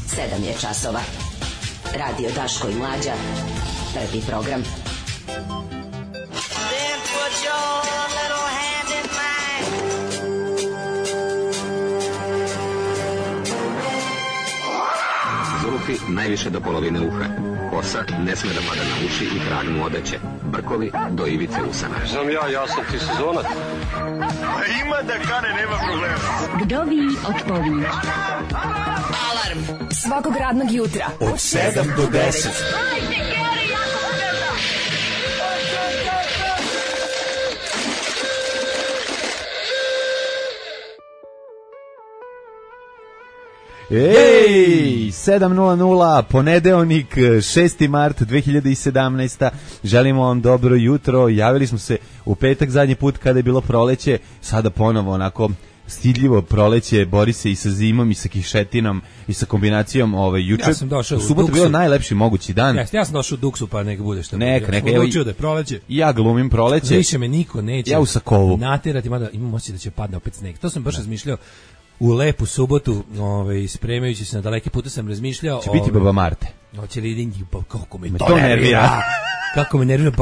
7 je časova. Radio Daško i Mlađa. Prvi program. Then put your little hand in mine. Zulufi najviše do polovine uha. Kosa ne sme da pada na uši i krag mu odeće. Brkovi do ivice usana. Znam ja sam ti sezonac. Ima da kane, nema problema. Vdovi odpovi. Alarm Svakog radnog jutra od 7 do 10. Ej, 7:00, ponedeljnik, 6. mart 2017. Želimo vam dobro jutro. Javili smo se u petak zadnji put kada je bilo proleće, sada ponovo onako stidljivo proleće, bori se i sa zimom i sa kišetinom i sa kombinacijom juče. Ja sam došao u subotu bio najlepši mogući dan. Ja sam došao u Duksu, pa neka bude što. Neka, odlučio da je proleće. Ja glumim proleće. Više me niko neće. Ja u Sakovu. Naterati, mada imam osjećaj da će padne opet sneg. To sam baš razmišljao. U lepu subotu, spremajući se na daleki put, sam razmišljao. Će biti Baba Marte. Hoće li idinti, kako me to nervira. Kako me nervira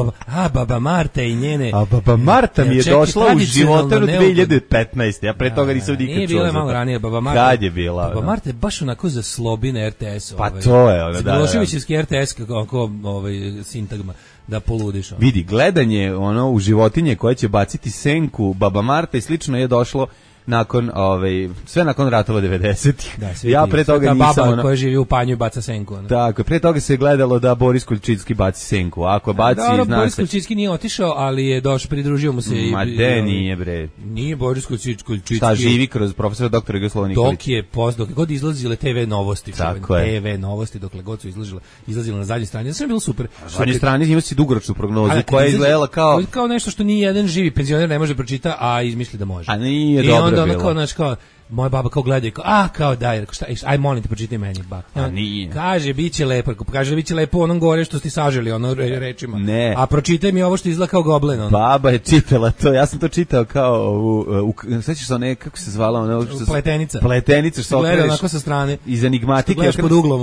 Baba Marta i njene. A Baba Marta mi je došla u životaru 2015. Ja pre toga nisam nikad čuo. Nije bila malo ranije Baba Marta. Kad je bila? Baba Marta je baš onako za slobi na RTS. Pa to je ona, da. Miloševićevski RTS, kako sintagma. Da poludiš. Vidi, gledanje u životinje koje će baciti senku Baba Marta i slično je došlo nakon sve nakon ratova 90-ih. Da, ja pre toga nisam baba koja živi u Panju i baca senku. Tako, pre toga se gledalo da Boris Kuljčicki baci senku. Ako baci, zna Boris Kuljčicki nije otišao, ali je došao, pridružio mu se nije bre. Nije Boris Kuljčicki. Šta živi kroz profesora doktora Jugoslava Nikolića. Dok god izlazile TV novosti, TV novosti dokle god su izlazile na zadnjoj strani. Sve je bilo super. Na zadnjoj strani ima si dugoročnu prognozu koja je izgledala kao nešto što ni jedan živi penzioner ne može pročita, a izmisli da može. A nije dobro. Onda kao, moja baba kao gleda i kao, daj, šta, aj molim te, pročitaj meni, ba. A nije. Kaže, bit će lepo, kaže, bit će lepo onom gore što ste saželi, rečima. Ne. A pročitaj mi ovo što izgleda kao goblen, Baba je čitala to, ja sam to čitao kao, sećaš se one, kako se zvala, Pletenica. Pletenica, što gleda onako sa strane. Iz enigmatike. Gledaš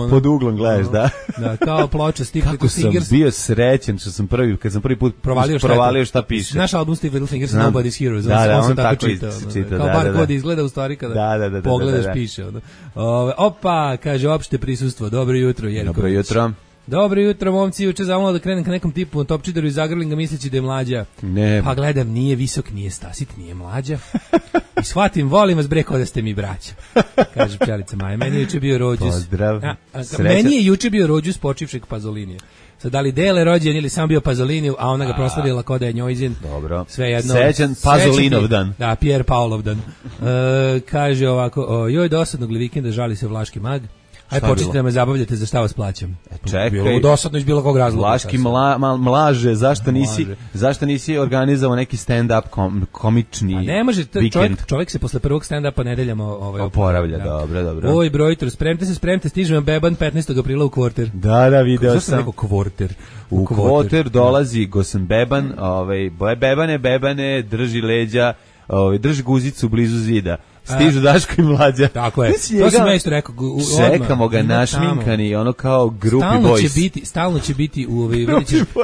pod uglom gledaš, da. Da, kao ploča Steve Little Fingers. Kako sam bio srećen što sam kad sam prvi put provalio šta piše. Naš album Steve Little Fingers, Nobody's Heroes, on sam tako čitao. Kao bar god izgleda u stvari kada pogledaš piše. Opa, kaže opšte prisustvo, dobro jutro Jerković. Dobro jutro. Dobro jutro, momci, juče zamolio da krenem ka nekom tipu topčideru iz Zagrlinga misleći da je Mlađa. Ne. Pa gledam, nije visok, nije stasit, nije Mlađa. I shvatim, volim vas bre, kao da ste mi braća. Kaže pčelica Maja, meni je juče bio rođus. Pozdrav. Meni je juče bio rođus počivšeg Pazolinija. Sad, da li dele rođen ili sam bio Pazoliniju, a ona ga proslavila kao da je njojzin. Dobro. Svejedno. Sećan Pazolinov dan. Da, Pierre Paulov dan. Kaže ovako, joj dosadnog li vikenda, žali se Vlaški mag. Aj počnite da me zabavljate, za šta vas plaćam. Čekaj. Bilo dosadno iz bilo kog razloga. Vlaški mlaže, zašto nisi organizovao neki stand-up komični vikend? A ne može, čovjek se posle prvog stand-upa nedeljama oporavlja, dobro. Oj, brojitro, spremte, stižem Beban 15. aprila u Kvorter. Da, video sam. Zašto rekao Kvorter? U Kvorter dolazi Gosan Beban, Bebane, drži leđa, drži guzicu blizu zida. Stižu Daško i Mlađa. Tako je. To sam ja isto rekao. Čekamo ga našminkani, ono kao grupi boys. Stalno će biti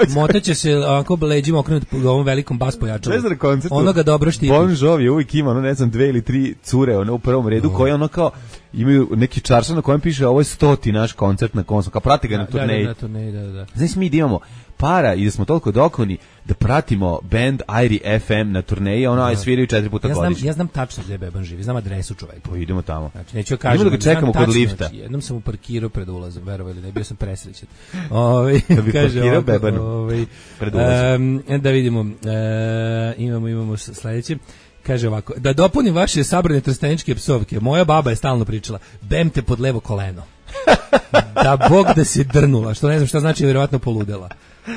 motaće se onako leđima okrenuti u ovom velikom bas pojačalu. Ne znam na koncertu. Onoga dobro štiti. Bon Jovi uvijek ima, 2 ili 3 cure u prvom redu koje ono kao imaju neki čaršan na kojem piše ovo je 100. naš koncert na kom smo, kao prati ga na turneji. Da. Znači mi da imamo para i da smo toliko dokoni da pratimo band Airi FM na turneji, sviraju 4 puta godišnje. Ja znam tačno gde Beban živi, znam adresu čoveka. Pa idemo tamo. Znači, neću kažem. Idemo da ga čekamo kod lifta. Znači, jednom sam u parkirao pred ulazom, verovali, ne bio sam presrećen. Da bi parkirao Bebanu pred ulazom. Da vidimo, imamo sledeće. Kaže ovako, da dopunim vaše sabrane trsteničke psovke, moja baba je stalno pričala, bem te pod levo koleno. Da Bog da se drnula, što ne znam šta znači, vjerovatno poludela.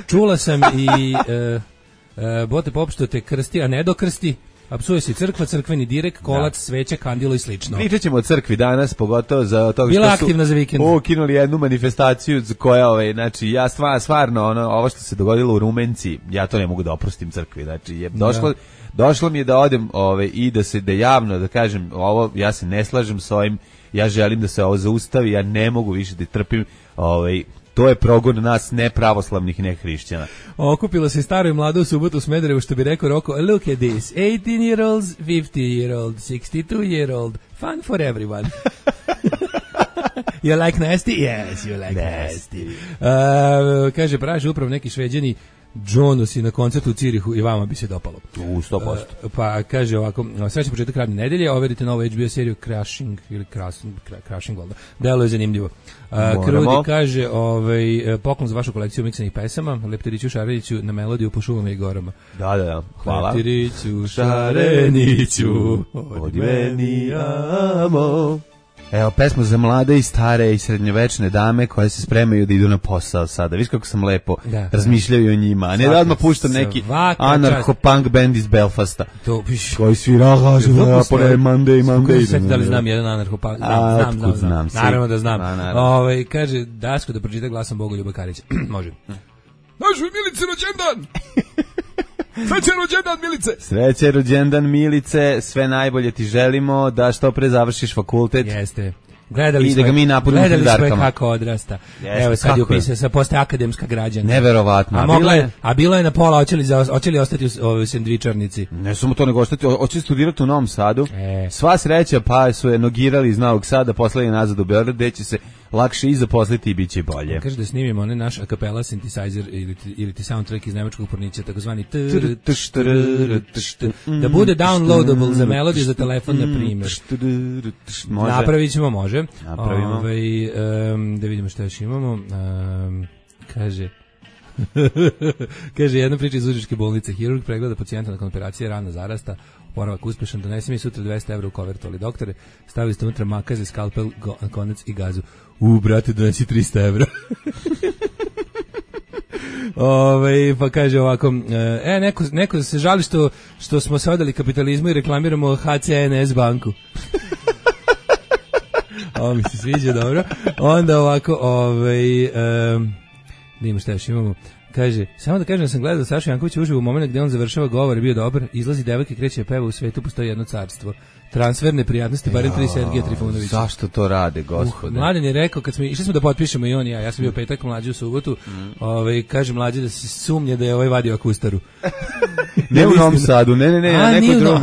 Čula sam i bote popšto te krsti, a ne dokrsti, a psuje se crkva, crkveni direk, kolac, sveća, kandilo i slično. Pričat ćemo o crkvi danas, pogotovo za to bila što aktivna za vikend. Ukinuli jednu manifestaciju koja, znači, ja stvarno, ovo što se dogodilo u Rumenci, ja to ne mogu da oprostim crkvi, znači, došlo mi je da odem i da javno, da kažem, ja se ne slažem s ovim ja želim da se ovo zaustavi, ja ne mogu više da trpim to je progon nas nepravoslavnih nehrišćana. Okupilo se staro i mlado u subotu u Smederevu, što bi rekao Roko, look at this, 18-year-olds, 50-year-old, 62-year-old, fun for everyone. You like nasty? Yes, you like nasty. Kaže, praže upravo neki Šveđani Jonusi na koncertu u Cirihu i vama bi se dopalo. U 100%. Pa kaže ovako, srećan početak radne nedelje, overite novu HBO seriju Crashing, ili Crashing, delo je zanimljivo. Krudi kaže, poklon za vašu kolekciju miksanih pesama, Leptiriću Šareniću na melodiju po šumama i gorama. Da, hvala. Leptiriću Šareniću, od meni amo. Evo, pesma za mlade i stare i srednjovečne dame koje se spremaju da idu na posao sada. Viš kako sam lepo razmišljaju o njima. A ne da odmah puštam neki anarcho-punk band iz Belfasta. Koji svira Monday. Da li znam jedan anarcho-punk? Znam. Naravno da znam. Kaže, Daško da pročita glasom Bogoljuba Karića. Može. Našu Milici rođendan! Srećan rođendan, Milice! Srećan rođendan, Milice, sve najbolje ti želimo, da što pre završiš fakultet. Jeste. Gledali smo kako odrasta. Jeste, evo sad je upisao, sad postaje akademska građanka. Neverovatno. A bilo je na pola, hoće li ostati u sendvičarnici? Ne samo to nego ostati, hoće studirati u Novom Sadu. Sva sreća, pa su je nogirali iz Novog Sada, poslali nazad u Beograd, gde će se lakše i zaposliti i bit će bolje. Kaže da snimimo onaj naš a cappella synthesizer ili ti soundtrack iz nemačkog pornića, takozvani da bude downloadable za melodiju za telefon, na primjer. Napravit ćemo, može. Napravimo. Da vidimo što još imamo. Kaže jedna priča iz Užičke bolnice. Hirurg pregleda pacijenta nakon operacije, rana zarasta, oporavak uspešan, donesi mi sutra 200 € u kovertu, ali doktore, stavili ste unutra makaze, skalpel, konac i gazu. Brate, donesi 300 €. Pa kaže ovako, neko se žali što smo se odali kapitalizmu i reklamiramo HCNS banku. Ovo mi se sviđa, dobro. Onda ovako, nima šta još imamo. Kaže, samo da kažem da sam gledao da Saša Janković uživo u momentu gde on završava govor je bio dobar, izlazi devojka i kreće peva, u svetu postoji jedno carstvo. Transferne prijatnosti, barem 3 Sergeja Trifunovića. Zašto to rade, gospode? Mladen je rekao, kad smo išli smo da potpišemo i on i ja sam bio petak, Mlađe u subotu, kaže Mlađe da se sumnje da je vadio akustaru. Ne u Novom Sadu, ne, neko drugo.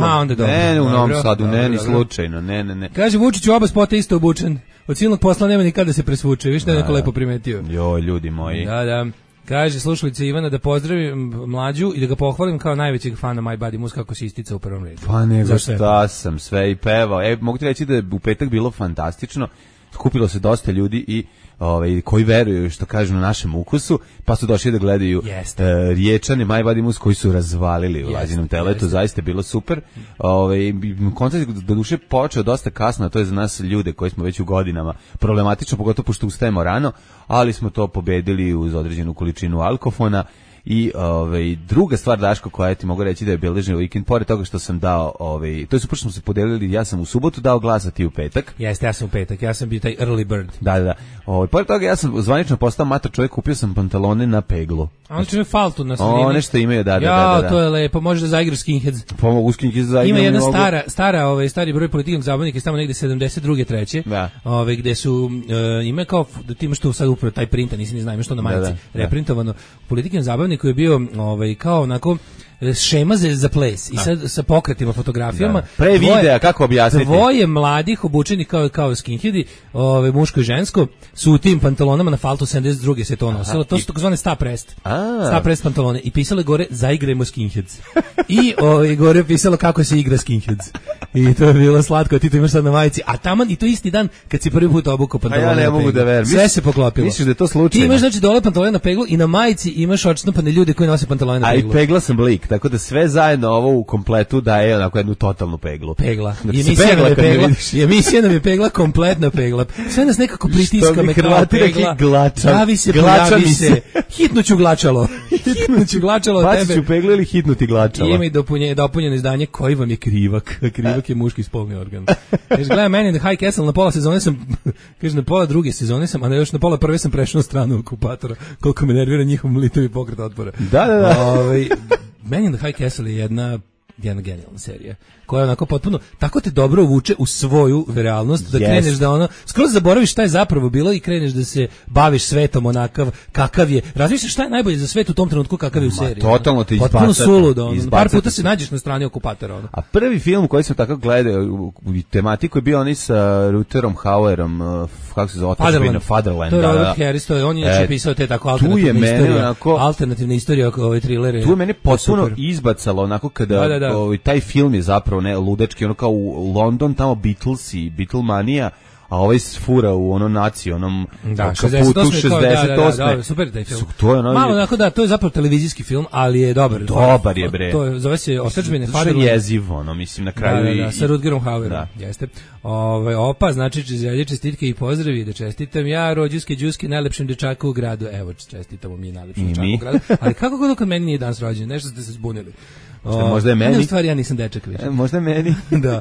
Ne u Novom Sadu, ni slučajno, ne. Kaže Vučić u oba spota isto obučen. Od silnog posla nema nikada da se presvuče, viš da je neko lepo primetio. Joj, ljudi moji. Da. Kaže slušalica Ivana da pozdravim Mlađu i da ga pohvalim kao najvećeg fana My Body Mus, kako se istica u prvom redu. Pa nego šta sam sve i pevao. Mogu ti reći da je u petak bilo fantastično. Skupilo se dosta ljudi i koji veruju što kažu na našem ukusu, pa su došli da gledaju Riječane, My Body Mus koji su razvalili u Lazinom teletu, zaista je bilo super. Koncert do duše počeo dosta kasno, to je za nas ljude koji smo već u godinama problematično, pogotovo pošto ustajemo rano, ali smo to pobedili uz određenu količinu alkofona. I druga stvar, Daško, koja ti mogu reći da je beležio vikend, pored toga što sam dao, to je super što smo se podelili, ja sam u subotu dao glas, a ti u petak. Jeste, ja sam u petak, ja sam bio taj early bird. Da. Pored toga ja sam zvanično postao mator čovjek, kupio sam pantalone na peglu. A on će faltu na sredini. One što imaju, da. Ja, to je lepo, možeš da zaigraš skinheads. Pomogu skinheads da ima jedna stari broj politikog zabavnika, tamo negde 72. treće, gde su, ima kao, da ti imaš tu sad upravo taj printa, nisi ni znao što na majici, reprintovano. Politikom zabavniku je bio kao onako šema za ples i sad sa pokretima, fotografijama. Pre videa, kako objasniti? Dvoje mladih obučeni kao skinheadi, muško i žensko, su u tim pantalonama na faltu 72. se to nosilo. To su takozvane staprest pantalone. I pisalo gore, zaigrajmo skinheads. I gore pisalo kako se igra skinheads. I to je bilo slatko, ti to imaš sad na majici. A taman, i to isti dan, kad si prvi put obukao pantalone. Ja ne mogu da verujem. Sve se poklopilo. Misliš da je to slučajno? Ti imaš znači dole pantalone na peglu i na majici imaš odštampane ljude koji nose pantalone na peglu. A i pegla sam lik, tako da sve zajedno ovo u kompletu daje onako jednu totalnu peglu. Pegla. Emisija nam je pegla, kompletna pegla. Sve nas nekako pritiska me kao pegla. Javi se. Hitnuću glačalo. Baci ću peglu ili hitnuti glačalo. Ima i dopunjeno izdanje koji vam je krivak. Krivak je muški spolni organ. Kaže, gledam meni The High Castle, na pola sezone sam, kaže, na pola druge sezone sam, a još na pola prve sam prešao na stranu okupatora. Koliko me nervira njihov litovi pokret otpora. Da. Man in the High Castle je jedna jedna genijalna serija. Koja onako potpuno, tako te dobro uvuče u svoju realnost, da kreneš da ono, skroz zaboraviš šta je zapravo bilo i kreneš da se baviš svetom onakav, kakav je. Razmišljaš šta je najbolje za svet u tom trenutku kakav je u seriji. Totalno te izbacate. Potpuno suludo. Par puta se nađeš na strani okupatora. Ono. A prvi film koji sam tako gledao u tematiku je bio onaj sa Rutgerom Hauerom, kako se zove, Fatherland. To je Robert Harris, to je on je pisao te tako alternativne istorije, ove trilere. Tu je mene potpuno izbacalo onako kada taj film je zapravo ne ludački, ono kao u London, tamo Beatlesi, Beatlemanija, a ovaj fura u ono naciji, onom kaputu 68. Da, super taj film. To je malo onako to je zapravo televizijski film, ali je dobar. Dobar je, bre. To je, zove se Ostačbine Fatherland. To je jeziv, ono, mislim, na kraju. Da, sa Rutgerom Hauerom, jeste. Opa, znači čestitke i pozdravi, da čestitam ja, rođuske džuske, najlepšem dečaku u gradu. Evo, čestitamo mi najlepšem dečaku u gradu. Ali kako god kod meni nije danas rođen, nešto ste se zbunili. Možda je meni. Ne, u stvari ja nisam dečak više. Možda je meni. Da.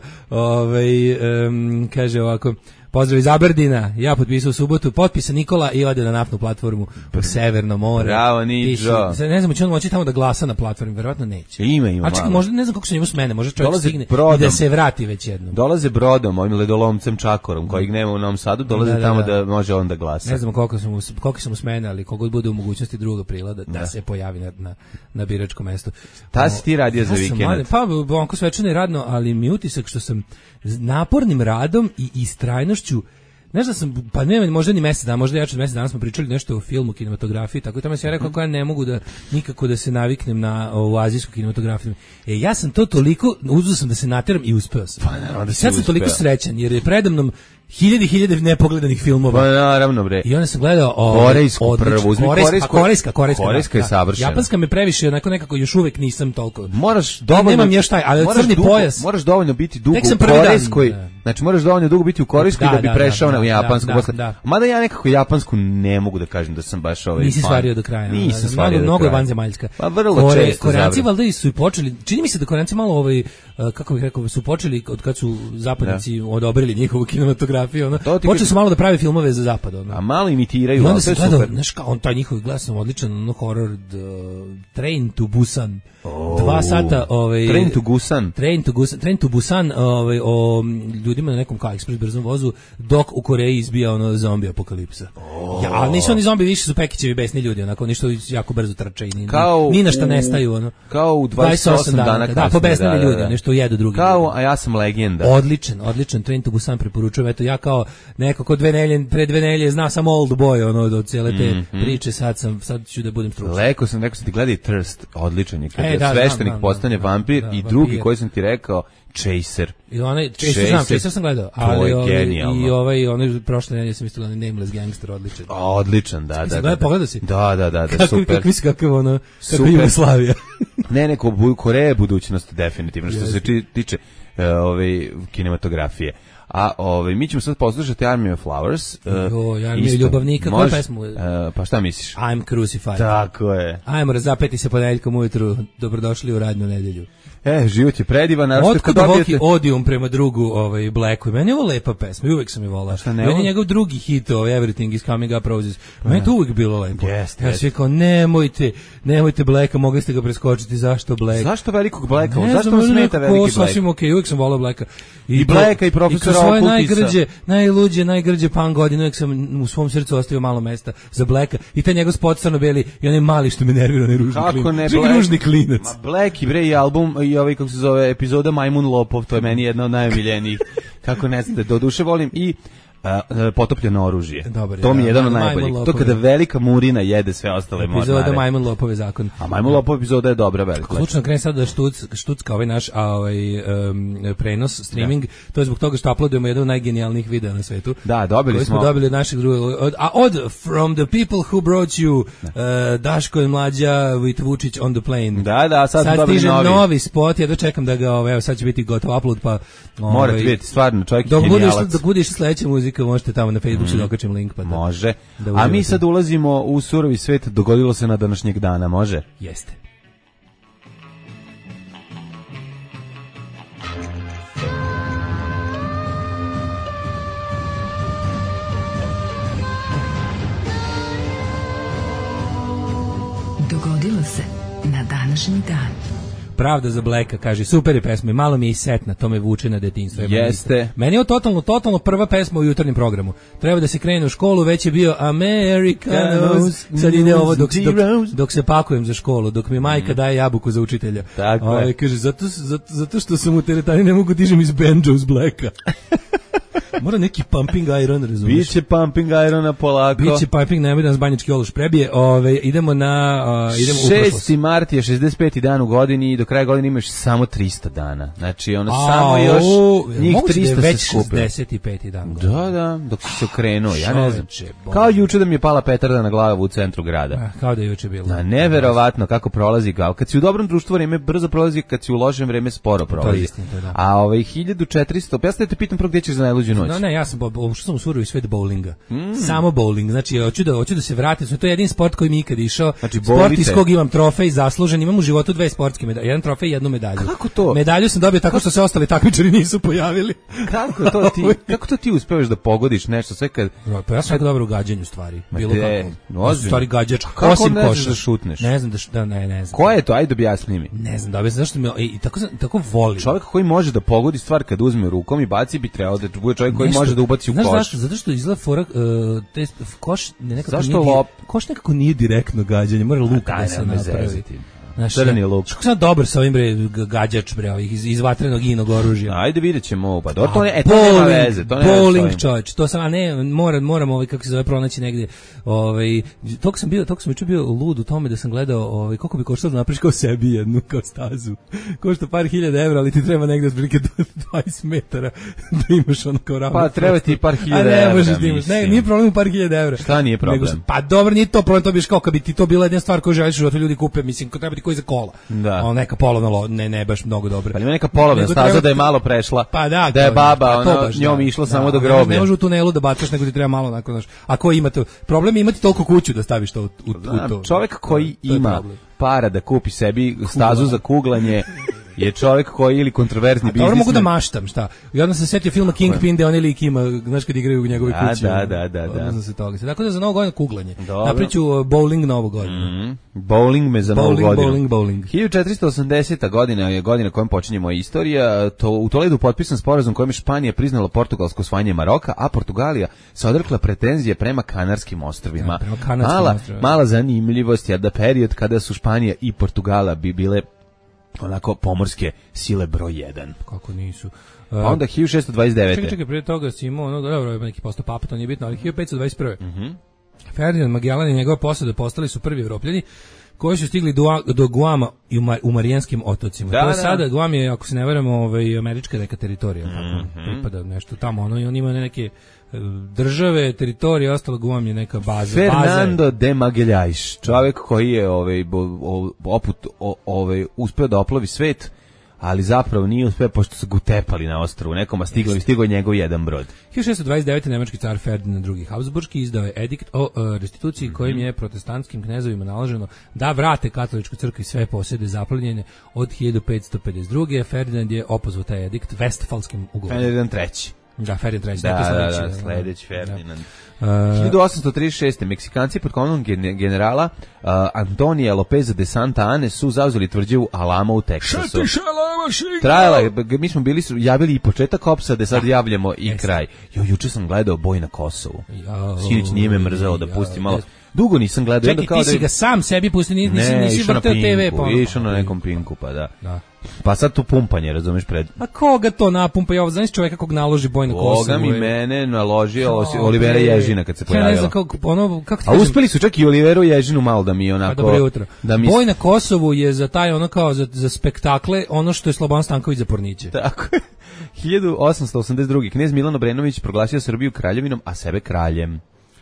Kaže ovako, pozdrav iz Aberdina, ja potpisao u subotu, potpisa Nikola i ode na naftnu platformu u Severno more. Bravo, Niđo. Ne znam, će on moći tamo da glasa na platformi, verovatno neće. Ima. A čekaj, možda ne znam kako se njemu smene, možda čovjek stigne i da se vrati već jednom. Dolaze brodom, ovim ledolomcem Čakorom, kojeg nema u Novom Sadu, dolaze tamo da može on da glasa. Ne znam koliko su mu smene, ali kogod bude u mogućnosti 2. aprila da se pojavi na biračkom mestu. Ta si ti radio za vikend? Pa, onko svečano i radno, ali mi utisak što sam napornim radom i istrajnošću, nešto sam, pa ne, možda ni mesec dana, možda jače od mesec dana smo pričali nešto o filmu, kinematografiji, tako da sam ja rekao kako ja ne mogu nikako da se naviknem na ovu azijsku kinematografiju. Ja sam to toliko, uzeo sam da se nateram i uspeo sam. Pa, sad sam toliko srećan, jer je predamnom hiljade nepogledanih filmova. Pa naravno, bre. I onda sam gledao korejsku prvu, korejska je savršena. Japanska me previše, onako nekako još uvek nisam toliko. Moraš dovoljno, nemam još taj, ali crni pojas. Moraš dovoljno biti dugo u korejskoj. Znači moraš dovoljno dugo biti u korejskoj da bi prešao na japansku posle. Mada ja nekako japansku ne mogu da kažem da sam baš Nisi stvario do kraja. Nisam stvario. Mnogo je vanzemaljska. Pa vrlo često. Koreanci valjda su i počeli. Čini mi se da Koreanci malo kako bih rekao, su počeli od kad su zapadnici odobrili njihovu kinematografiju, počeli su malo da prave filmove za zapad, a malo imitiraju. I onda se gledao, znaš kao, on taj njihov glas nam odličan, horor, Train to Busan. 2 sata, Train to Busan, o ljudima na nekom kao ekspres brzom vozu, dok u Koreji izbija zombi apokalipsa. Ali nisu oni zombi, više su Pekićevi besni ljudi, onako, ništo jako brzo trče i ni na šta nestaju, kao u 28 dana kasnije. Da, pobesnili ljudi, nešto jedu drugi. Kao, a ja sam legenda. Odličan, Train to Busan preporučujem, eto, ja kao neko ko pre 2 nedelje zna sam Old Boy, od cijele te priče, sad ću da budem stručan. Rekao sam ti gledaj Thirst, odličan je, kada sveštenik postane vampir i drugi koji sam ti rekao, Chaser. I onaj Chaser sam gledao, ali i onaj prošle nedelje sam isto gledao Nameless Gangster, odličan. Odličan, da. Pogledao si? Da, super. Kako Jugoslavija. Ne, Koreja je budućnost definitivno, što se tiče kinematografije. A mi ćemo sad poslušati Army of Flowers. Armiju ljubavnika, koju pesmu? Pa šta misliš? I'm Crucified. Tako je. Ajmo razapeti se ponedeljkom ujutru, dobrodošli u radnu nedelju. Život je predivan. Otkud duboký odijum prema drugu Blacku. Meni je ovo lepa pesma, uvek sam je volao. Meni je njegov drugi hit, Everything is Coming Up Roses. Meni to uvek bilo lepo. Ja sam kao, nemojte Blacka, mogli ste ga preskočiti, zašto Black? Zašto velikog Blacka? Zašto vam smeta veliki Black? Sasvim okej, uvek sam volao Blacka. I Blacka i profesora Okultisa. Najgrđe punk godine, uvek sam u svom srcu ostavio malo mesta za Blacka. I taj njegov spot crno-beli i onaj mali što me nervira, onaj ružni klinac. Black i album i kako se zove epizoda Majmun Lopov, to je meni jedna od najomiljenijih. Kako ne znate, doduše volim i potopljeno oružje. Dobar, to mi je jedan od najboljih. To kada velika Murina jede sve ostale mornare. Epizoda Majmun Lopove zakon. A Majmun Lopov epizoda je dobra, velika. Slučno krene sad da štucka ovaj naš prenos, streaming, to je zbog toga što uploadujemo jedan od najgenijalnijih videa na svetu. Da, dobili smo. Dobili od naših drugog. Od From the People Who Brought You, Daško i Mlađa with Vučić on the plane. Da, sad stiže novi spot, ja dočekam da ga, evo sad će biti gotov upload, pa... Morate vidjeti, stvarno, čovjek je genijalac. Dok budeš sledeća muzika, možete tamo na Facebooku da okačim link. Pa može. A mi sad ulazimo u surovi svet, dogodilo se na današnjeg dana, može? Jeste. Dogodilo se na današnji dan. Pravda za Blacka, kaže, super je pesma, malo mi je i setna, to me vuče na detinjstvo. Jeste. Meni je totalno prva pesma u jutarnjem programu. Treba da se krene u školu, već je bio Americanos, sad ide ovo dok se pakujem za školu, dok mi majka daje jabuku za učitelja. Tako je. Kaže, zato što sam u teretani ne mogu dižem iz banjo uz Blacka. Mora neki pumping iron, razumiješ? Biće pumping irona polako. Biće pumping, nemoj da nas banjički oluš prebije. Idemo u prošlost. 6. mart je 65. dan u godini i do kraja godine imaš samo 300 dana. Znači, samo još njih 300 se skupe. Već 65. dan. Da, dok si se okrenuo, ja ne znam. Kao juče da mi je pala petarda na glavu u centru grada. Kao da je juče bilo. Neverovatno kako prolazi kao. Kad si u dobrom društvu, vreme brzo prolazi, kad si u lošem, vreme sporo prolazi. To je istina, da. A 1400, ja te pitam prvo gdje ćeš za najluđu noć. No, ne, ja sam ušao u surovi svet bowlinga. Samo bowling. Znači, hoću da se vratim. To je jedin sport koji mi ikad išao. Znači, sport iz kog imam trofej zaslužen. Imam u životu 2 sportske medalje. Jedan trofej i jednu medalju. Kako to? Medalju sam dobio tako što se ostali takmičari nisu pojavili. Kako to ti uspevaš da pogodiš nešto sve kad... Pa ja sam jako dobro u gađanju stvari. Bilo kako. Stvari gađač. Kako ne znaš da šutneš? Ne znam ne znam. Ko je to? Ajde objasni mi. Ne znam, da zašto me i tako volim. Čovjek koji može da pogodi stvar kad uzme rukom i baci bi trebao da bude čovjek koji može da ubaci u koš. Znaš zašto? Zato što izgleda fora koš koš nekako nije direktno gađanje, mora luka da se napravi. Crni luk. Što sam dobar sa ovim gađač ovih iz vatrenog inog oružja. Ajde vidjećemo ovo. Pa to nema veze, to nema. Bowling, čovjek. To sam moram kako se zove pronaći negdje. Tog sam juče bio lud u tome da sam gledao koliko bi koštalo da napraviš kao sebi jednu kao stazu. Košta par hiljada evra, ali ti treba negdje otprilike 20 metara da imaš ono kao ravno. Pa treba ti par hiljada evra. A ne možeš da imaš. Ne, nije problem u par hiljada evra. Šta nije problem? Pa dobro, nije to problem, to biš kao kad bi ti to bila jedna stvar koju želiš u životu ljudi kupe, mislim, ko treba ti koji za kola. Da. Neka polovna, ne baš mnogo dobro. Pa ima neka polovna staza da je malo prešla. Pa da je baba njom išla samo do groblja. Ne može u tunelu da bacaš, nego ti treba malo onako, znaš. Ako imate problem je imati toliko kuću da staviš to u to. Čovjek koji ima para da kupi sebi stazu za kuglanje je čovjek koji ili kontroverzni biznismen. Dobro mogu da maštam, šta? I onda se setio filma Kingpin, gde oni lik ima, znaš kad igraju u njegove kući. Da. Se toga. Tako da za novu godinu kuglanje. Napriču bowling novu godinu. Bowling me za novu godinu. Bowling. 1480. godina je godina kojom počinje moja istorija. U Toledu potpisan sporazum kojim je Španija priznala portugalsko osvajanje Maroka, a Portugalija se odrekla pretenzije prema Kanarskim ostrvima. Mala zanimljivost je da period kada su Španija i Portugala bi bile onako pomorske sile broj 1. Kako nisu. Pa onda 1629. Čekaj, prije toga si imao, dobro, neki postao papa, to nije bitno, ali 1521. Ferdinand Magellan i njegova posada postali su prvi Evropljani koji su stigli do Guama i u Marijanskim otocima. To je sada, Guam je, ako se ne varamo, američka neka teritorija, pripada nešto tamo, i on ima neke države, teritorije, ostalo Guam je neka baza. Fernando de Magalhães, čovjek koji je uspeo da oplovi svet, ali zapravo nije uspeo pošto su ga utepali na ostrvu nekom, a stigao je njegov jedan brod. 1629. nemački car Ferdinand II. Habsburgski izdao je edikt o restituciji kojim je protestantskim knezovima naloženo da vrate katoličku crkvu i sve posjede zaplenjene od 1552. Ferdinand je opozvao taj edikt Vestfalskim ugovorom. Ferdinand III. Da, Ferdinand III. Da, sledeći Ferdinand. 1836. Meksikanci pod komandom generala Antonija Lopeza de Santa Ane su zauzeli tvrđavu Alamo u Teksasu. Trajala je, mi smo javili i početak opsade, sad javljamo i kraj. Juče sam gledao Boj na Kosovu. Sinoć nije me mrzelo da pustim malo. Dugo nisam gledao. Čekaj, ti si ga sam sebi pustio, nisi vrteo TV. Išao na nekom Pinku, pa da. Pa sad tu pumpanje, razumiješ, pred... A koga to napumpa? Ja znaš čovjeka kog naloži Boj na Kosovu? Koga mi mene naložio Olivera Ježina kad se pojavila. Ja ne znam kako ti a uspeli su čak i Oliveru Ježinu malo da mi onako... Dobro jutro. Boj na Kosovu je za taj kao za spektakle ono što je Slobodan Stanković za porniće. Tako je. 1882. Knez Milan Obrenović proglasio Srbiju kraljevinom, a sebe kraljem.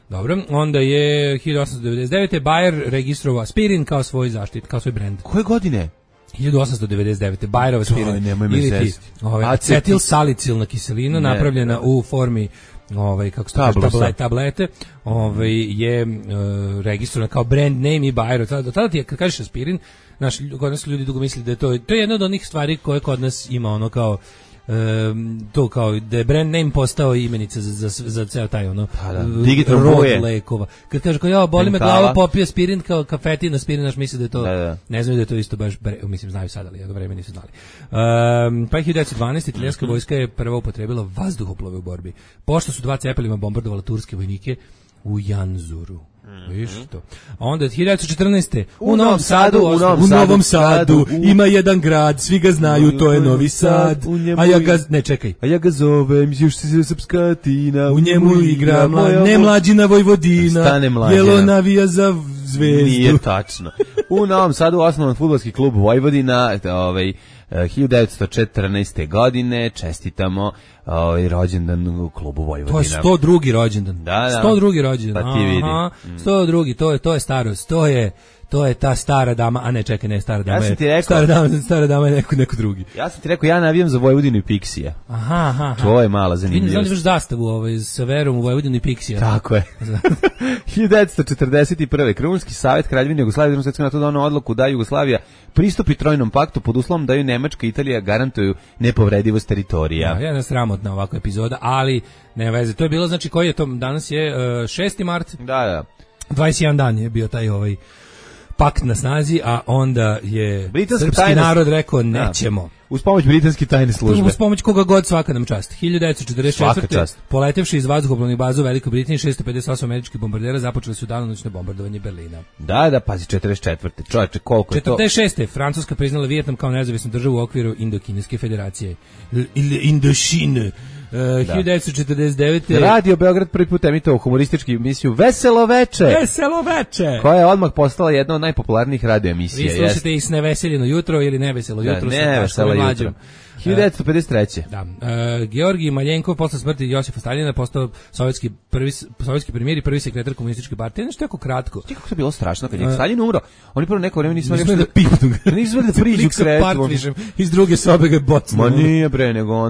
Dobro, onda je 1899. Bayer registrovao aspirin kao svoj zaštit, kao svoj brend. Koje godine? 1899. Bayerova aspirin. Ili ti acetil salicilna kiselina napravljena u formi kako se kaže tablete, je registrovana kao brand name i Bayer. Tada ti je, kad kažeš aspirin, kod nas ljudi dugo misli da je to je jedna od onih stvari koje kod nas ima ono kao to kao da je brand name postao imenica za ceo taj ono digitalno rod boje lekova. Kad kaže kao ja boli me glava, popio aspirin kao kafetin, aspirin, naš misli da je to ne znaju da je to isto baš mislim znaju sad, ali jedno vreme nisu znali. Pa 1912 italijanska vojska je prva upotrebila vazduhoplove u borbi. Pošto su 2 cepelina bombardovala turske vojnike u Janzuru. Viš to. A onda 1914. U Novom Sadu ima jedan grad, svi ga znaju, to je Novi Sad. A ja ga zovem, još se srpska tina, u njemu igra nemlađina Vojvodina, jelo navija za Zvezdu. Nije tačno. U Novom Sadu osnovan fudbalski klub Vojvodina, 1914. godine, čestitamo rođendan u klubu Vojvodina. To je 102. rođendan. Da. 102. rođendan. Pa ti vidi. 102. To je starost. To je ta stara dama, a ne čekaj, ne stara dama. Ja sam ti rekao, stara dama je neko drugi. Ja sam ti rekao, ja navijam za Vojvodinu i Pixija. Aha. To je mala zanimljivost. Vidim, znaš zastavu sa Verom u Vojvodinu i Pixija. Tako je. 1941. Krunski savjet Kraljevine Jugoslavije na to doneo odluku da Jugoslavija pristupi Trojnom paktu pod uslovom da ju Nemačka i Italija garantuju nepovredivost teritorija. Ja, jedna sramotna ovakva epizoda, ali ne veze. To je bilo, znači, koji je to, danas je 6. mart. Da. 21 dan je bio taj pakt na snazi, a onda je britanska srpski narod rekao nećemo. Uz pomoć britanske tajne službe. Uz pomoć koga god, svaka nam čast. 1944. Poletevši iz vazduhoplovnih baza u Velikoj Britaniji, 658 američkih bombardera započeli su danonoćno bombardovanje Berlina. Da, pazi, 44. Čovječe, koliko je to? 46. Francuska priznala Vijetnam kao nezavisnu državu u okviru Indokineske federacije. Ili Indošine. 1949. Radio Beograd prvi put emitovao humorističku emisiju Veselo veče, koja je odmah postala jedna od najpopularnijih radio emisija. Vi slušate i s Neveseljeno jutro ili Neveselo jutro. Neveselo jutro. 1953. Da. Georgij Maljenkov posle smrti Josipa Staljina postao sovjetski premijer i prvi sekretar komunističke partije. Nešto jako kratko. Kako to bilo strašno kad je Staljin umro. Oni prvo neko vreme nisu da priđu kretu. Iz druge sobe ga bocnu. Ma nije bre, nego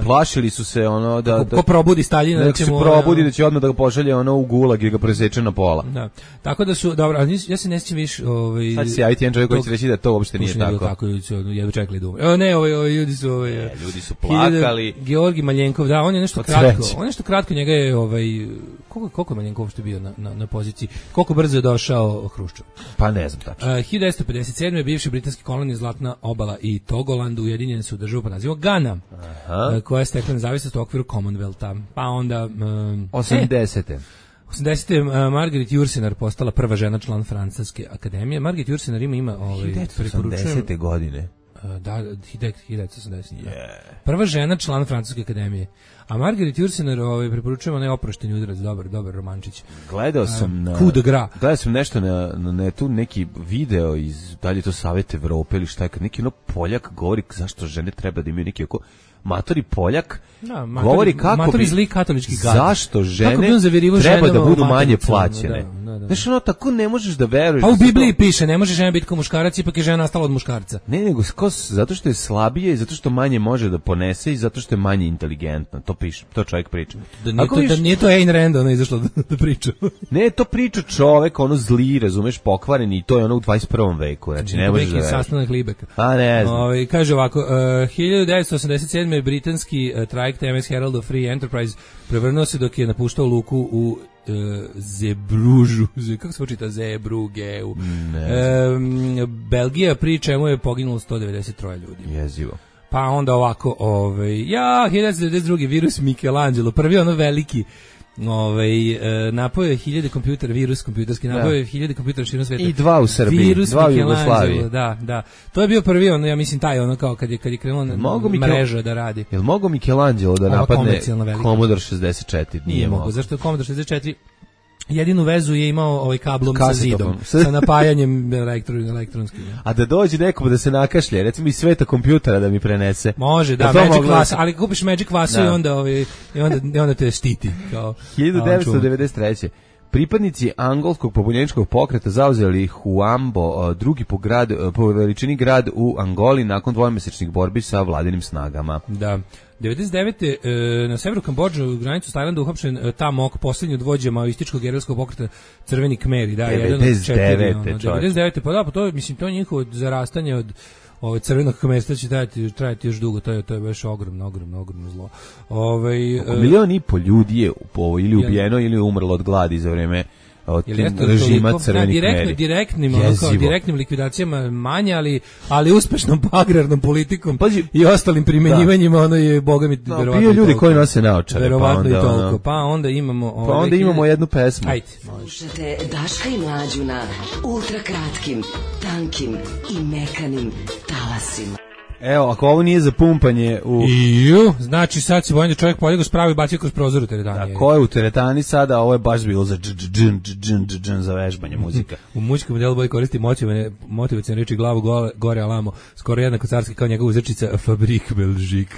plašili su se da ko probudi Staljina, da će mu probudi da će odmah da ga pošalje u gulag i ga preseče na pola. Da. Tako da su dobro, ja se ne sjećam više sad se javiti jedan čovjek koji će reći da to uopšte nije tako. Jedva čekali da umre. Ne, ljudi su plakali. Georgij Maljenkov, da, on je nešto kratko. Njega je koliko je Maljenkov što bio na poziciji, koliko brzo je došao Hruščov. Pa ne znam tačno. 1957. bivši britanski kolonije Zlatna obala i Togoland ujedinjeni su u državu pod nazivom Gana, koja je stekla nezavisnost u okviru Commonwealtha. Pa onda 80. 80. Margaret Jursenar postala prva žena član Francuske akademije. Margaret Jursenar ima 1980. godine. Da, 1980. Prva žena član Francuske akademije. A Margaret Jursenar preporučujemo onaj oprošteni udarac, dobar romančić. Gledao sam nešto na netu, neki video iz, da li je to Savjet Evrope ili šta je, kad neki Poljak govori zašto žene treba da imaju neki oko matori Poljak, govori kako bi zli katolički gad. Zašto žene treba da budu manje plaćene. Znaš, tako ne možeš da veruješ. Pa u Bibliji piše, ne može žena biti kao muškarac, ipak je žena nastala od muškarca. Ne, nego zato što je slabije i zato što manje može da ponese i zato što je manje inteligentna. To čovjek priča. Da nije to Ayn Rand, ona izašla da priča. Ne, to priča čovek, zli, razumeš, pokvareni, i to je u 21. veku. Znači, ne možeš da veruješ. Sastanak Libeka. Pa ne znam. Kaže ovako, 1987. britanski trajekt MS Herald of Free Enterprise prevrnuo se dok je napuštao luku u Zebružu, kako se počita Zebrugeu. Belgija, pri čemu je poginulo 193 ljudi. Jezivo. Pa onda ovako, 1992. virus Michelangelo, prvi veliki napao je 1000 kompjutera, virus kompjuterski, napao je 1000 kompjutera širom sveta. I 2 u Srbiji, 2 u Jugoslaviji. Da. To je bio prvi, ja mislim, taj kao kad je krenuo mreža da radi. Jel mogo Michelangelo da napadne Commodore 64? Nije mogo. Zašto je Commodore 64? Jedinu vezu je imao kablom sa zidom, sa napajanjem elektronskim. A da dođe nekom da se nakašlje, recimo iz sveta kompjutera da mi prenese. Može, da, Magic Vasu, ali kupiš Magic Vasu i onda te štiti. 1993. Pripadnici angolskog pobunjeničkog pokreta zauzeli Huambo, drugi po veličini grad u Angoli nakon dvomesečnih borbi sa vladinim snagama. Da. 99. Na severu Kambodže u granicu s Tajlandom uhapšen Tamok, posljednji od vođa maoističkog gerilskog pokreta Crveni Kmeri, da, 99. Pa da, pa to mislim to njihovo zarastanje od crvenog kmerstva će trajati još dugo, to je baš ogromno zlo. Milion i po ljudi je ili ubijeno ili umrlo od gladi za vreme od režima Crvenih Kmeri. Direktnim likvidacijama manje, ali uspešnom agrarnom politikom i ostalim primenjivanjima, ono je, boga mi, verovatno bio ljudi koji nose naočare. Verovatno i toliko. Pa onda imamo jednu pesmu. Ajde. Slušate Daška i Mlađu na ultra kratkim, tankim i mekanim talasima. Evo, ako ovo nije za pumpanje znači sad se bojim da čovjek poljego spravi i bacio kroz prozor u teretani. Da, ko je u teretani sada, ovo je baš bilo za za vežbanje muzika. U muzičkom modelu bolje koristi motivacijne reči glavu gore alamo, skoro jednako carski kao njegova uzrečica Fabrik Belžik.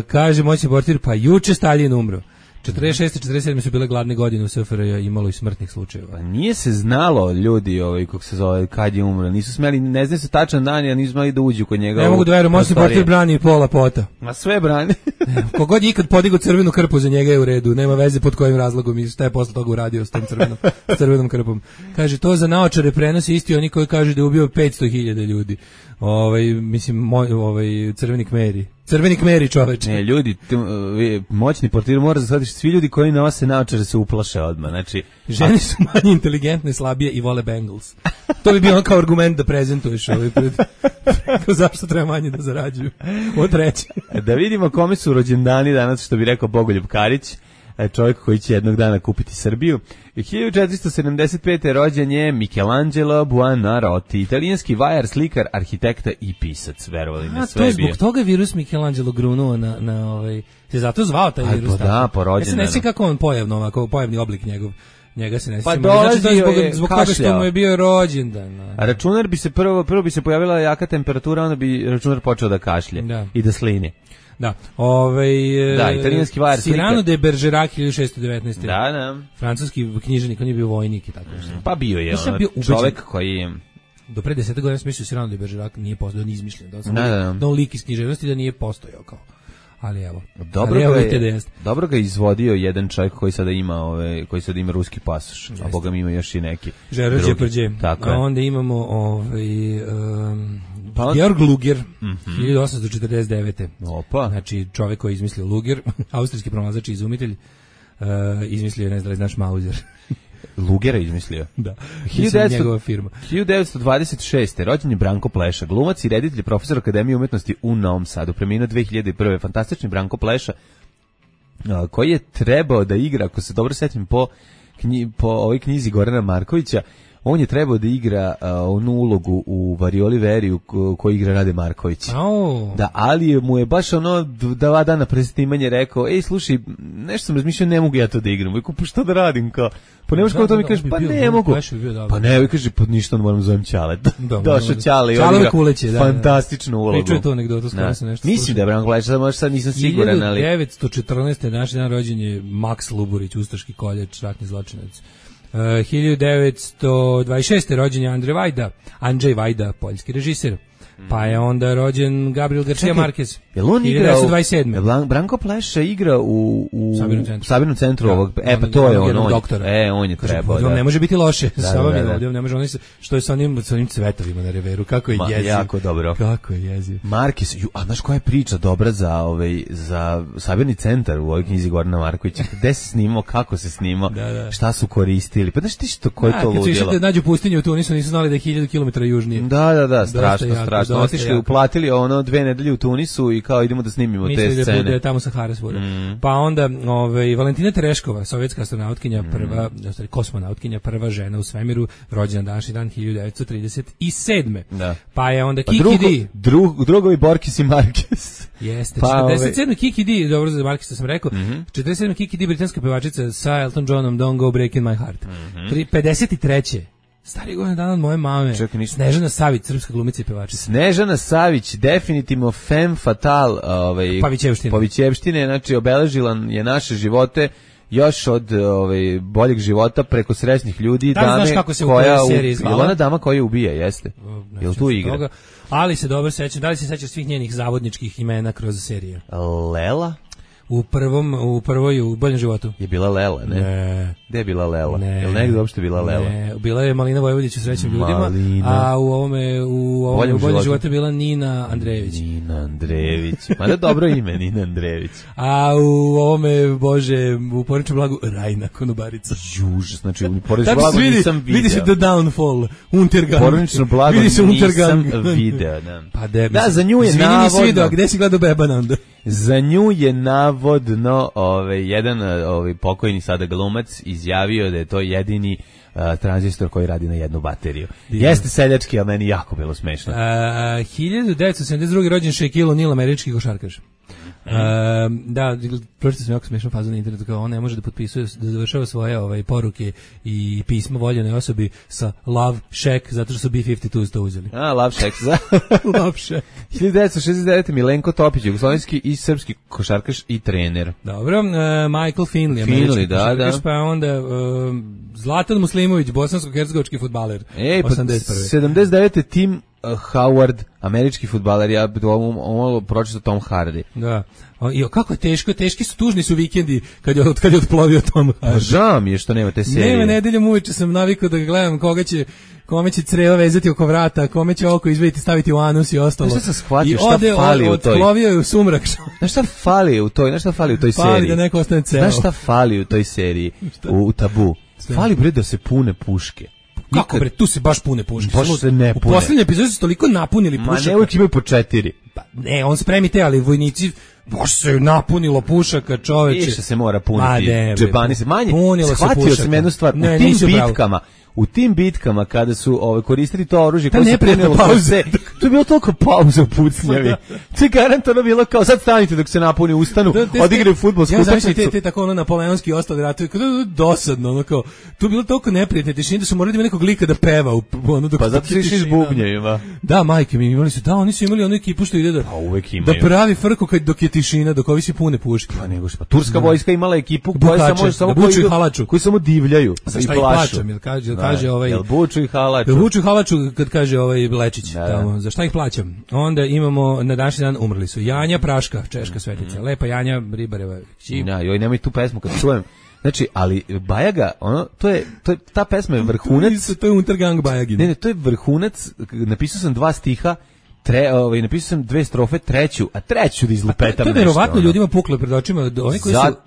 Kaže moćni portir, pa juče Stalin umro. 46. i 47. su bile gladne godine u SFRJ, imalo i smrtnih slučajeva. Nije se znalo, ljudi, kako se zove, kad je umro. Nisu smeli, ne znaju se tačan dan, ja nisu smeli da uđu kod njega. Ne mogu da verujem, moćni portir brani i pola pota. Ma sve brani. Kogod je ikad podigao crvenu krpu za njega je u redu, nema veze pod kojim razlogom i šta je posle toga uradio s tom crvenom krpom. Kaže, to za naočare prenosi isti oni koji kažu da je ubio 500.000 ljudi. Crveni Kmeri, čoveče. Ne, ljudi, moćni portir mora shvatiti, svi ljudi koji nose naočare se uplaše odmah. Znači, žene su manje inteligentne, slabije i vole Bengals. To bi bio kao argument da prezentuješ zašto treba manje da zarađuju. Od treće. Da vidimo kome su rođendani danas, što bi rekao Bogoljub Karić, čovjek koji će jednog dana kupiti Srbiju. 1475. rođen je Michelangelo Buonarroti, italijanski vajar, slikar, arhitekta i pisac, verovali ne sve. To je zbog toga virus Michelangelo grunuo se zato zvao taj virus. Pa da, porođen. Ja se ne sjećam kako on pojavni oblik njega se ne sjećam. Pa dolazi zbog toga što mu je bio rođendan. A računar bi se prvo bi se pojavila jaka temperatura, onda bi računar počeo da kašlje i da slini. Da, italijanski vajar, slika. Cyrano de Bergerac 1619. Da. Francuski književnik, on je bio vojnik i tako nešto. Pa bio je čovjek koji je... Do pre 10 godina sam mislio Cyrano de Bergerac nije postojao, on izmišljen. Da on lik iz književnosti da nije postojao kao. Ali evo. Dobro ga izvodio jedan čovjek koji sada ima ruski pasoš, a boga mi ima još i neki. Žero Đeprđe. A onda imamo Georg Luger, 1849. Opa. Znači čovjek koji je izmislio Luger, austrijski pronalazač i izumitelj, izmislio, ne znam da li znaš Mauser. Lugera izmislio. Da. 1926. rođen je Branko Pleša, glumac i reditelj, profesor Akademije umetnosti u Novom Sadu. Preminuo 2001. Fantastični Branko Pleša, koji je trebao da igra, ako se dobro setim, po ovoj knjizi Gorana Markovića, on je trebao da igra onu ulogu u Varioli Veriju koju igra Rade Marković. Da, ali mu je baš 2 dana pre snimanja rekao, slušaj, nešto sam razmišljao, ne mogu ja to da igram. I pa što da radim? Pa ne možeš kao to mi kažeš, pa ne mogu. Pa ne, i kaže, ništa, moram zovem Ćale. Došao Ćale i on igra fantastičnu ulogu. Pričuje tu anegdotu, skoro se nešto. Mislim da je Branko Pleša, sad nisam siguran, ali... 1914. naš dan rođen je Maks Luburić, ustaški koljač, ratni zločinac. 1926. rođen je Andrzej Vajda, poljski režiser. Pa je onda rođen Gabriel Garcia Marquez. Jel on igra 1927. Branko Pleša igra u Sabirnom centru ovog. Pa to je on. On je trebao. Ne može biti loše. Ne može on što je sa onim cvetovima na reveru. Kako je jeziv. Jako dobro. Kako je jeziv. Marquez, a znaš koja je priča dobra za Sabirni centar u ovoj knjizi Gorana Markovića? Gde se snimao, kako se snimao, šta su koristili. Pa znaš ti što koje to ludilo? Kad su išli da nađu pustinju u Tunisu, nisu znali da je 1000 km južnije. Da, strašno. Otišli, uplatili 2 nedelje u Tunisu i kao idemo da snimimo te scene. Mislili da bude tamo sa Harrisburga. Pa onda Valentina Tereškova, sovjetska astronautkinja, kosmonautkinja, prva žena u svemiru, rođena današnji dan 1937. Da. Pa je onda Kiki D. Drugovi Borkis i Marquez. Jeste, 47. Kiki D, dobro za Marqueza sam rekao, 47. Kiki D, britanska pevačica sa Elton Johnom, Don't Go Breaking My Heart. 53. Stari godina dan od moje mame. Snežana Savić, srpska glumica i pevačica. Snežana Savić, definitivno femme fatale Pavićevštine. Znači obeležila je naše živote još od boljeg života preko srećnih ljudi, Da li znaš kako se u kojoj seriji zvala? Ona dama koja ubija, jeste. Jel tu igra? Toga, ali se dobro sećam, da li se sećaš svih njenih zavodničkih imena kroz serije? Lela? U prvoj u Boljem životu. Je bila Lela, ne? Ne. Gde je bila Lela? Ne. Jel negdje uopšte bila Lela? Ne, bila je Malina Vojvodić u Srećnim ljudima, a u Boljem životu je bila Nina Andrejević. Nina Andrejević. Mada dobro ime, Nina Andrejević. A u ovome, Bože, u Porničnom blagu Rajna Konobarica. Juž, znači u Porničnom blagu nisam video. Vidi se The Downfall, Untergang. Pornično blago nisam video. Pa da, za nju je navodno. Izvini, nisi video, gde si gledao Bebana onda? Za nju je navodno jedan pokojni sada glumac izjavio da je to jedini tranzistor koji radi na jednu bateriju. Jeste seljački, ali meni jako bilo smešno. 1972. rođen Shaquille O'Neal, američki košarkaš. Da, pročito sam jako smešnu fazu na internetu, kao on ne može da potpisuje, da završava svoje poruke i pisma voljenoj osobi sa Love Shack, zato što su B-52 to uzeli. Love Shack, za Love Shack. 1969. Milenko Topić, jugoslovenski i srpski košarkaš i trener. Dobro, Michael Finley, američki košarkaš, pa onda Zlatan Muslimović, bosansko-hercegovački fudbaler. 79. Tim Howard, američki fudbaler, ja bi ovo pročitao Tom Hardy. Da. I kako je teško, teški su, tužni su vikendi kad je otplovio Tom Hardy. Pa žao mi je što nema te serije. Nema, nedeljom uveče sam navikao da gledam kome će creva vezati oko vrata, kome će oko izvediti, staviti u anus i ostalo. Znaš šta sam shvatio, I šta fali u toj? Otplovio je u sumrak. Znaš šta fali u toj seriji? Fali da neko ostane ceo. Znaš šta fali u toj seriji, u Tabu? Fali bre da se pune puške. Kako bre, tu se baš pune puške. Baš se ne pune. U poslednjoj epizodi su toliko napunili pušaka. Ma ne, uvijek imaju po 4. Pa ne, on spremi te, ali vojnici baš se napunilo pušaka, čoveče. Više se mora puniti. Džebani se manje. Shvatio sam jednu stvar. U tim bitkama kada su koristili to oružje koje se punilo pauze, to je bilo toliko pauza u pucnjavi. To je garantovano bilo kao sad stanite dok se napuni, ustanu, odigraju fudbalsku utakmicu. Ja te tako napoleonski ostali ratovi, dosadno, kao tu je bilo toliko neprijatne tišine da su morali da ima nekog lika da peva pa zato su išli s bubnjevima. Da, majke mi imali su, oni su imali onu ekipu što ide da pravi frku dok je tišina, dok ovi se pune puške. Pa nego što, turska vojska imala ekipu koja koji samo divljaju i plašu. Kaže jel buču i halaču? Buču i halaču kad kaže Lečić. Tamo, za šta ih plaćam? Onda imamo na današnji dan umrli su Janja Praška, češka svetica. Lepa Janja Ribareva. Joj, nemoj tu pesmu kad čujem. Znači, ali Bajaga, ta pesma je vrhunac. To je Untergang Bajagin. Ne, to je vrhunac. Napisao sam 2 stiha. Napisao sam 2 strofe, treću da izlupetam. To je verovatno ljudima puklo pred očima.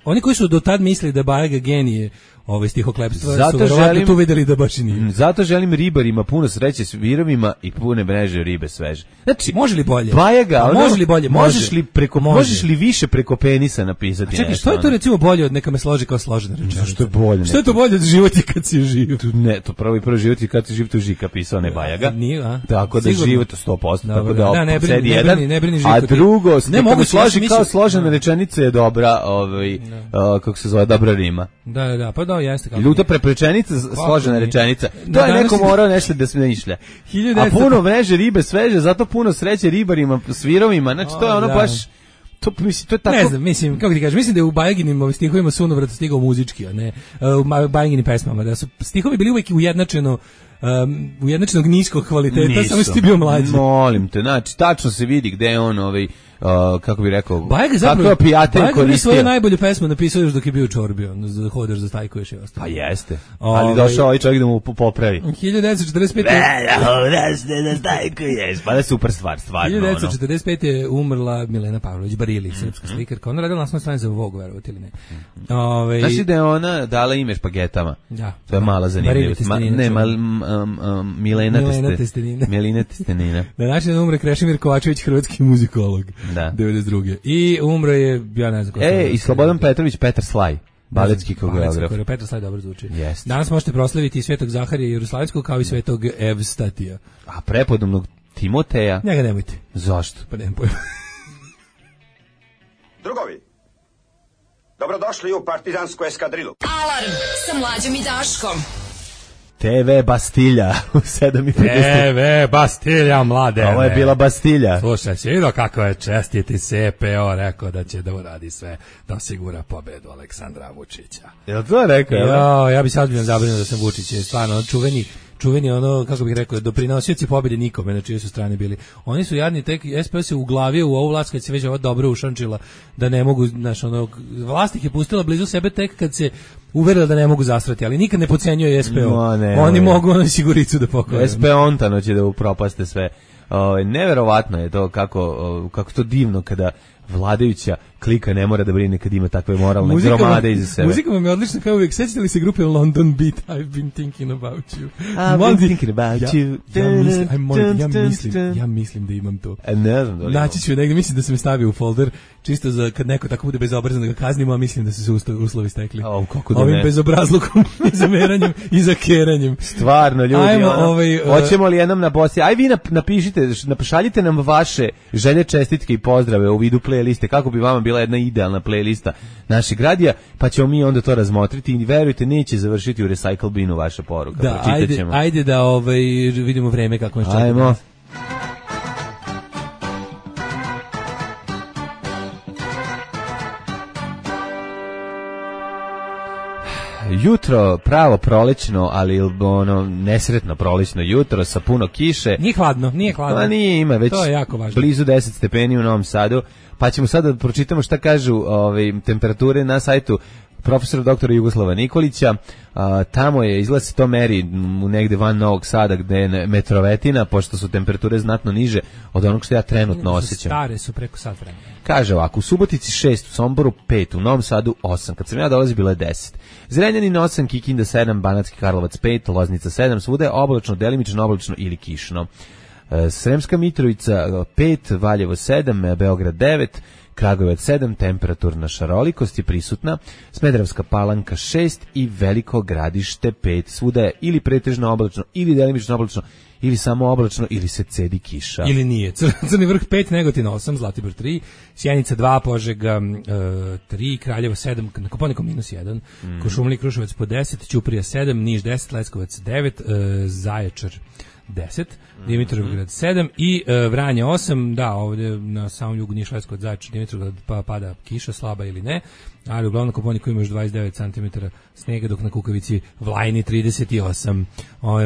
Oni koji su do tad mislili da Bajaga genije stihoklepstva su verovatno tu videli da baš i nije. Zato želim ribarima puno sreće s virovima i pune mreže ribe sveže. Znači, može li bolje? Bajaga, može li bolje? Možeš li više preko penisa napisati? Čekaj, što je to recimo bolje od neka me složi kao složena rečenica? Što je bolje? Što je to bolje od života kad si živ? Ne, to prvi život je kad si živ, to Žika pisao, ne Bajaga. Nije, a? Tako da život 100%, tako da ne brini Žiko. A drugo, neka me složi kao složena rečenica je dobra, kako se zove, dobra rima. Da, pa da, jeste kako. Ljuta preprečenica, složena rečenica. To je neko morao nešto da smišlja. A puno mreže ribe sveže, zato puno sreće ribarima, svirovima. Znači to je ono baš to je tako. Ne znam, mislim, kako ti kažeš, mislim da je u Bajaginim stihovima sunovrat stigao muzički, a ne u Bajaginim pesmama, da su stihovi bili uvijek ujednačenog niskog kvaliteta, samo si ti bio mlađi. Molim te, znači, tačno se vidi gde je on kako bi rekao, kako je pijatelj koristio. Bajaga je svoju najbolju pesmu napisao još dok je bio u čorbi, hodaš, zastajkuješ i ostalo. Pa jeste, ali došao ovaj čovjek da mu popravi. 1945. Hodaš, zastajkuješ, pa da je super stvar, stvarno. 1945. je umrla Milena Pavlović Barili, srpska slikarka. Ona radila naslovnoj strani za Vogue, verovati ili ne. Znači da je ona dala ime špagetama. Da. To je mala zanimljivost. Ne, Milena Testenina. Na način umre Krešimir Kovačević, hrvatski muzikolog. Da. 92. I umro je, ja ne znam ko i Slobodan Petrović, Petar Slaj, baletski koreograf. Petar Slaj dobro zvuči. Yes. Danas možete proslaviti i Svetog Zaharija Jeruslavskog kao i Svetog Evstatija. A prepodobnog Timoteja? Njega nemojte. Zašto? Pa nemam pojma. Drugovi, dobrodošli u partizansku eskadrilu. Alarm sa Mlađom i Daškom. TV Bastilja u 7:50. TV Bastilja, mlade. Ovo je bila Bastilja. Slušaj, si vidio kako je čestiti CPO rekao da će da uradi sve da osigura pobedu Aleksandra Vučića. Jel to rekao? Ja bi sad bio zabrinuo da sam Vučić, je stvarno čuveni ono, kako bih rekao, doprinosioci pobjede nikome na čijoj su strane bili. Oni su jadni, tek SPS se uglavio u ovu vlast kad se već ovo dobro ušančila, da ne mogu, znaš, ono, vlast ih je pustila blizu sebe tek kad se uverila da ne mogu zasrati, ali nikad ne podcenjuje SPO. Oni mogu ono siguricu da pokoje. SPO ontano će da upropaste sve. Neverovatno je to kako to divno kada vladajuća klika ne mora da brine kad ima takve moralne gromade iza sebe. Muzika vam je odlična kao uvijek. Sećate li se grupe London Beat? I've been thinking about you. I've been thinking about you. Ja mislim da imam to. Ne znam da li naći ću negdje, mislim da sam stavio u folder, čisto za kad neko tako bude bezobrazan da ga kaznimo, a mislim da su se uslovi stekli. Ovim bezobrazlukom i zameranjem i zakeranjem. Stvarno, ljudi. Hoćemo li jednom na Bosni? Aj vi napišite, šaljite nam vaše želje, čestitke i pozdrave u vidu playliste, kako bi vama bila jedna idealna playlista naših radija, pa ćemo mi onda to razmotriti i verujte, neće završiti u recycle binu vaša poruka. Da, ajde da vidimo vreme kako nas čeka. Ajmo. Jutro pravo prolećno, ali ono nesretno prolećno jutro sa puno kiše. Nije hladno. Pa nije, ima već blizu 10 stepeni u Novom Sadu. Pa ćemo sada da pročitamo šta kažu temperature na sajtu profesora doktora Jugoslava Nikolića. Tamo je, izgleda se to meri negde van Novog Sada gde je metrovetina, pošto su temperature znatno niže od onog što ja trenutno osjećam. Stare su preko sat vremena. Kaže ovako, u Subotici 6, u Somboru 5, u Novom Sadu 8, kad sam ja dolazi bilo je 10. Zrenjanin 8, Kikinda 7, Banatski Karlovac 5, Loznica 7, svuda je oblačno, delimično oblačno ili kišno. Sremska Mitrovica 5, Valjevo 7, Beograd 9, Kragujevac 7, temperaturna šarolikost je prisutna, Smederevska Palanka 6 i Veliko Gradište 5, svuda je ili pretežno oblačno, ili delimično oblačno, ili samo oblačno, ili se cedi kiša. Ili nije. Crni vrh 5, Negotin 8, Zlatibor 3, Sjenica 2, Požega 3, Kraljevo 7, na Kopaoniku -1, Košumlija i Kruševac po 10, Ćuprija 7, Niš 10, Leskovac 9, Zaječar 10, Dimitrovgrad 7 i Vranje 8, da, ovdje na samom jugu Niš, Leskovac, Zaječar, Dimitrovgrad pa pada kiša, slaba ili ne, ali uglavnom na Kopaoniku ima još 29 cm snega, dok na Kukavici Vlajni 38.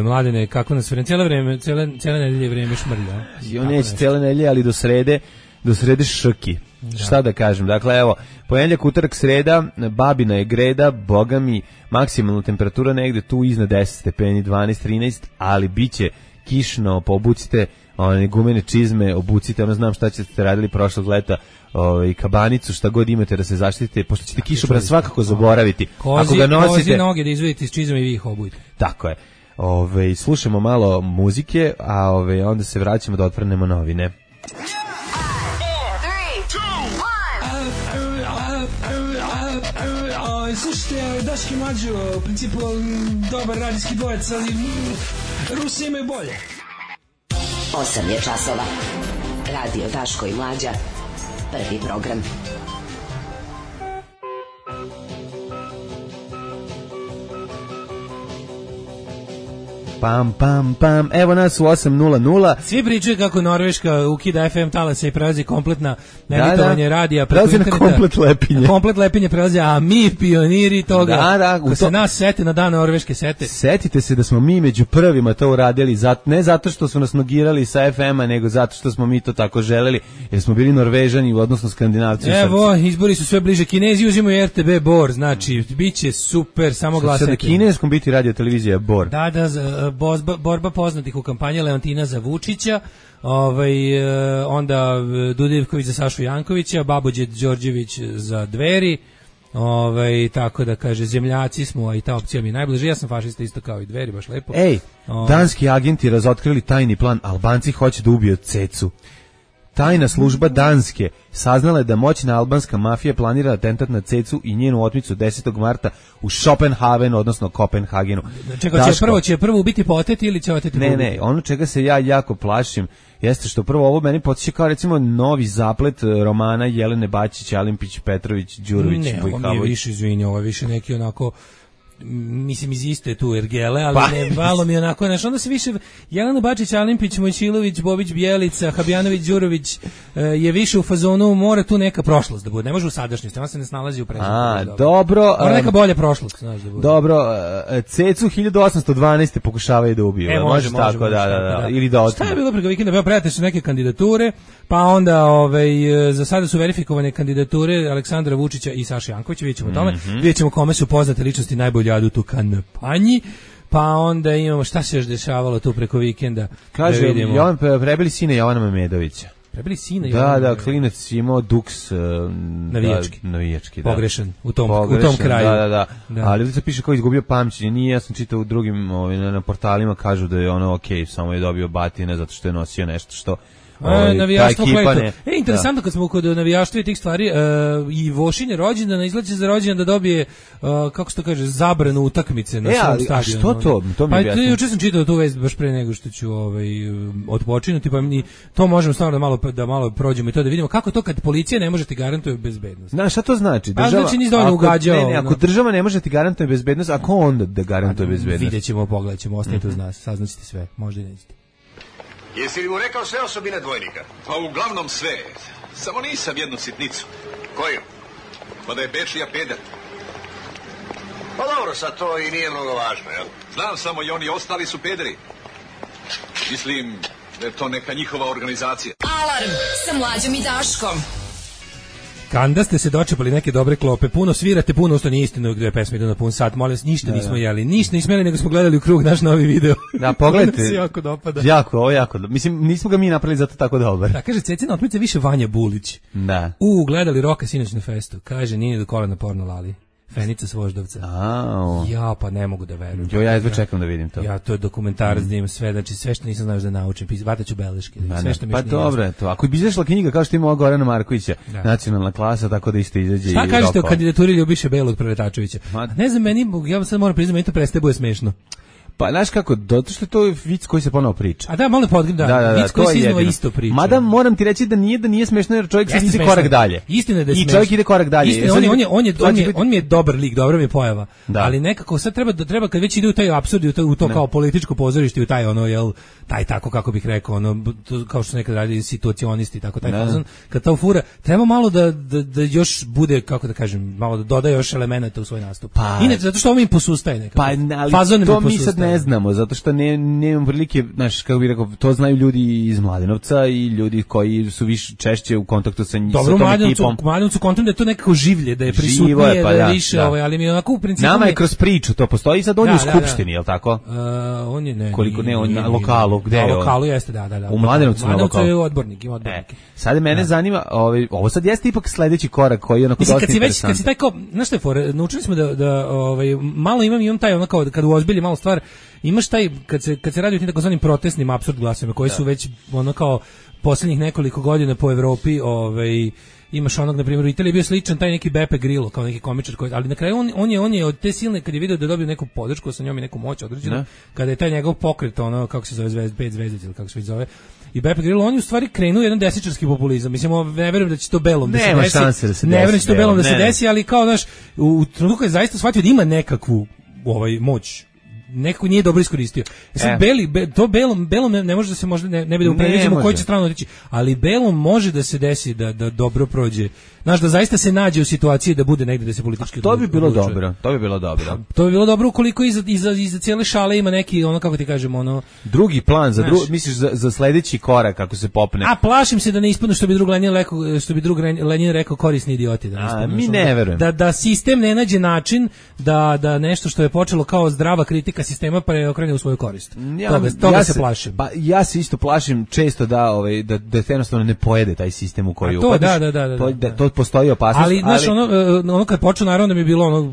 Mladene, kako nas vreme, cijela nedelje vreme šmrlja. Jo, neće cijela nedelje, ali do srede šrki. Da. Šta da kažem, dakle evo, ponedjeljak, utorak, sreda, babina je greda, boga mi, maksimalna temperatura negde tu iznad 10 stepeni, 12, 13, ali biće kišno, pa obucite gumene čizme, obucite, znam šta ćete radili prošlog leta, kabanicu, šta god imate da se zaštitite, pošto ćete kišobran svakako zaboraviti. Ako ga nosite, kozi noge da izvedite iz čizme i vi ih obujte. Tako je. Slušamo malo muzike, a onda se vraćamo da otvrnemo novine. Slušajte, Daški Mađo, u principu dobar radijski dvojec, ali Rusi imaju bolje. 8 je časova. Radio Daško i Mlađa. Prvi program. Pam, pam, pam, evo nas u 8:00. Svi pričaju kako Norveška ukida FM talase i prelazi kompletna emitovanje radija preko interneta. Komplet lepinje. Komplet lepinje prelazi, a mi pioniri toga, ko se nas sete na dan Norveške sete. Setite se da smo mi među prvima to uradili, ne zato što su nas nogirali sa FM-a, nego zato što smo mi to tako želeli, jer smo bili Norvežani, odnosno Skandinavci. Evo, izbori su sve bliže, Kinezi uzimaju RTB Bor, znači, bit će super, samo glasajte. Sad na kineskom biti radio televizija Bor. Da, borba poznatih u kampanji Leontina za Vučića, onda Dudivković za Sašu Jankovića, Babođe Đorđević za Dveri, tako da kaže, zemljaci smo, a i ta opcija mi je najbliže. Ja sam fašista isto kao i Dveri, baš lepo. Danski agenti razotkrili tajni plan, Albanci hoće da ubiju Cecu. Tajna služba Danske saznala je da moćna albanska mafija planira atentat na Cecu i njenu otmicu 10. marta u Schopenhavenu, odnosno Kopenhagenu. Čekaj, će prvo ubiti po oteti ili će oteti? Ne, ono čega se ja jako plašim jeste što prvo ovo meni podsjeća kao recimo novi zaplet romana Jelene Bačić, Alimpić, Petrović, Đurović, Bujhavović. Ne, ovo je više, izvini, ovo je više neki onako mislim iz iste tu ergele, ali ne, malo mi onako, znaš, onda se više Jelena Bačić, Alimpić, Mojčilović, Bobić, Bjelica, Habjanović, Đurović je više u fazonu, mora tu neka prošlost da bude, ne može u sadašnjosti, ona se ne snalazi u pređenju. Dobro. Mora neka bolja prošlost, znaš da bude. Dobro, Cecu 1812. pokušavaju da ubiju. Može tako, da. Ili da otmu. Šta je bilo preko vikenda? Evo, predate su neke kandidature, pa onda za sada su verifikovane kandidature Aleksandra Vučića i Saše Jankovića, vidjet ćemo tome, vidjet ćemo kome su poznate ličnosti najbolje jadu tu kampanji, pa onda imamo šta se još dešavalo tu preko vikenda. Kaže, Jovan prebili sine Jovana Memedovića. Prebili sina Jovana. Da, klinac imao duks navijački, da. Pogrešan u tom kraju. Da. Ali ovdje se piše kao izgubio pamćenje. Nije, ja sam čitao u drugim na portalima, kažu da je ono okej, samo je dobio batine zato što je nosio nešto što navijaštvo kleto. Interesantno kad smo kod navijaštva i tih stvari, i Vošin rođendan izlazi za rođendan da dobije, kako se to kaže, zabranu utakmice na svom stadionu. A što to? To mi objasni. Juče sam čitao tu vest baš pre nego što ću odpočinuti, pa mi to možemo stvarno da malo prođemo i to da vidimo kako to kad policija ne može ti garantuje bezbednost. Znaš, šta to znači? Znači nisi dovoljno ugađao. Ako država ne može ti garantuje bezbednost, a ko onda da garantuje bezbednost? Vidjet ćemo, pogledat ćemo, ostanite uz nas, saznaćete sve, možda i nećete. Jesi li mu rekao sve osobine dvojnika? Pa uglavnom sve. Samo nisam jednu sitnicu. Koju? Pa da je Bečija peder. Pa dobro, sad to i nije mnogo važno, jel? Znam samo i oni ostali su pederi. Mislim da je to neka njihova organizacija. Alarm sa Mlađom i Daškom. Kanda ste se dočepali neke dobre klope, puno svirate, puno usto nije istina gdje pesme idu na pun sat, molim vas, ništa nismo jeli, ništa nismo jeli, nego smo gledali u krug naš novi video. Da, pogledajte. Se jako dopada. Jako, mislim, nismo ga mi napravili zato tako dobar. Da, kaže, Cecina otmica više Vanja Bulić. Da. Gledali Roka sinoć na festu, kaže, nije do kolena porno lali. Fenica s Voždovca. Ja, pa ne mogu da verujem. Ja jedva čekam da vidim to. Ja, to je dokumentarac da imam sve, znači sve što nisam znao da naučim, vataću beleške. Sve što mi pa dobro je to. Ako bi izašla knjiga kao što ima ova Gorana Markovića, Nacionalna klasa, tako da isto izađe. Šta kažete o kandidaturi Ljubiše Belog Preletačevića? Ne znam, ja sad moram priznati, meni to prestaje bude smešno. Pa znaš kako, zato što je to vic koji se ponovo priča. A da, malo podgrim, vic koji se iznova isto priča. Mada moram ti reći da nije smešno jer čovjek sad ide korak dalje. Istina je da je smešno. I čovjek ide korak dalje. Istina, on mi je dobar lik, dobra mi je pojava. Ali nekako sad treba kad već ide u taj apsurd, u to kao političko pozorište, u taj taj tako kako bih rekao, kao što se nekad radi situacionisti, tako taj fazon, kad to fura, treba malo da još bude, kako da kažem, malo da doda još elemenata u svoj nastup. Inače, zato što ovo mi posustaje nekako. Fazon to mi sad ne znamo, zato što nemam prilike, znaš, kako bih rekao, to znaju ljudi iz Mladenovca i ljudi koji su više češće u kontaktu sa tom ekipom. Dobro, u Mladenovcu kontam da je to nekako življe, da je prisutnije, da je više, ali mi onako u principu... Nama je kroz priču to postoji, sad on je u skupštini, je li tako? On je, ne. Koliko ne, on na lokalu, gde je on? Na lokalu jeste, da. U Mladenovcu na lokalu. Je odbornik, ima odbornike. Sad mene zanima, ovo sad jeste ipak sledeći korak koji je onako dosta interesantan. Kad si taj kao, znaš što je fora, naučili smo da malo imam taj ono kao, kad uozbilji malo stvar, imaš taj, kad se radi o tim takozvanim protestnim apsurd glasovima, koji su već ono kao posljednjih nekoliko godina po Evropi, imaš onog, na primjer, u Italiji je bio sličan taj neki Beppe Grillo, kao neki komičar, ali na kraju on je od te silne, kad je video da je dobio neku podršku, sa njom i neku moć određenu, kada je taj njegov pokret, ono, kako se zove, 5 zvezdica ili kako se već zove, i Beppe Grillo, on je u stvari krenuo jedan desničarski populizam. Mislim, ne verujem da će to belom da se desi. Nema šanse da se desi. Ne verujem da će to belom da se desi, ali kao, znaš, u trenutku je zaista shvatio da ima nekakvu moć. Nekako nije dobro iskoristio. Sad belom ne može da se možda ne bi da upreviđemo koji će stranu otići, ali belom može da se desi da dobro prođe. Znaš, da zaista se nađe u situaciji da bude negde da se politički to bi bilo odlučuje. Dobro. To bi bilo dobro. To bi bilo dobro ukoliko iza cijele šale ima neki, ono, kako ti kažemo, drugi plan misliš za sledeći korak kako se popne. A plašim se da ne ispadne što bi drug Lenin rekao korisni idioti, da ne ispadne. Mi ne verujem. Da sistem ne nađe način da nešto što je počelo kao zdrava kritika sistema preokrene u svoju korist. Toga se plašim. Pa ja se isto plašim često da jednostavno ne pojede taj sistem u koji upadiš. To postoji opasnost. Ali znaš, ono kad počeo, naravno da mi je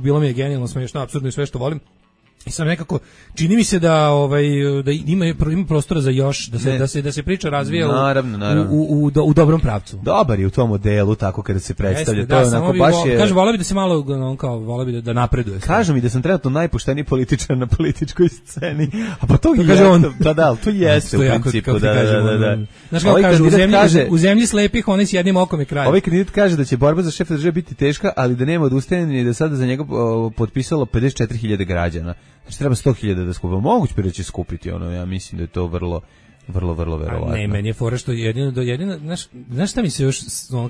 bilo mi je genijalno, smiješno, apsurdno i sve što volim. I sam nekako čini mi se da da ima prostora za još da se priča razvija u dobrom pravcu. Dobar je u tom modelu tako kada se predstavlja. Jeste, to je onako baš je. Kaže voleo bi da se malo voleo bi da napreduje. Kažu mi da sam trenutno najpošteniji političar na političkoj sceni. A pa to kaže on. Da, to jeste u principu da. Znaš kako kaže u zemlji slepih oni s jednim okom je kraj. Ovaj kandidat kaže da će borba za šefa države biti teška, ali da nema odustajanja i da sada za njega potpisalo 54.000 građana. Znači treba 100.000 da skupi. Moguće bi da će skupiti ja mislim da je to vrlo verovatno. Ne, meni je fora što jedino znaš šta mi se još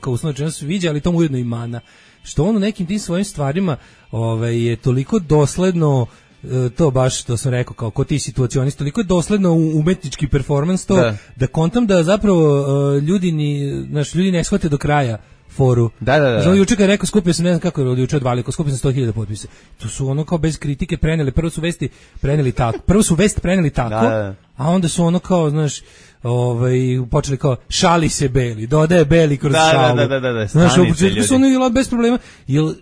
kao uslovno rečeno sviđa, ali to mu ujedno i mana. Što on u nekim tim svojim stvarima je toliko dosledno to baš što sam rekao kao ti situacionist, toliko je dosledno umetnički performans to da kontam da zapravo ljudi ne shvate do kraja foru. Da. Znači, juče kad je rekao skupio sam, ne znam kako je juče odvalio, skupio sam 100.000 potpisa. To su ono kao bez kritike preneli, prvo su vest preneli tako, a onda su ono kao, znaš, počeli kao šali se Beli, dodaje Beli kroz šalu. Da. Znaš, u početku su ono bez problema, jel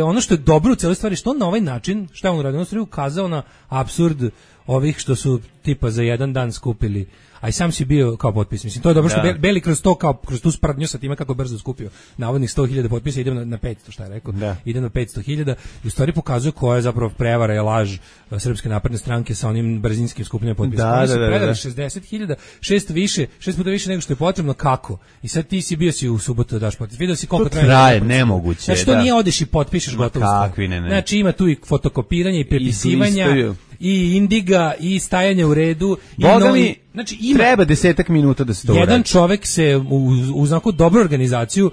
ono što je dobro u celoj stvari, što on na ovaj način, šta je on uradio, on je ukazao na apsurd ovih što su tipa za jedan dan skupili, a i sam si bio kao potpis. Mislim, to je dobro što Beli kroz to, kao kroz tu sprdnju sa time kako brzo skupio navodnih 100.000 potpisa, idemo na 500, šta je rekao, idem na 500.000 i u stvari pokazuje koja je zapravo prevara i laž Srpske napredne stranke sa onim brzinskim skupljanjem potpisa. Oni su predali 60.000, 6 puta više nego što je potrebno, kako? I sad ti si bio u subotu da daš potpis. Video si koliko traje nemoguće. Znači, to nije odeš i potpišeš gotovo. Znači, ima tu i fotokopiranje i prepisivanja i indiga i stajanje u redu. Boga mi, znači, treba 10 minuta da se to uradi. Jedan čovek se uz onako dobru organizaciju,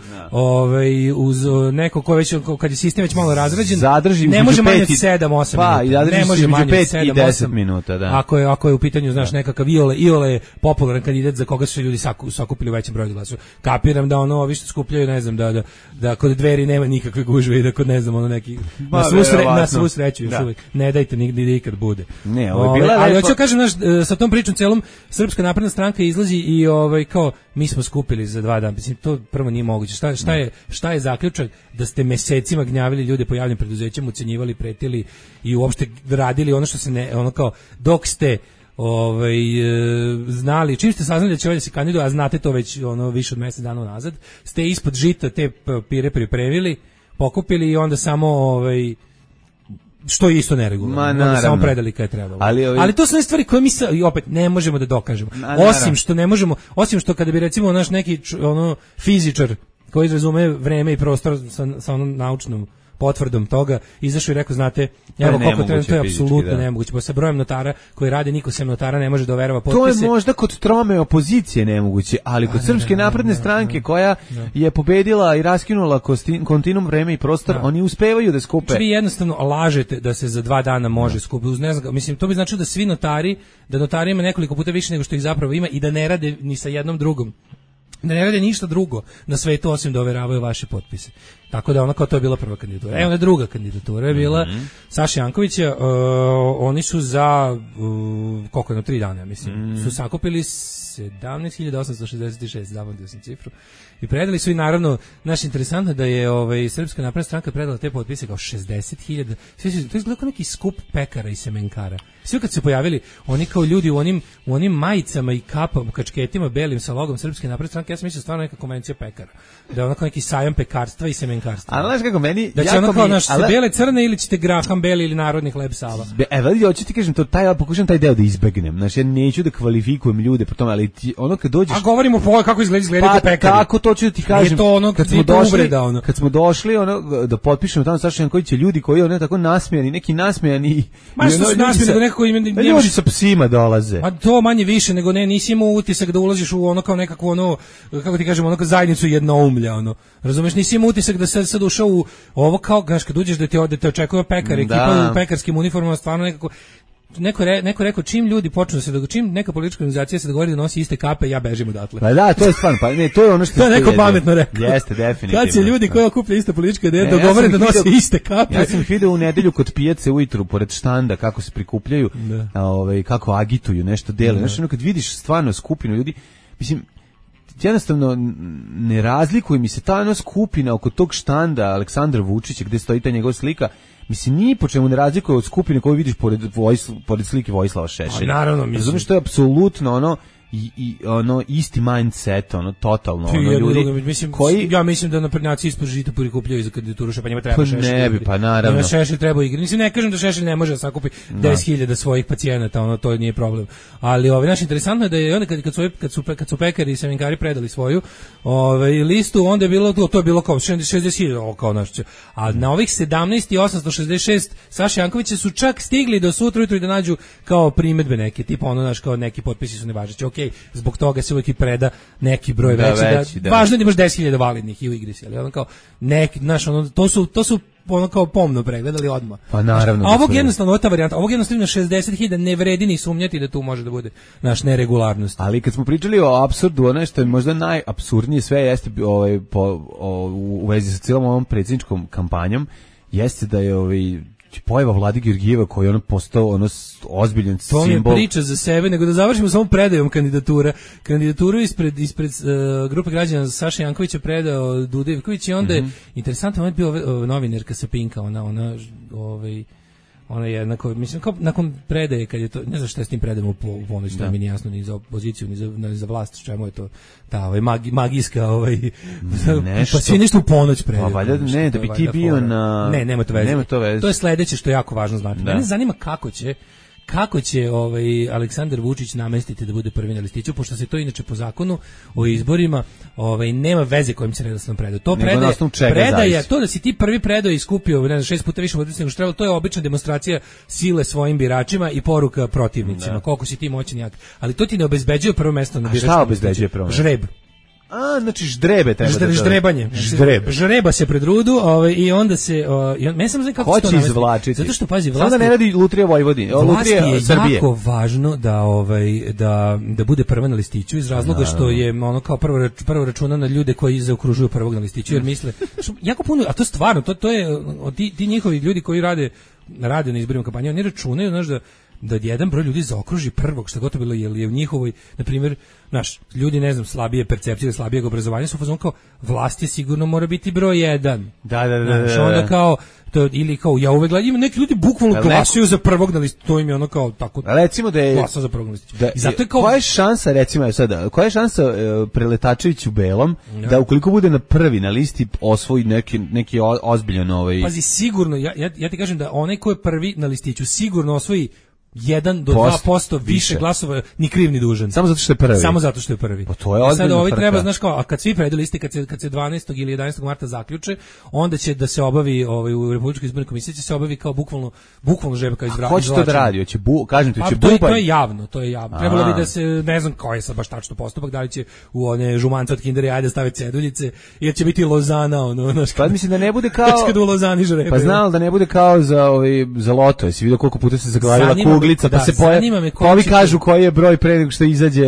uz neko ko već, kad je sistem već malo razrađen, ne može manje od 7-8 minuta. Ne može manje od 5 i 10 minuta, da. Ako je u pitanju, znaš, nekakav Iole je popularan kandidat za koga su ljudi sakupili u većem broju glasova. Kapiram da ono, ovi što skupljaju, ne znam, da kod Dveri nema nikakve gužve i da kod, ne znam, ono neki, na svu sreću još uvijek. Ne dajte nikad bude. Ne, ovo je bila ali hoću kažem, sa tom pričom celom Srpska napredna stranka izlazi i kao mi smo skupili za 2 dana. Mislim, to prvo nije moguće. Šta je zaključak da ste mesecima gnjavili ljude po javnim preduzećima, ucenjivali, pretili i uopšte radili ono što se ne, ono kao dok ste znali, čim ste saznali da će ovaj da se kandiduje, a znate to već više od mjesec dana nazad, ste ispod žita te papire pripremili, pokupili i onda samo što je isto neregularno, samo predali kad je trebalo. Ali to su stvari koje mi opet ne možemo da dokažemo. Osim što kada bi recimo naš neki fizičar koji razume vreme i prostor sa onom naučnom potvrdom toga, izašao i rekao, znate, evo koliko treba, to je apsolutno nemoguće. Pa sa brojem notara koji rade, niko sem notara ne može da overava potpise. To je možda kod trome opozicije nemoguće, ali kod Srpske napredne stranke koja je pobedila i raskinula kontinuum vreme i prostor, oni uspevaju da skupe. Znači vi jednostavno lažete da se za 2 dana može skupiti. Mislim, to bi značilo da svi notari, da notari ima nekoliko puta više nego što ih zapravo ima i da ne rade ni sa jednom drugom. Da ne rade ništa drugo na svetu osim da overavaju vaše potpise. Tako da kao to je bila prva kandidatura. Evo druga kandidatura je bila Saša Jankovića. Oni su za koliko je 3 dana, mislim. Su sakupili 17.866, zavodio sam cifru. I predali su i naravno, interesantno da je Srpska napredna stranka predala te potpise kao 60.000. To je izgledao kao neki skup pekara i semenkara. Svi kad se pojavili, oni kao ljudi u onim majicama i kapama, kačketima belim sa logom Srpske napredne stranke, ja sam mislio stvarno neka konvencija pekara. Da je onako neki sajam pekarstva i semenkarstva. Ali znaš kako meni... Da će ono kao bele crne ili ćete graham beli ili narodni hleb Sava. Hoću ti kažem, pokušam taj deo da izbegnem. Znači, ja neću da kvalifikujem ljude po tome, ali ono kad dođeš... A govorimo kako izgledaju pekari. Tako to ću da ti kažem. Kad smo došli da potpišemo tamo Saša Jankovića, ljudi koji tako nasmejani, neki nasmejani... Ma što su nasmejani, nego neko ljudi sa psima dolaze. A to manje više nego nisi imao utisak da ulaziš u kao nekako kako ti kažemo, zajednicu jednoumlja, razumeš, nisi imao utisak da sad ušao u ovo kao, znaš, kad uđeš da te očekuje pekar, ekipa u pekarskim uniformama, stvarno nekako, neko rekao, čim ljudi počnu čim neka politička organizacija se dogovori da nosi iste kape, ja bežim odatle. Pa da, to je stvarno, to je ono što to je neko pametno rekao. Jeste, definitivno. Kad se ljudi koji okuplja iste političke ideje dogovore da nose iste kape. Ja sam ih video u nedelju kod pijace ujutru, pored štanda, kako se prikupljaju, kako agituju, nešto dele. Znači, kad vidiš stvarno skupinu ljudi, mislim, jednostavno ne razlikuje mi se ta skupina oko tog štanda Aleksandra Vučića gde stoji ta njegova slika, mislim, ni po čemu ne razlikuje od skupine koju vidiš pored slike Vojislava Šešelja. Naravno, mislim. Razumiješ, to je apsolutno ono, i ono isti mindset, ono totalno, ono ljudi mislim, koji... ja mislim da naprednjaci ispod žita prikupljaju za kandidaturu Šešelja, pa njima treba Šešelj. Ne bi, pa naravno. Njima Šešelj treba igrati. Mislim, ne kažem da Šešelj ne može da sakupi 10.000 svojih pacijenata, ono, to nije problem. Ali naš interesantno je da je onda kad su pekari i semenkari predali svoju listu, onda je bilo to je bilo kao 60.000, kao naš. A na ovih 17.866 Saša Jankovića su čak stigli do sutra ujutro i da nađu kao primedbe neke, tipa ono naš kao neki potpisi su nevažeći. Okej, zbog toga se uvijek i preda neki broj veći, da važno je da imaš 10.000 validnih i u igri si, ali ono kao neki, znaš, ono, to su ono kao pomno pregledali odmah. Pa naravno. A ovog jednostavno, ta varijanta, ovog jednostavno 60.000 ne vredi ni sumnjati da tu može da bude naš neregularnost. Ali kad smo pričali o apsurdu, ono što je možda najapsurdnije sve jeste u vezi sa cijelom ovom predsjedničkom kampanjom, jeste da je pojava Vlade Georgijeva koji on postao ono ozbiljan simbol. To mi je priča za sebe, nego da završimo samo predajom kandidatura. Kandidaturu ispred grupe građana Saša Jankovića predao Duda Ivković i onda je interesantno moment bio novinarka sa Pinka, ona je jednako, mislim, kao nakon predaje, kad je to, ne znam šta je s tim predajemo u ponoć, to mi nije jasno ni za opoziciju, ni za vlast, čemu je to, ta magijska, pa svi nešto u ponoć predaju. Pa valjda, ne, da bi ti bio na... Ne, nema to veze. To je sledeće što je jako važno znati. Mene zanima kako će Aleksandar Vučić namestiti da bude prvi na listiću, pošto se to inače po zakonu o izborima nema veze kojim se redosledom predaju. To predaja, to da si ti prvi predao i skupio 6 puta više vodica nego što trebalo, to je obična demonstracija sile svojim biračima i poruka protivnicima, koliko si ti moćan jak. Ali to ti ne obezbeđuje prvo mesto na biračkom listiću. A šta obezbeđuje prvo mesto? Žreb. Znači ždrebe treba ždrebanje. Žreba se pred rudu, i onda se meni samo znam kako to izvlačiti. Zato što pazi, vlast da ne radi Lutrija Vojvodine, Lutrija Srbije. Je jako važno da bude prva na listiću iz razloga što je ono kao prvo računa na ljude koji zaokružuju prvog na listiću, jer misle jako puno, a to stvarno to je ti njihovi ljudi koji rade na izborima kampanje, oni računaju, znaš, da jedan broj ljudi zaokruži prvog, što gotovo bilo, jer je u njihovoj, na primjer, ljudi, ne znam, slabije percepcije, slabijeg obrazovanja su fazon kao, vlast je sigurno mora biti broj 1. Da. Onda kao, ili kao, ja uvek gledam, neki ljudi bukvalno glasuju za prvog na listu, to im je ono kao, tako, recimo da je glasa za prvog na listu. I zato je kao... Koja je šansa, recimo, sada, koja je šansa Preletačević u belom, da ukoliko bude na prvi na listi osvoji neki ozbiljan Pazi, sigurno, ja ti kažem da onaj ko je prvi na listiću sigurno osvoji 1 do 2% više glasova, ni kriv ni dužan. Samo zato što je prvi. Samo zato što je prvi. Pa to je ozbiljno. Sad ovi treba, znaš kao, a kad svi predaju liste, kad se 12. ili 11. marta zaključe, onda će da se obavi u Republičkoj izbornoj komisiji će se obavi kao bukvalno žreba kao izvraćanje. Hoće to da radi, hoće kažem ti, hoće bubanj. To je javno. Trebalo bi da se, ne znam koji je sad baš tačno postupak, da li će u one žumance od Kinder Jajde staviti ceduljice, ili će biti Lozana, Pa mislim da ne bude kao u Lozani žrebe. Pa znao da ne bude kao za loto, jesi vidio koliko puta se zaglavila kuglica, pa se ovi kažu koji je broj pre nego što izađe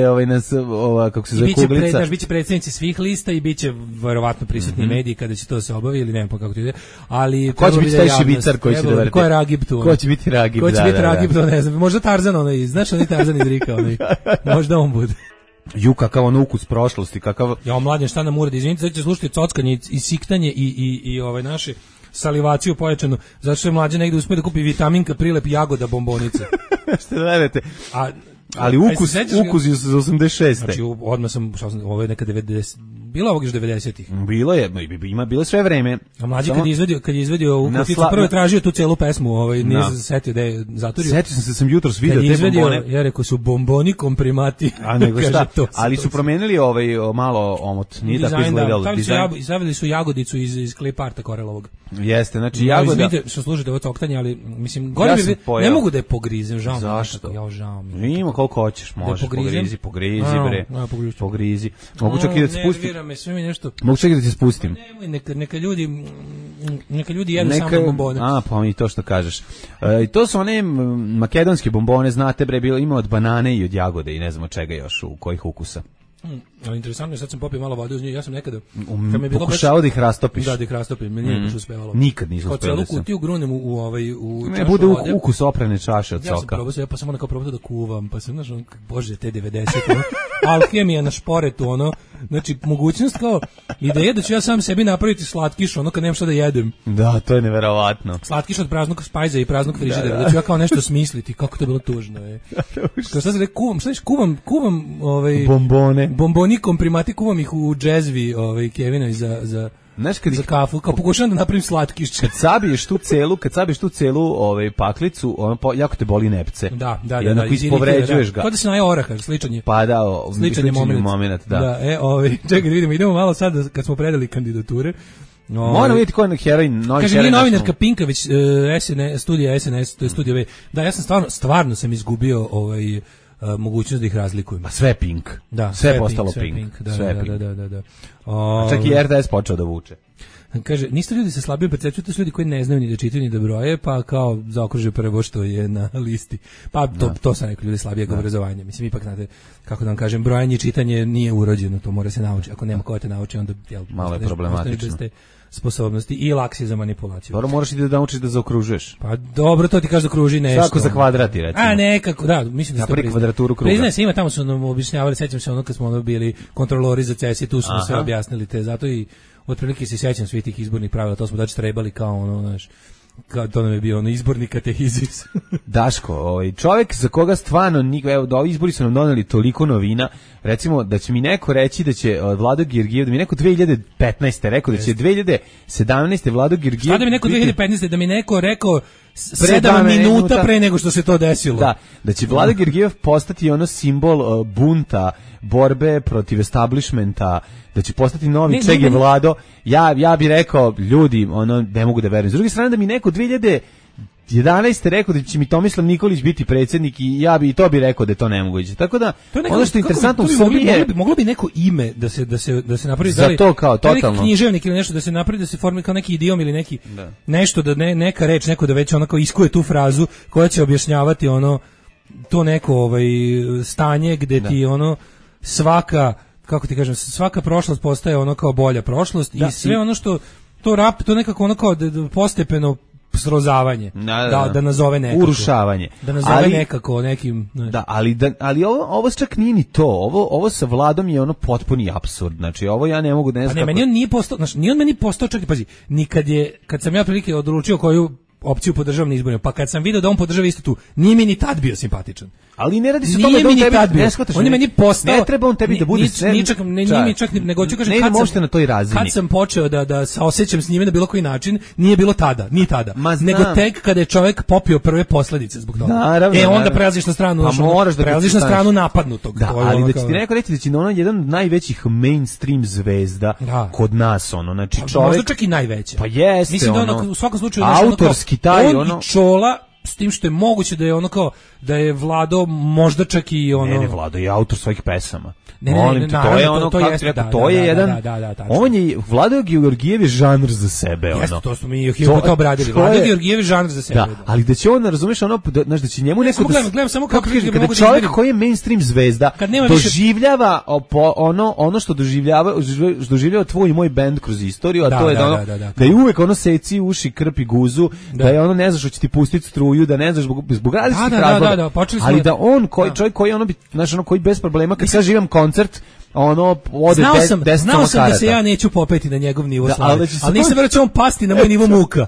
kako se zove kuglica. Biće predsjednici svih lista i biće verovatno prisutni mediji kada će to se obavi ili ne, kako to ide. Ali ko će biti taj šibicar koji će da verete? Ko je Ragib tu? Ko će biti Ragib? Ko će biti Ragib, to ne znam. Možda Tarzan znaš onaj Tarzan iz Rika, možda on bude. Kakav ukus prošlosti, kakav... Ja, mladen, šta nam uradi? Izvinite, sad će slušati cockanje i siktanje i naše salivaciju pojačanu, zato što je mlađe negde uspio da kupi vitaminka, prilep jagoda bombonice. Što da verujete? Ali ukus je iz 86. Znači, odmah ovo je neka 90, bilo ovog još 90-ih. Bilo je, bilo sve vreme. A mlađi kad je izvedio u kuticu, prvo je tražio tu celu pesmu, nije se setio da je zaturio. Setio sam jutros video te bombone. Ja rekao su bomboni komprimati. A nego šta, ali su promenili malo omot, nije tako izgledalo. Izavili su jagodicu iz kliparta Korelovog. Jeste, znači jagoda. Izvinite što služite ovo coktanje, ali mislim, ne mogu da je pogrizem, žao mi. Zašto? Žao mi. Ima koliko hoćeš, možeš, pogrizi bre. Pogrizi. Mogu čak i da ti spustim. Mogu čak i da ti spustim. Nemoj, neka ljudi jedu samo bombone. Pa mi to što kažeš. I to su one makedonske bombone, znate bre, ima od banane i od jagode i ne znam od čega još, u kojih ukusa. Ali interesantno je, sad sam popio malo vode uz nju, ja sam nekada pokušao da ih rastopiš. Da ih rastopim, meni nije baš uspevalo. Nikad nisam uspeo. Kao celu kutiju grunem u ne bude ukus oprane čaše od soka. Ja sam probao, pa sam kao probao da kuvam, pa sam, znaš, bože, te 90, alhemija na šporetu, Znači, mogućnost kao ideja da ću ja sam sebi napraviti slatkiš, ono kad nemam šta da jedem. Da, to je neverovatno. Slatkiš od praznog spajza i praznog frižidera, da ću ja kao nešto smisliti, kako to je bilo tužno. Kao šta se rekao, kuvam bomboni komprimati, kuvam ih u džezvi Kevina za znaš, kad za kafu, kao pokušavam da napravim slatkiš. Kad sabiješ tu celu paklicu, jako te boli nepce. Da. I onako ispovređuješ ga. Kao da se naje oraha, sličan je. Pa da, sličan je moment. Da. Čekaj, vidimo, idemo malo sad kad smo predali kandidature. Moramo vidjeti ko je heroj, novi kaže, heroj. Kaže, novinarka Pinka, već studija SNS, to je studija V. Da, ja sam stvarno sam izgubio mogućnost da ih razlikujem. A sve Pink. Da, sve je postalo Pink. Da. A čak i RTS počeo da vuče. Kaže, niste ljudi sa slabijom percepcijom, to su ljudi koji ne znaju ni da čitaju ni da broje, pa kao zaokruže prvo što je na listi. Pa to sam rekao, ljudi slabijeg obrazovanja. Mislim, ipak znate, kako da vam kažem, brojanje i čitanje nije urođeno, to mora se naučiti. Ako nema ko te nauči, onda malo je problematično. Sposobnosti i laksi za manipulaciju. Dobro, moraš i da naučiš da zaokružuješ. Pa dobro, to ti kaže zaokruži nešto. Svako za kvadrati, recimo. A nekako, da, mislim da napravi kvadraturu kruga. Priznaje se, ima, tamo su nam objašnjavali, sećam se kad smo bili kontrolori za CES i tu su sve objasnili te, zato i otprilike se sećam svih tih izbornih pravila, to smo trebali kao znaš, kao to nam je bio izborni katehizis. Daško, čovjek za koga stvarno, evo, da ovi izbori su nam doneli toliko novina, recimo da će mi neko reći da će Vlado Georgijev, da mi neko 2015. rekao da će 2017. Vlado Georgijev... Šta da mi neko 2015. da mi neko rekao 7 minuta pre nego što se to desilo. Da će Vlado Georgijev postati simbol bunta, borbe protiv establishmenta, da će postati novi Čege Vlado, ja bih rekao, ljudi, ne mogu da verujem. S druge strane, da mi neko 2011. rekao da će mi Tomislav Nikolić biti predsjednik i ja bi i to bi rekao da je to nemoguće. Tako da, ono što je interesantno u Srbiji je... Moglo bi neko ime da se napravi... Za to kao, totalno. Neki književnik ili nešto da se napravi, da se formira kao neki idiom ili neki... Nešto, da neka reč, neko da već onako iskuje tu frazu koja će objašnjavati to neko stanje gde ti svaka, kako ti kažem, svaka prošlost postaje kao bolja prošlost i sve ono što to nekako kao postepeno srozavanje, da nazove nekako. Urušavanje. Da nazove nekako nekim... Da, ali ovo čak nije ni to. Ovo sa Vladom je potpuni apsurd. Znači, ovo ja ne mogu da ne znam. Pa ne, meni on nije postao, znači, nije on meni postao, čak i pazi, kad sam ja prilike odlučio koju opciju podržavam na izborima, pa kad sam video da on podržava isto tu, nije mi ni tad bio simpatičan. Ali ne radi se o tome da on tebi ne shvataš. On je meni postao. Ne treba on tebi da bude čak nego hoću kažem na toj razini. Kad sam počeo da se osjećam s njime na bilo koji način, nije bilo tada, ni tada. Nego tek kada je čovjek popio prve posledice zbog toga. Onda prelaziš na stranu, prelaziš na stranu napadnutog. Ali da će ti neko reći da će jedan od najvećih mainstream zvezda kod nas, znači čovjek. Možda čak i najveća. Pa jeste. Mislim da u svakom slučaju autorski taj on Čola, s tim što je moguće da je da je Vlado možda čak i Ne, Vlado je autor svojih pesama. Ne, to je kako rekao, to je jedan. On je Vlado Georgijev je žanr za sebe, Jeste, to smo mi to obradili. Vlado Georgijev je žanr za sebe. Da, ali da će on, razumeš, znaš, da će njemu neko gledam samo kako kada čovjek koji je mainstream zvezda doživljava ono što doživljava tvoj i moj bend kroz istoriju, a to je da je uvek seci uši, krpi guzu, da je ne znaš hoće ti pustiti struju, da ne znaš zbog različitih razloga. Ali da on čovjek koji koji bez problema kad kaže imam koncert ode 10 znao sam da se ja neću popeti na njegov nivo slave, ali nisam verujem da će on pasti na moj nivo muka.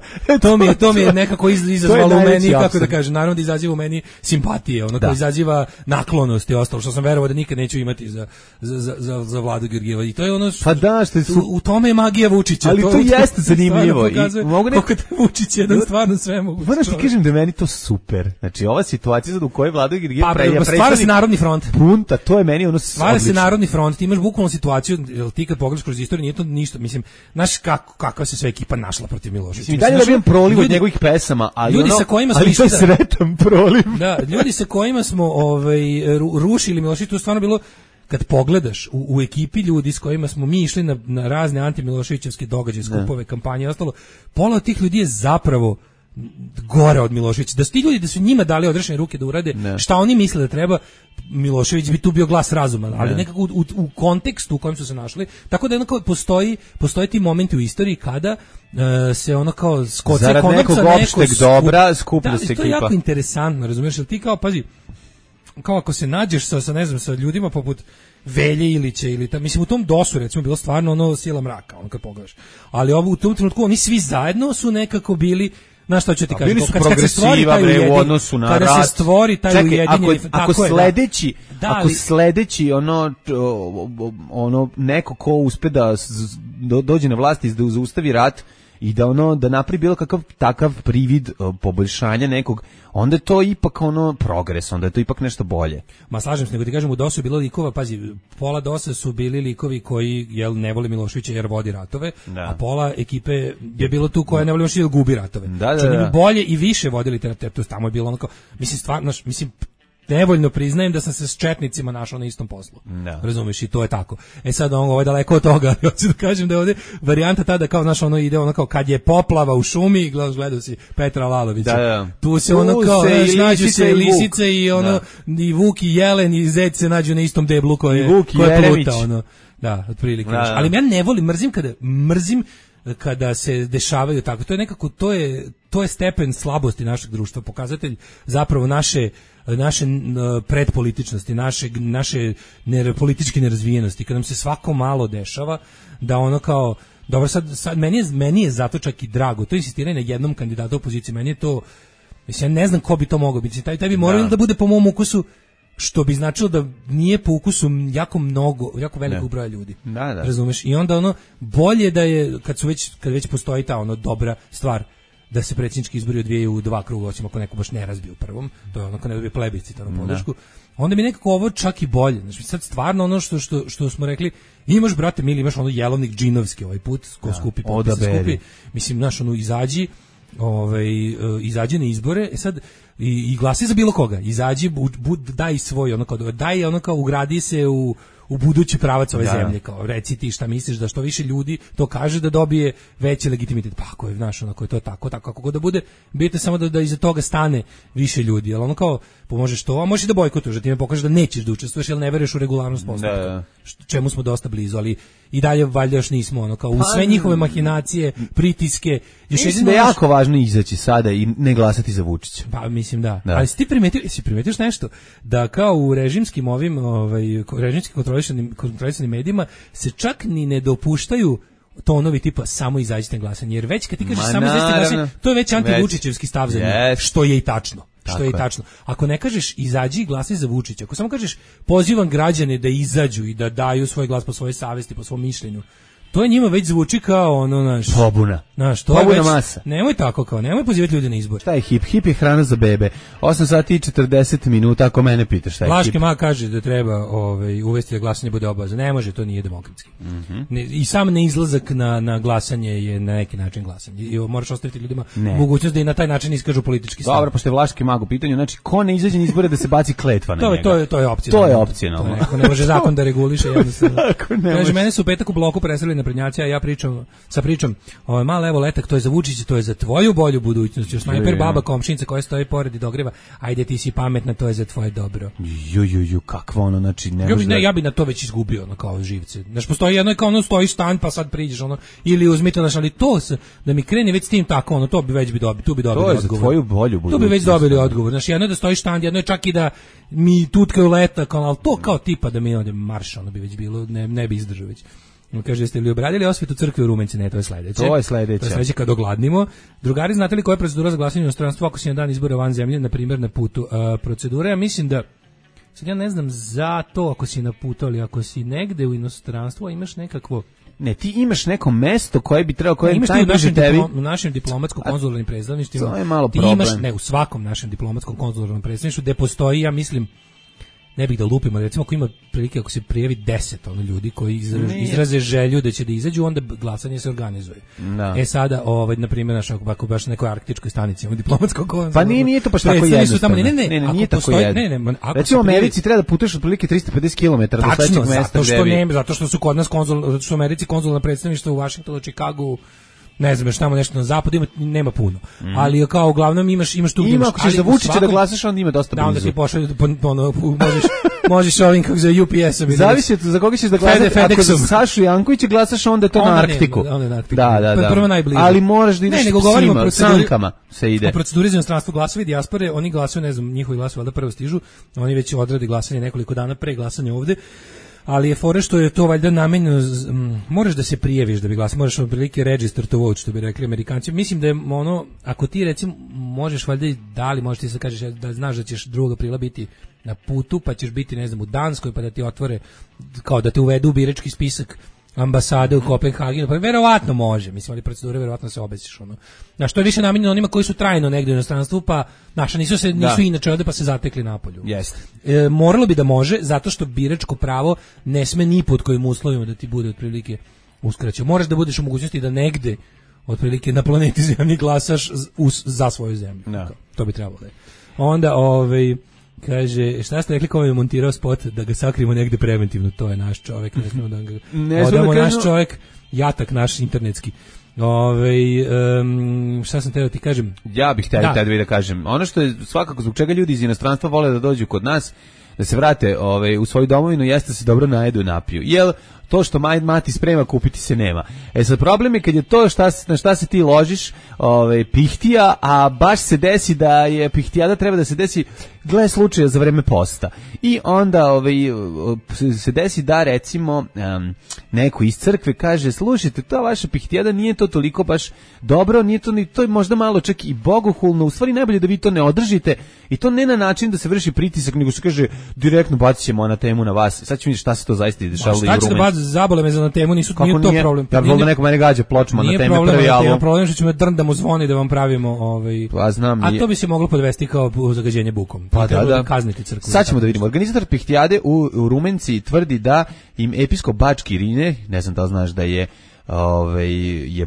To mi je nekako izazvalo u meni, kako da kažem, naravno da izaziva u meni simpatije, koji izaziva naklonost i ostalo, što sam verovao da nikad neću imati za Vladu Georgijeva. I to je pa da, u tome je magija Vučića. Ali to jeste zanimljivo. Kako te Vučić je stvarno sve mogu. Moram ti kažem da je meni to super. Znači, ova situacija u kojoj Vlada Georgijev stvara se narodni front. Bunta, to je meni stvara se narodni front. Ti imaš bukvalnu situaciju, ti kad pogledaš kroz istoriju, nije to ništa, mislim, znaš kakva se sve ekipa našla protiv Miloševića. Mislim, dalje da bijem proliv od njegovih pesama, ali ljudi sa kojima smo to je sretan proliv. Da, ljudi sa kojima smo rušili Miloševića, to je stvarno bilo, kad pogledaš u ekipi ljudi s kojima smo mi išli na razne antimiloševićevske događaje, skupove, kampanje i ostalo, pola od tih ljudi je zapravo gore od Miloševića. Da su ti ljudi, da su njima dali odrešene ruke da urade šta oni misle da treba, Milošević bi tu bio glas razuma, ali nekako u kontekstu u kojem su se našli, tako da postoje ti momenti u istoriji kada se kao skoce zarad nekog opšteg dobra skuplja se ekipa. To je jako interesantno, razumiješ, jer ti kao, pazi, kao ako se nađeš sa ljudima poput Velje Ilića ili mislim u tom DOS-u recimo bilo stvarno ono sila mraka, ono kad pogledaš. Ali ovo u tom trenutku oni svi zajedno su nekako bili, znaš šta ću ti kažem, kad se stvori taj u odnosu na kada rat. Se stvori taj ujedinjeni, ako sledeći ono neko ko uspe da dođe na vlast i da zaustavi rat i da napravi bilo kakav takav privid poboljšanja nekog, onda je to ipak progres, onda je to ipak nešto bolje. Ma slažem se, nego ti kažem, u DOS-u je bilo likova, pazi, pola DOS-a su bili likovi koji ne vole Miloševića jer vodi ratove, a pola ekipe je bilo tu koja ne voli Miloševića jer gubi ratove. Oni bolje i više vodili te ratove, tamo je bilo onako, mislim, stvarno, nevoljno priznajem da sam se s četnicima našao na istom poslu. Razumeš, i to je tako. Sad ovo je daleko od toga, ali hoću da kažem da je ovdje varijanta tada kao, znaš, ide kao kad je poplava u šumi, gledao si Petra Lalovića. Tu se kao, nađu se lisice i vuk i jelen i zec se nađu na istom deblu koje je pluta, Da, otprilike. Ali ja ne volim, mrzim kada se dešavaju tako. To je nekako, to je stepen slabosti našeg društva, pokazatelj zapravo naše predpolitičnosti, naše političke nerazvijenosti, kad nam se svako malo dešava da ono kao, dobro sad meni je zato čak i drago, to insistiranje na jednom kandidatu opozicije, meni je to, mislim, ja ne znam ko bi to mogao biti, taj bi morao da bude po mom ukusu, što bi značilo da nije po ukusu jako velikog broja ljudi. Razumeš? I onda bolje da je, kad već postoji ta dobra stvar, da se predsjednički izbori odvijaju u 2 kruga, osim ako neko baš ne razbije u prvom, to je ako ne dobije plebiscitarnu podršku, onda mi nekako ovo čak i bolje. Znači, sad stvarno što smo rekli, imaš, brate mili, imaš jelovnik džinovski ovaj put, ko skupi potpise skupi, mislim, znaš, izađi na izbore, sad i glasi za bilo koga, izađi, daj svoj, daj ugradi se u budući pravac ove zemlje, kao reci ti šta misliš, da što više ljudi to kaže da dobije veći legitimitet. Pa ako je, znaš, ako je to tako kako god da bude, bitno samo da iza toga stane više ljudi, ali kao pomožeš to, a možeš da bojkotuješ, da ti me pokažeš da nećeš da učestvuješ, jer ne veruješ u regularnost postupka, čemu smo dosta blizu, ali i dalje valjda još nismo, kao u sve njihove mahinacije, pritiske. Mislim da je jako važno izaći sada i ne glasati za Vučića. Pa mislim da. Ali si ti primetio nešto da kao u režimskim režimski kontrolisanim medijima se čak ni ne dopuštaju tonovi tipa samo izađite na glasanje, jer već kad ti kažeš samo izađite na glasanje, to je već antivučićevski stav za njih, što je i tačno. Ako ne kažeš izađi i glasaj za Vučića, ako samo kažeš pozivam građane da izađu i da daju svoj glas po svojoj savesti, po svom mišljenju, to je njima već zvuči kao pobuna. Pobuna masa. Nemoj tako kao, nemoj pozivati ljude na izbor. Šta je hip? Hip je hrana za bebe. 8 sati i 40 minuta, ako mene pitaš šta je hip. Vlaški mag kaže da treba uvesti da glasanje bude obavezno. Ne može, to nije demokratski. I sam neizlazak na glasanje je na neki način glasanje. I moraš ostaviti ljudima mogućnost da i na taj način iskažu politički stav. Dobro, pošto je Vlaški mag u pitanju, znači ko ne izađe na izbore da se baci kletva na njega. To je opcionalno. To je opcionalno. Ne može zakon da reguliše jednostavno. Kaže, mene su u petak u bloku preselili naprednjaci, a ja pričam, mala evo letak, to je za Vučića, to je za tvoju bolju budućnost, još snajper baba komšinica koja stoji pored i dogreva, ajde ti si pametna, to je za tvoje dobro. Kakva znači ne može. Ja bi na to već izgubio, kao živce. Znači postoji jedno kao stoji stan pa sad priđeš ili uzmite ali to da mi krene već s tim tako, to bi već dobili odgovor. To je za tvoju bolju budućnost. To bi već dobili odgovor. Znači jedno je da stoji štand, jedno je čak i da mi tutkaju letak, ali to kao tipa da mi ode marš, bi već bilo, ne bi izdržao već. Kaže, jeste li obradili osvetu crkve u Rumenici? Ne, to je sledeće. To je sledeće kad ogladnimo. Drugari, znate li koja je procedura za glasanje u inostranstvu ako si na dan izbora van zemlje, na primjer na putu? Procedura, ja mislim da, sad ja ne znam za to ako si na putu, ali ako si negde u inostranstvu, a imaš nekakvo... Ne, ti imaš neko mesto koje bi trebalo, koje je najbliže tebi. U našem diplomatsko-konzularnim predstavništvima. To je malo problem. Ti imaš, u svakom našem diplomatsko-konzularnom predstavništvu gde postoji, ja mislim, ne bih da lupim, ali recimo ako ima prilike, ako se prijavi 10 ljudi koji izraze želju da će da izađu, onda glasanje se organizuje. Sada, na primjer, ako baš na nekoj arktičkoj stanici imamo diplomatsko konzularno. Pa nije to baš tako jednostavno. Nije tako jednostavno. Recimo u Americi treba da putuješ otprilike 350 km do sledećeg mesta. Zato što su kod nas u Americi konzularna predstavništva u Vašingtonu, Čikagu, ne znam, još tamo nešto na zapadu nema puno. Ali kao uglavnom imaš tu gdje imaš. Ako ćeš za Vučića da glasaš, onda ima dosta blizu. Da, onda ti pošalju, možeš ovim kako za UPS-a. Zavisi za koga ćeš da glasaš. Ako za Sašu Jankovića glasaš, onda je to na Arktiku. Da. Prvo najbliže. Ali moraš da ideš sankama se ide. U proceduri za inostranstvo glasovi dijaspore, oni glasaju, ne znam, njihovi glasovi valjda prvo stižu, oni već odrade glasanje nekoliko dana pre glasanja ovde. ali je fora što je to valjda namenjeno, moraš da se prijaviš da bi glasao, moraš otprilike register to vote, što bi rekli Amerikanci. Mislim da je ono, ako ti recimo možeš valjda i da li možeš ti se kažeš da znaš da ćeš 2. aprila biti na putu, pa ćeš biti, ne znam, u Danskoj, pa da ti otvore, kao da te uvedu u birački spisak ambasade u Kopenhagenu, pa verovatno može, mislim, ali procedure verovatno se obesiš, ono. Na što je više namenjeno onima koji su trajno negdje u inostranstvu, pa naša nisu inače ovde pa se zatekli napolju. Jeste. Moralo bi da može, zato što biračko pravo ne sme ni pod kojim uslovima da ti bude otprilike uskraćeno. Moraš da budeš u mogućnosti da negde otprilike na planeti Zemlji glasaš za svoju zemlju. No. To bi trebalo da je. Onda, kaže, šta ste rekli ko je montirao spot da ga sakrijemo negde preventivno, to je naš čovjek, ne smemo da ga odamo, naš čovjek, jatak naš internetski. Šta sam teo ti kažem? Ja bih htio da kažem. Ono što je svakako zbog čega ljudi iz inostranstva vole da dođu kod nas, da se vrate u svoju domovinu, jeste da se dobro najedu i napiju. Jel to što mati sprema kupiti se nema. Sad problem je kad je to na šta se ti ložiš, pihtija, a baš se desi da je pihtijada treba da se desi gle slučaja za vreme posta. I onda se desi da recimo neko iz crkve kaže, slušajte, to vaša pihtijada nije to toliko baš dobro, nije to je možda malo čak i bogohulno, u stvari najbolje da vi to ne održite i to ne na način da se vrši pritisak, nego se kaže direktno bacit ćemo na temu na vas. Sad ću vidjeti šta se to zaista dešavalo i u Rumeniji. Zabole me za na temu, nije to problem. Ja bih da neko mene gađa pločama na teme prvi album. Nije problem što ćemo drndamo zvoni da vam pravimo Pa znam. A to bi se moglo podvesti kao zagađenje bukom. Pa da. Kazniti crkvu. Sad ćemo da vidimo. Organizator pihtijade u Rumenci tvrdi da im episkop Bački Irine, ne znam da li znaš da je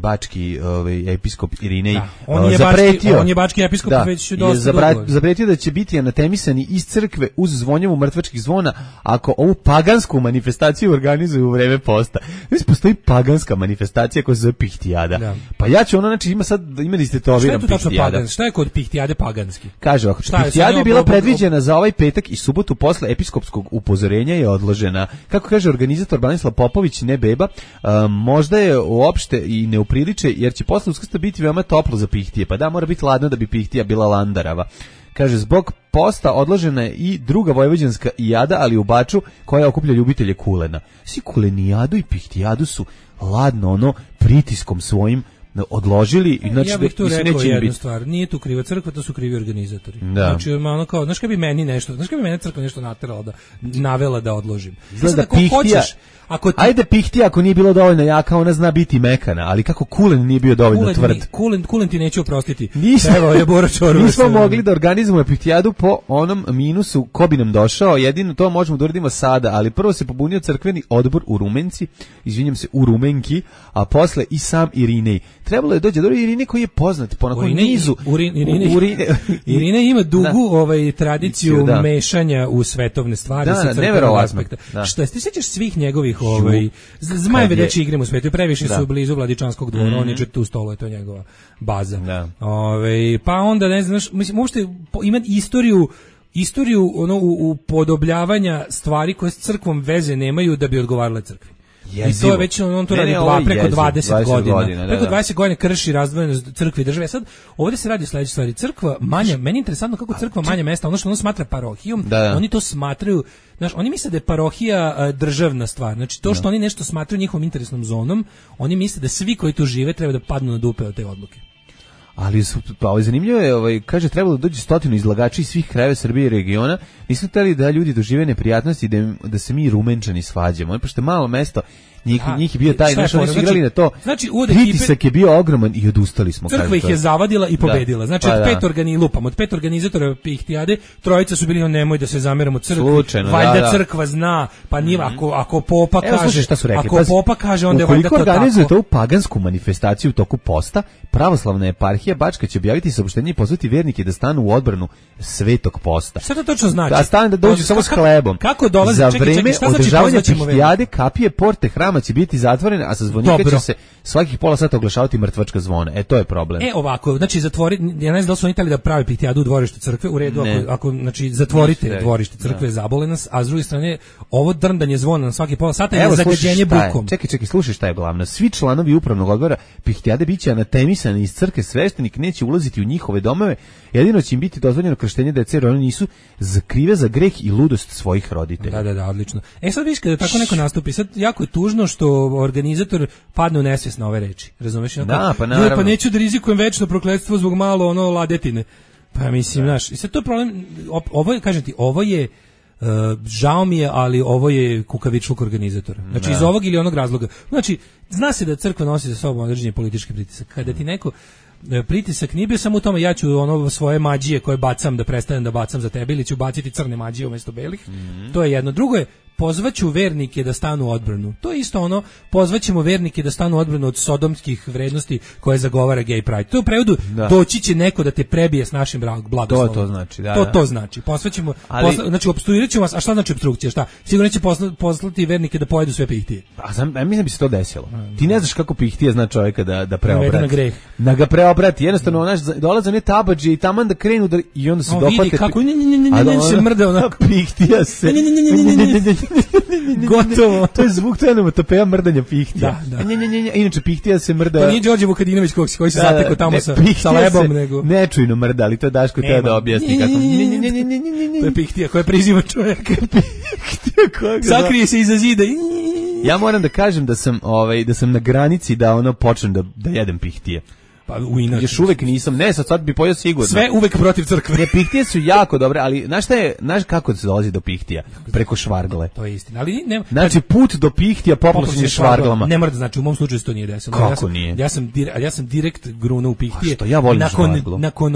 bački episkop Irinej zapretio. On je bački episkop već dosta dugo. Zapretio da će biti anatemisani iz crkve uz zvonjavu mrtvačkih zvona ako ovu pagansku manifestaciju organizuju u vreme posta. Mislim, postoji paganska manifestacija koja se zove pihtijada. Da. Pa ja ću imali ste to pihtijada. Šta je kod pihtijade paganski? Kaže ovako, pihtijada je bila predviđena za ovaj petak i subotu posle episkopskog upozorenja je odložena. Kako kaže organizator Branislav Popović, ne beba, možda je uopšte i ne upriliče, jer će posle Uskrsa biti veoma toplo za pihtije. Pa da, mora biti ladno da bi pihtija bila landarava. Kaže, zbog posta odložena je i druga vojvođanska jada, ali u Baču, koja okuplja ljubitelje kulena. Svi kulenijadu i pihtijadu su ladno, pritiskom svojim odložili. Ja bih tu rekao jednu stvar, nije tu kriva crkva, to su krivi organizatori. Da. Znači, ono kao, znaš kad bi mene crkva nešto navela da odložim. Znači, da pihtija, ajde pihtija ako nije bilo dovoljno jaka, ona zna biti mekana, ali kako kulen nije bio dovoljno tvrd. Kulen ti neće oprostiti. Nismo mogli da organizujemo pihtijadu po onom minusu ko bi nam došao, jedino to možemo da uradimo sada, ali prvo se pobunio crkveni odbor u Rumenci, izvinjam se, u Rumenki, a posle i sam Irinej. Trebalo je dođe do Irinej koji je poznat po onakvom nizu. Irinej ima dugu tradiciju mešanja u svetovne stvari sa crkvenog aspekta. Šta ti sećaš svih njegovih Zmajeve deči igrem u svetu, previše su blizu Vladičanskog dvora, on je tu stolo, je to njegova baza. Pa onda ne znaš, mislim uopšte ima istoriju upodobljavanja stvari koje s crkvom veze nemaju da bi odgovarale crkvi. I to je već on to radi preko 20 godina. Preko 20 godina krši razdvojenost crkve i države. Sad ovdje se radi o sledećoj stvari. Crkva manja, meni je interesantno kako crkva manje mesta, ono što ono smatra parohijom, oni to smatraju, znaš, oni misle da je parohija državna stvar. Znači to što oni nešto smatraju njihovom interesnom zonom, oni misle da svi koji tu žive treba da padnu na dupe od te odluke. Ali zanimljivo je, kaže, trebalo da dođe 100 izlagača iz svih krajeva Srbije i regiona, nisu hteli da ljudi dožive neprijatnosti da se mi Rumenčani svađamo. Pošto je malo mesto, njih je bio taj, znaš, oni su igrali na to, pritisak je bio ogroman i odustali smo. Crkva ih je zavadila i pobedila. Znači, od 5 organizatora pihtijade, 3 su bili, nemoj da se zameramo crkvi, valjda crkva zna, pa nije, ako popa kaže, onda je valjda to tako. Ukoliko organizujete ovu pagansku manifestaciju u toku posta, pravoslavna eparhija Bačka će objaviti saopštenje i pozvati vernike da stanu u odbranu svetog posta. Šta to točno znači? Da stane da dođu samo s hlebom. Kako dolazi? Za vreme održavanja pihtijade kapije porte hrama će biti zatvorene, a sa zvonika će se svakih pola sata oglašavati mrtvačka zvona. To je problem. Ovako, znači ja ne znam da li su oni hteli da pravi pihtijadu u dvorištu crkve, u redu, ako znači zatvorite dvorište crkve, zabole nas, a s druge strane ovo drndanje zvona na svaki pola sata je zagađenje bukom. Čekaj, slušaj šta je glavno. Svi članovi upravnog odbora pihtijade biće anatemisani iz crkve, sveštenik neće ulaziti u njihove domove, jedino će im biti dozvoljeno krštenje dece, jer oni nisu krive za greh i ludost svojih roditelja. Da, odlično. Sad viš kada tako neko nastupi, sad jako je tužno što organizator padne u nesvijest na ove reči. Razumeš? Da, pa naravno. Pa neću da rizikujem večno prokletstvo zbog malo ladetine. Pa mislim, znaš, i sad to je problem, ovo je, kažem ti, ovo je žao mi je, ali ovo je kukavičluk organizatora. Znači iz ovog ili onog razloga. Znači, zna se da crkva nosi za sobom određeni politički pritisak. Kada ti neko pritisak nije bio samo u tome ja ću svoje mađije koje bacam da prestanem da bacam za tebe ili ću baciti crne mađije umjesto belih. To je jedno. Drugo je pozvaću vernike da stanu u odbranu. To je isto pozvaćemo vernike da stanu u odbranu od sodomskih vrednosti koje zagovara gay pride. To je u prevodu doći će neko da te prebije s našim blagoslovom. To znači, To znači. Posvaćemo, znači opstruirat ćemo vas, a šta znači opstrukcija? Šta? Sigurno će poslati vernike da pojedu sve pihtije. Ja mislim da bi se to desilo. Ti ne znaš kako pihtije zna čovjeka da preobrati. Na greh. Da ga preobrati. Jednostavno, dolaze one tabadže i taman da krenu i onda se dohvate. Vidi kako se mrde onako. Pihtija se. Gotovo. To je zvuk, to je onomatopeja mrdanja pihtija. Da. Inače, pihtija se mrda... To nije Đorđe Vukadinović koji se zatekao tamo sa lebom, nego... Nečujno mrda, ali to je Daško teo da objasni kako... To je pihtija koja priziva čovjeka. Sakrije se iza zida. Ja moram da kažem da sam na granici da počnem da jedem pihtije. Pa još uvek nisam, sad bi pojeo sigurno. Sve uvek protiv crkve. Ne, pihtije su jako dobre, ali znaš kako se dolazi do pihtija? Preko švargle. To je istina, ali nema. Znači put do pihtija popločen švarglama. Ne mora da znači, u mom slučaju se to nije desilo. Kako nije? Ja sam direkt grunuo u pihtije. Što ja volim švarglu. Nakon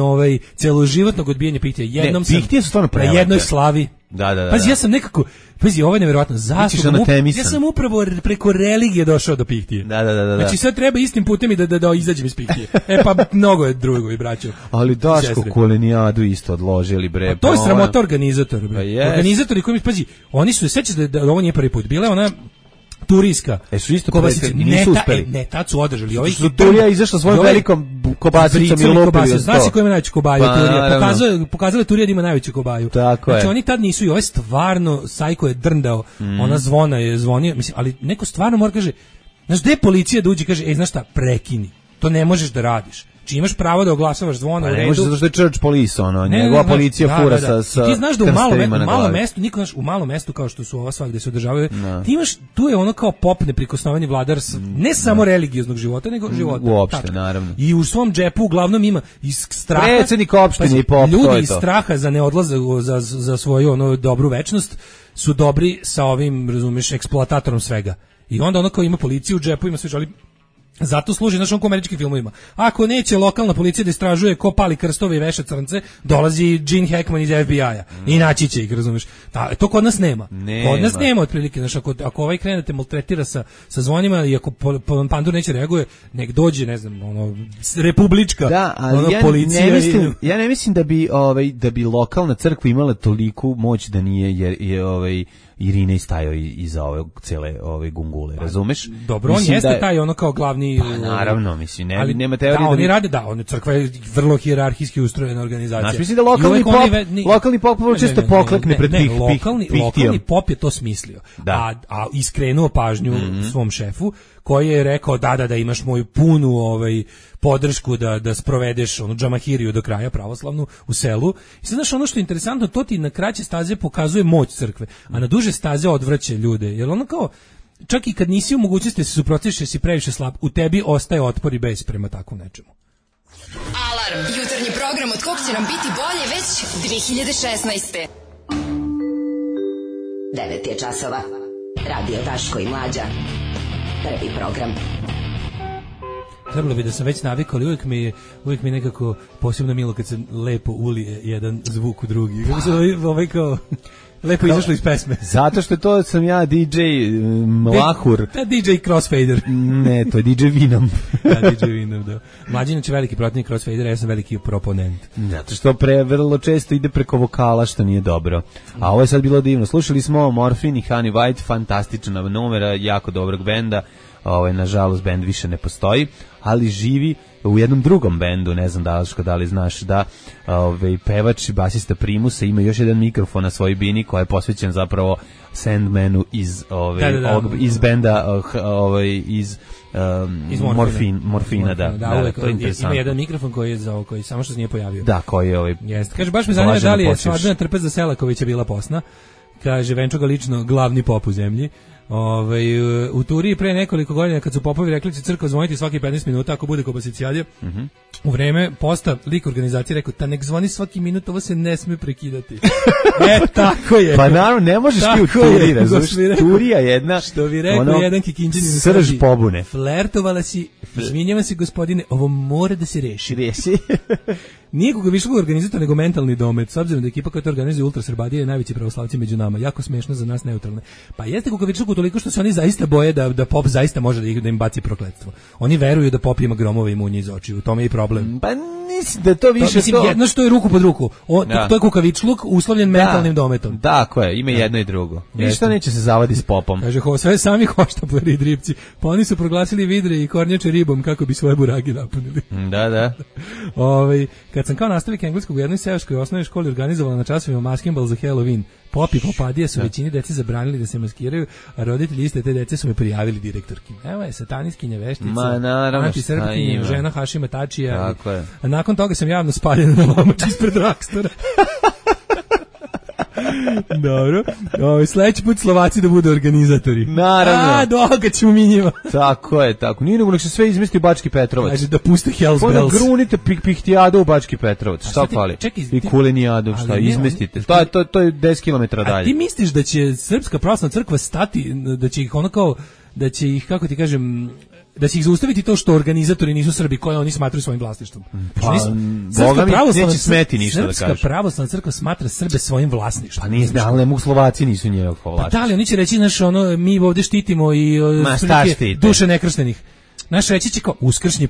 celoživotnog odbijanja pihtija. Jednom sam pihtije su stvarno prelepe. Na jednoj slavi. Da. Pazi, ja sam nekako, ovo je nevjerojatno. Ja sam upravo preko religije došao do pihtije. Da. Znači sad treba istim putem i da izađem iz pihtije. Pa mnogo je drugovi, braćo. Ali Daško kolenijadu isto odložili, bre. To je sramota organizatora, bre. Organizatori koji mi, pazi, oni su, sećate da ovo nije prvi put. Bila je ona turijska. Su isto nisu uspeli. Ne, tad su održali. Turija izašla svojom velikom kobasicom i lupili. Znaš si ko ima najveću kobaju? Turija. Pokazala Turija da ima najveću kobaju. Znači oni tad nisu i ovo je stvarno, Sajko je drndao, ona zvona je zvonio, mislim, ali neko stvarno mora kaže, znaš, gde je policija da uđe, kaže, znaš šta, prekini, to ne možeš da radiš. Či imaš pravo da oglašavaš zvona u redu. Ne možeš zato što je church police, njegova policija fura sa ti znaš da u malom mestu kao što su ova sva gde se održavaju, ti imaš, tu je ono kao pop neprikosnoveni vladar ne samo religioznog života, nego života. Uopšte, naravno. I u svom džepu uglavnom ima iz straha. Predsjednik opštine i pop, ljudi iz straha za neodlazak za svoju dobru večnost su dobri sa ovim, razumeš, eksploatatorom svega. I onda kao ima policiju u džepu, ima sve žali. Zato služi, znaš, on ko američkim filmovima. Ako neće lokalna policija da istražuje ko pali krstove i veša crnce, dolazi Gene Hackman iz FBI-a i naći će ih, razumiješ. To kod nas nema. Kod nas nema otprilike, znaš, ako ovaj krene da te maltretira sa zvonima i ako Pandur neće reaguje, nek dođe, ne znam, republička policija. Ja ne mislim da bi lokalna crkva imala toliku moć da nije, jer Irina je stajao iza cele gungule, razumeš? Dobro, on jeste taj kao glavni... Pa naravno, mislim, nema teorije da... oni rade, crkva je vrlo hijerarhijski ustrojena organizacija. Znaš, mislim da lokalni pop često poklekne pred pihtijom. Lokalni pop je to smislio, a iskrenuo pažnju svom šefu, koji je rekao da imaš moju punu podršku da sprovedeš džamahiriju do kraja pravoslavnu u selu. I sad znaš, ono što je interesantno, to ti na kraće staze pokazuje moć crkve, a na duže staze odvraća ljude. Jer ono kao, čak i kad nisi u mogućnosti da se suprotiviš jer si previše slab, u tebi ostaje otpor i bes prema takvom nečemu. Alarm, jutarnji program od kog će nam biti bolje već 2016. 9 je časova. Radio Daško i Mlađa. Prvi program. Trebalo bi da sam već navikao, ali uvijek mi nekako posebno milo kad se lepo ulije jedan zvuk u drugi. Kako se kao lepo izašlo iz pesme. Zato što to sam ja DJ Mlahur. DJ Crossfader. Ne, to je DJ Vinom. DJ Vinom, da. Mlađina će veliki protivnik Crossfadera, ja sam veliki proponent. Zato što vrlo često ide preko vokala, što nije dobro. A ovo je sad bilo divno. Slušali smo Morphine i Honey White, fantastična numera, jako dobrog benda. Nažalost, bend više ne postoji, ali živi u jednom drugom bendu, ne znam da li znaš, da pevač i basista Primusa ima još jedan mikrofon na svojoj bini koja je posvećen zapravo Sandmanu iz iz benda iz Morfina, da, to je interesantno. Ima jedan mikrofon koji samo što se nije pojavio. Da, koji je Jeste. Kaže, baš me zanima da li je Svadbena trpeza Selakovića bila posna. Kaže, Venčo ga lično glavni pop u zemlji. U Turiji pre nekoliko godina kad su popovi rekli će crkva zvoniti svaki 15 minuta ako bude kobasicijadija, u vreme posta lik organizacije rekao ta nek zvoni svaki minut, ovo se ne sme prekidati. Tako je. Pa naravno, ne možeš ti u Turiji, razumiješ, Turija jedna, što bi rekao jedan Kikinđanin, srž pobune. Flertovala si, izvinjavam se gospodine, ovo mora da se reši. Nije Kukavičluk organizator, nego mentalni domet, s obzirom da ekipa koja to organizuje Ultrasrbadija je najveći pravoslavci među nama, jako smešno za nas neutralne. Pa jeste Kukavičluk toliko što se oni zaista boje da pop zaista može da im baci prokletstvo. Oni veruju da pop ima gromove i munje iz očiju, u tome je i problem. Pa mislim da to više to... jedno što je ruku pod ruku, to je Kukavičluk uslovljen mentalnim dometom. Tako je, ima jedno i drugo. Ništa neće se zavadi s popom. Kaže, sve sami hoštapleri i dripci, pa oni su proglasili vidre i kornjače ribom kako bi svoje buragi napunili. Da. Kad sam kao nastavnik engleskog u jednoj seoskoj osnovnoj školi organizovala na časovima maskinbal za Halloween, pop i popadije su većini dece zabranili da se maskiraju, a roditelji iste te dece su me prijavili direktorki. Evo je sataniskinja veštica, antisrpkinja, žena Hašima Tačija. A nakon toga sam javno spaljena na lomač ispred Rakstora. Dobro. Sledeći put Slovaci da budu organizatori. Naravno. Doga ćemo mi njima. Tako je. Nije nego se sve izmesti u Bački Petrovac. Kaže da puste Hells Bells. Onda grunite pihtijadu u Bački Petrovac. Šta fali? I kulenijadu, šta izmestite. To je 10 km dalje. A ti misliš da će Srpska pravoslavna crkva stati, da će ih da će ih, kako ti kažem, da će ih zaustaviti to što organizatori nisu Srbi koje oni smatraju svojim vlasništvom. Boga mi neće smeti ništa da kaže. Srpska pravoslavna crkva smatra Srbe svojim vlasništvom. Pa nije, ali ne mogu Slovaci nisu njegov vlasništvo. Pa da li, oni će reći, znaš, mi ovdje štitimo i duše nekrštenih. Naš reći će kao uskršnji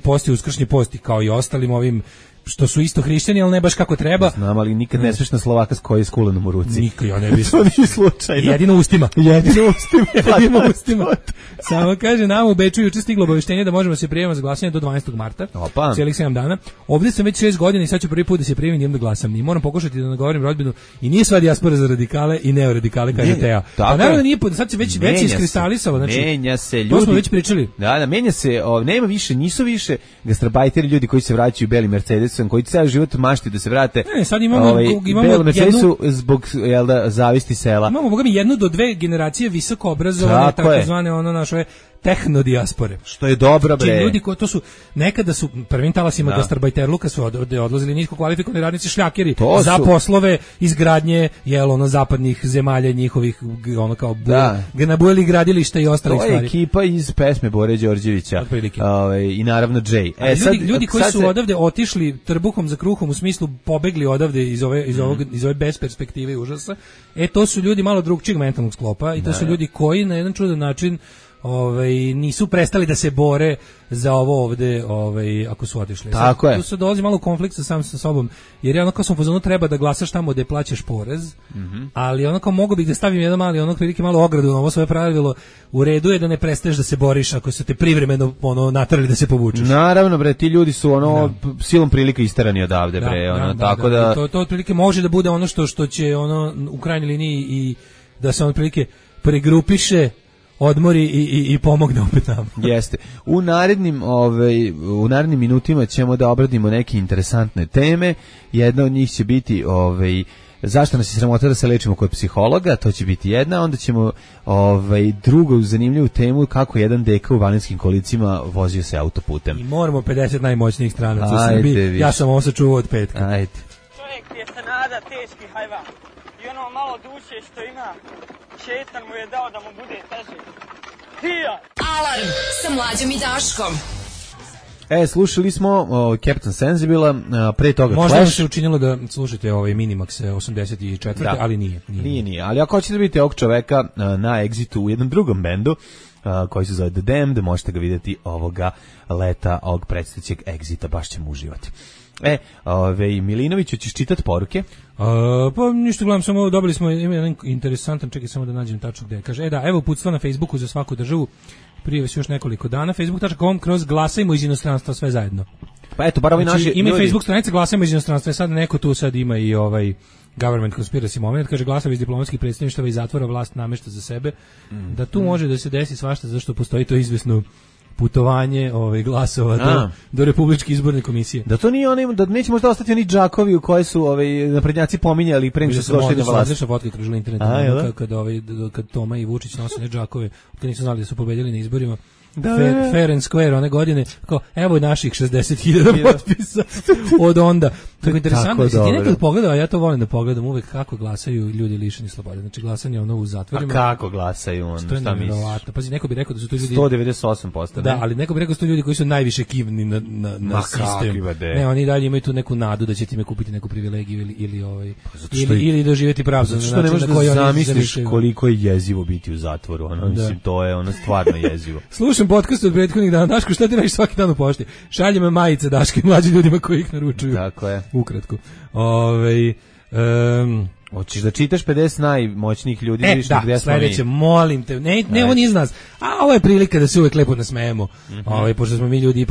posti, kao i ostalim ovim što su isto hrišćani, ali ne baš kako treba. Znam, ali nikad ne smiješ na Slovaka s koji je skulenom u ruci. Nikad, ja ne bih. To nije slučajno. Jedino ustima. Samo kaže, nama u Beču juče stiglo obaveštenje da možemo se prijaviti za glasanje do 12. marta. Cijelih 7 dana. Ovdje sam već 6 godina i sad ću prvi put da se prijavim i idem da glasam. I moram pokušati da nagovorim rodbinu. I nije sva dijaspora za radikale i neoradikale, kaže Teja. Pa naravno nije, sad se već iskristalisalo. Znači, menja se ljudi. To smo već pričali. Da, menja se, nema više, nisu više gastrobajteri ljudi koji se vraćaju beli Mercedes koji ceo život mašti da se vrate. Ne, sad imamo Mercedesu zbog zavisti sela. Imamo bogami 1 do 2 generacije visoko obrazovane, takozvane naše tehnodijaspore. Što je dobro, bre. Ti ljudi koji to su nekada su prvim talasima gastarbajterluka su odlazili nisko kvalifikovani radnici šljakeri za poslove izgradnje zapadnih zemalja njihovih kao nabujali gradilišta i ostalih stvari. To je ekipa iz pesme Bore Đorđevića. I naravno Jay. Ljudi koji su odavde otišli trbuhom za kruhom u smislu pobegli odavde iz ove besperspektive i užasa. To su ljudi malo drugčijeg mentalnog sklopa i to su ljudi koji na jedan čudan način nisu prestali da se bore za ovo ovde, ako su otišli. Tako je. Tu se dolazi malo u konflikt sa sobom, jer je kao sam u fazonu treba da glasaš tamo gde plaćaš porez, ali kao mogu bih da stavim jedan mali prilike malo ogradu na ovo svoje pravilo. U redu je da ne prestaješ da se boriš ako su te privremeno naterali da se povučeš. Naravno, bre, ti ljudi su silom prilike isterani odavde, bre, tako da to otprilike može da bude ono što će u krajnjoj liniji i da se otprilike pregrupiše, odmori i pomogne opet nam. Jeste. U narednim minutima ćemo da obradimo neke interesantne teme. Jedna od njih će biti zašto nas je sramota da se lečimo kod psihologa, to će biti jedna, onda ćemo drugu zanimljivu temu kako jedan deka u Vaninskim kolicima vozio se autoputem. I moramo 50 najmoćnijih stranaca u Srbiji. Ja sam ovo sačuvao od petka. Ajde. Čovjek je se nada teški hajvan i ono malo duše što ima, šetan mu je dao da mu bude teže. Alarm sa Mlađom i Daškom. Slušali smo Captain Sensibila, pre toga Možda Clash. Možda se učinilo da slušate Minimax 84. Ali nije. Nije. Ali ako hoćete da vidite ovog čoveka na Exitu u jednom drugom bendu, koji se zove The Damned, možete ga vidjeti ovoga leta, ovog predstavljećeg Exita, baš ćemo uživati. Milinoviću, ćeš čitati poruke? Pa ništa, gledam, samo dobili smo jedan interesantan, čekaj samo da nađem tačno gde. Kaže, evo uputstva na Facebooku za svaku državu, prije još nekoliko dana, facebook.com/glasajmo iz inostranstva sve zajedno. Pa eto, bar ovi naši ima ljudi... Facebook stranica Glasamo iz inostranstva, sad neko tu sad ima i ovaj government conspiracy moment, kaže glasovi iz diplomatskih predstavništava i zatvora vlast namešta za sebe, da tu može da se desi svašta, zašto postoji to izvesno putovanje glasova do Republičke izborne komisije. Da to nije da neće možda ostati oni džakovi u koje su naprednjaci pominjali pre nego što su došli na vlast. Odlična fotka kružila internetu kad Toma i Vučić nose ne džakove, kad nisu znali da su pobedili na izborima. Fair and Square one godine, kao evo naših 60.000 potpisa od onda. Tako interesantno, jesi ti nekad pogledao, a ja to volim da pogledam uvek kako glasaju ljudi lišeni slobode. Znači glasanje u zatvorima. A kako glasaju on? Šta misliš? Pazi, neko bi rekao da su to ljudi 198%. Da, ali neko bi rekao da su to ljudi koji su najviše kivni na sistem. Ne, oni dalje imaju tu neku nadu da će time kupiti neku privilegiju ili doživjeti pravdu. Što ne možeš da zamisliš koliko je jezivo biti u zatvoru. Mislim, to je stvarno jezivo. Slušam podcast od prethodnih dana. Daško, šta ti radiš svaki dan u pošti? Šalje me majice, Daško, i mlađi ljudima koji ih naručuju. Tako je. Ukratko. Hoćeš da čitaš 50 najmoćnijih ljudi, vidiš gde smo mi. Sledeće, molim te. Ne, on iz nas. A ovo je prilika da se uvek lepo nasmejemo. Pošto smo mi ljudi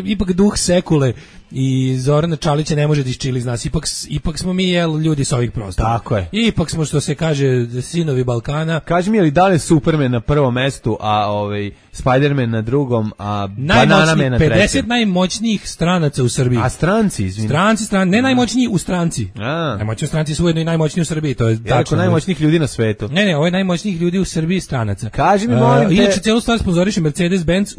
ipak duh sekule i Zorana Čalića ne može da iščili iz nas. Ipak smo mi ljudi s ovih prostora. Tako je. Ipak smo, što se kaže, sinovi Balkana. Kaži mi, je li da li Superman na prvom mestu, a Spider-Man na drugom, a Bananaman na trećem? 50 najmoćnijih stranaca u Srbiji. A stranci, izvini. Stranci, ne najmoćniji u stranci. Najmoćniji u stranci su ujedno i najmoćniji u Srbiji, to je tačno. Najmoćnijih ljudi na svetu. Ne, ovo je najmoćnijih ljudi u Srbiji stranaca. Kaži mi, molim te. Inače, celu stvar sponzoriše Mercedes-Benz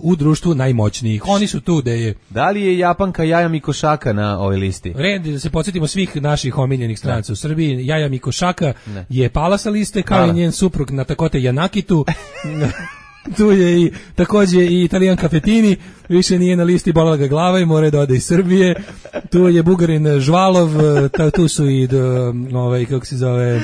u društvu najmoćnijih. Oni su tu gde je. Da li je Japanka Jaja Mikošaka na ovoj listi? Red, da se podsjetimo svih naših omiljenih stranaca u Srbiji. Jaja Mikošaka je pala sa liste, kao i njen suprug Natakote Janakitu. Tu je i takođe i Italijan Cafetini, više nije na listi, bolela ga glava i mora da ode iz Srbije. Tu je Bugarin Žvalov, tu su i kako se zove,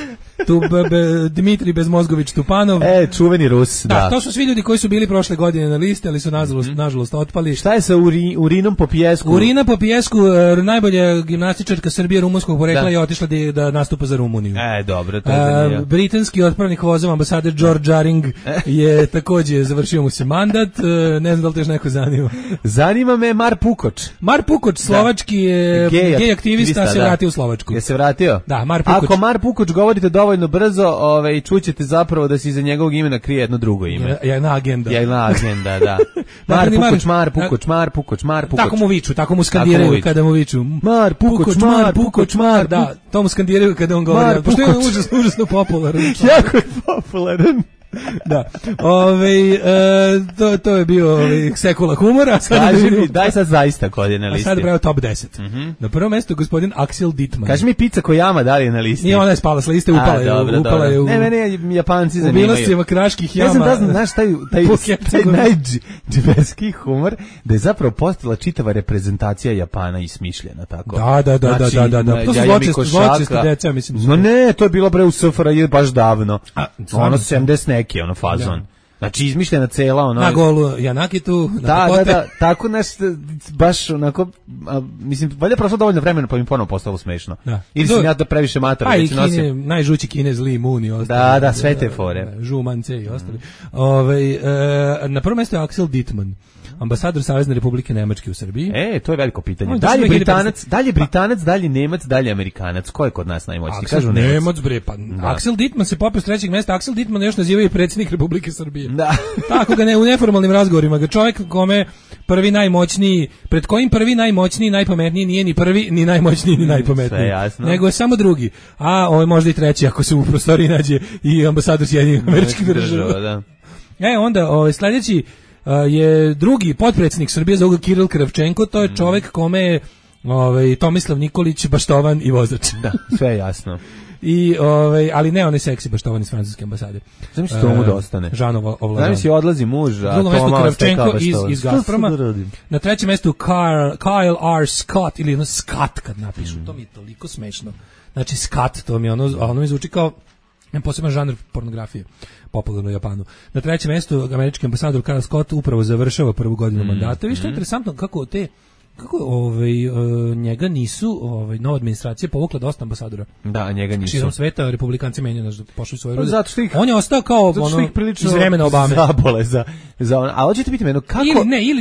Dmitri Bezmozgović Tupanov. Čuveni Rus, da. To su svi ljudi koji su bili prošle godine na listi, ali su nažalost otpali. Šta je sa Urinom po pijesku? Urina po pijesku, najbolja gimnastičarka Srbije rumunskog porekla je otišla da nastupa za Rumuniju. Dobro, to je britanski otpravnik vozova ambasader George Jaring je takođe završio mu se mandat. Ne znam da li te još neko zanima. Zanima me Mar Pukoč. Mar Pukoč, slovački gej aktivista, se vratio u Slovačku. Je se vratio? Da, Mar Pukoč. Ako Mar Pukoč govorite dovoljno brzo, čućete zapravo da se iza njegovog imena krije jedno drugo ime. Jedna agenda, da. Mar Pukoč. Tako mu viču, tako mu skandiraju kada mu viču. Mar Pukoč. Da, to mu skandiraju kada on govori. Pošto je užasno popularan. Jako je popularan. Da. To je bio sekula humora. Kaži mi, daj sad zaista kod je na listi. A sad je pravio top 10. Na prvom mjestu gospodin Axel Dittmann. Kaži mi Pizza Kojama da li je na listi? Nije, ona je spala s liste, upala je u... Ne, mene Japanci zanimaju. U bilostima kraških jama. Ja sam da znam, znaš, taj najdžiberski humor, da je zapravo postala čitava reprezentacija Japana i smišljena, tako? Da. To su zločesta deca, mislim. No ne, to je bilo bre u SFRJ baš davno. Ono 70 neki fazon. Znači izmišljena cela na golu Janakitu, da, tako baš onako, mislim, valjda prošlo dovoljno vremena pa mi ponovo postalo smešno. Ili sam ja da previše mater već nosim. Najžući Kinez Li Moon i ostali. Da, sve te fore. Žumance i ostali. Na prvom mjestu je Axel Dittmann, ambasador Savezne Republike Nemačke u Srbiji. To je veliko pitanje. Dalje Britanac, dalje Nemac, dalje Amerikanac. Ko je kod nas najmoćniji? Kažu Nemac, bre, pa. Axel Dittmann se popeo s trećeg mjesta. Axel Dittmann još nazivaju predsjednik Republike Srbije. Da. Tako ga u neformalnim razgovorima ga čovjek kome prvi najmoćniji, pred kojim prvi najmoćniji, najpametniji nije ni prvi, ni najmoćniji, ni najpametniji. Nego je samo drugi. A ovo je možda i treći ako se u prostoriji nađe i ambasador Sjedinjenih Američkih Država. Onda sljedeći je drugi potpredsjednik Srbije, zove ga Kiril Kravčenko, to je čovjek kome je Tomislav Nikolić baštovan i vozač. Da, sve je jasno. Ali ne onaj seksi baštovan iz francuske ambasade. Zamisli to mu da ostane. Žanova ovladan. Zamisli odlazi muž, a Toma Kravčenko iz Gazproma. Na trećem mjestu Kyle R. Scott, ili Scott kad napišu, to mi je toliko smešno. Znači Scott, to mi je ono mi zvuči kao poseban žanr pornografije, popularno u Japanu. Na trećem mjestu američki ambasador Kyle Scott upravo završava prvu godinu mandata. Vi što je interesantno kako te njega nisu nova administracija povukla dosta ambasadora. Da, njega nisu. Širom sveta republikanci menjaju pošli svoje rude. Zato što ih, on je ostao kao iz vremena Obame. Zabole a hoćete biti meno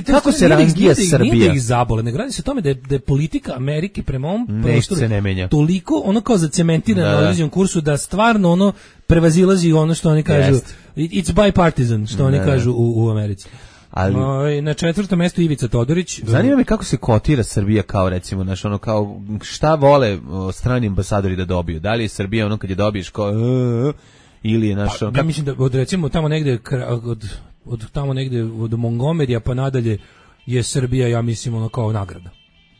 kako se rangira Srbija? Nije da ih zabole, ne radi se o tome da je politika Amerike prema ovom prostoru se ne menja. Toliko ono kao zacementirano na određenom kursu da stvarno ono prevazilazi ono što oni kažu it's bipartisan, što oni kažu u Americi. Ali na 4. mestu Ivica Todorić. Zanima me kako se kotira Srbija kao recimo kao šta vole strani ambasadori da dobiju. Da li je Srbija ono kad je dobiješ kao ili je ja mislim da od recimo tamo negde od tamo negde od Montgomerya pa nadalje je Srbija, ja mislim, ono kao nagrada.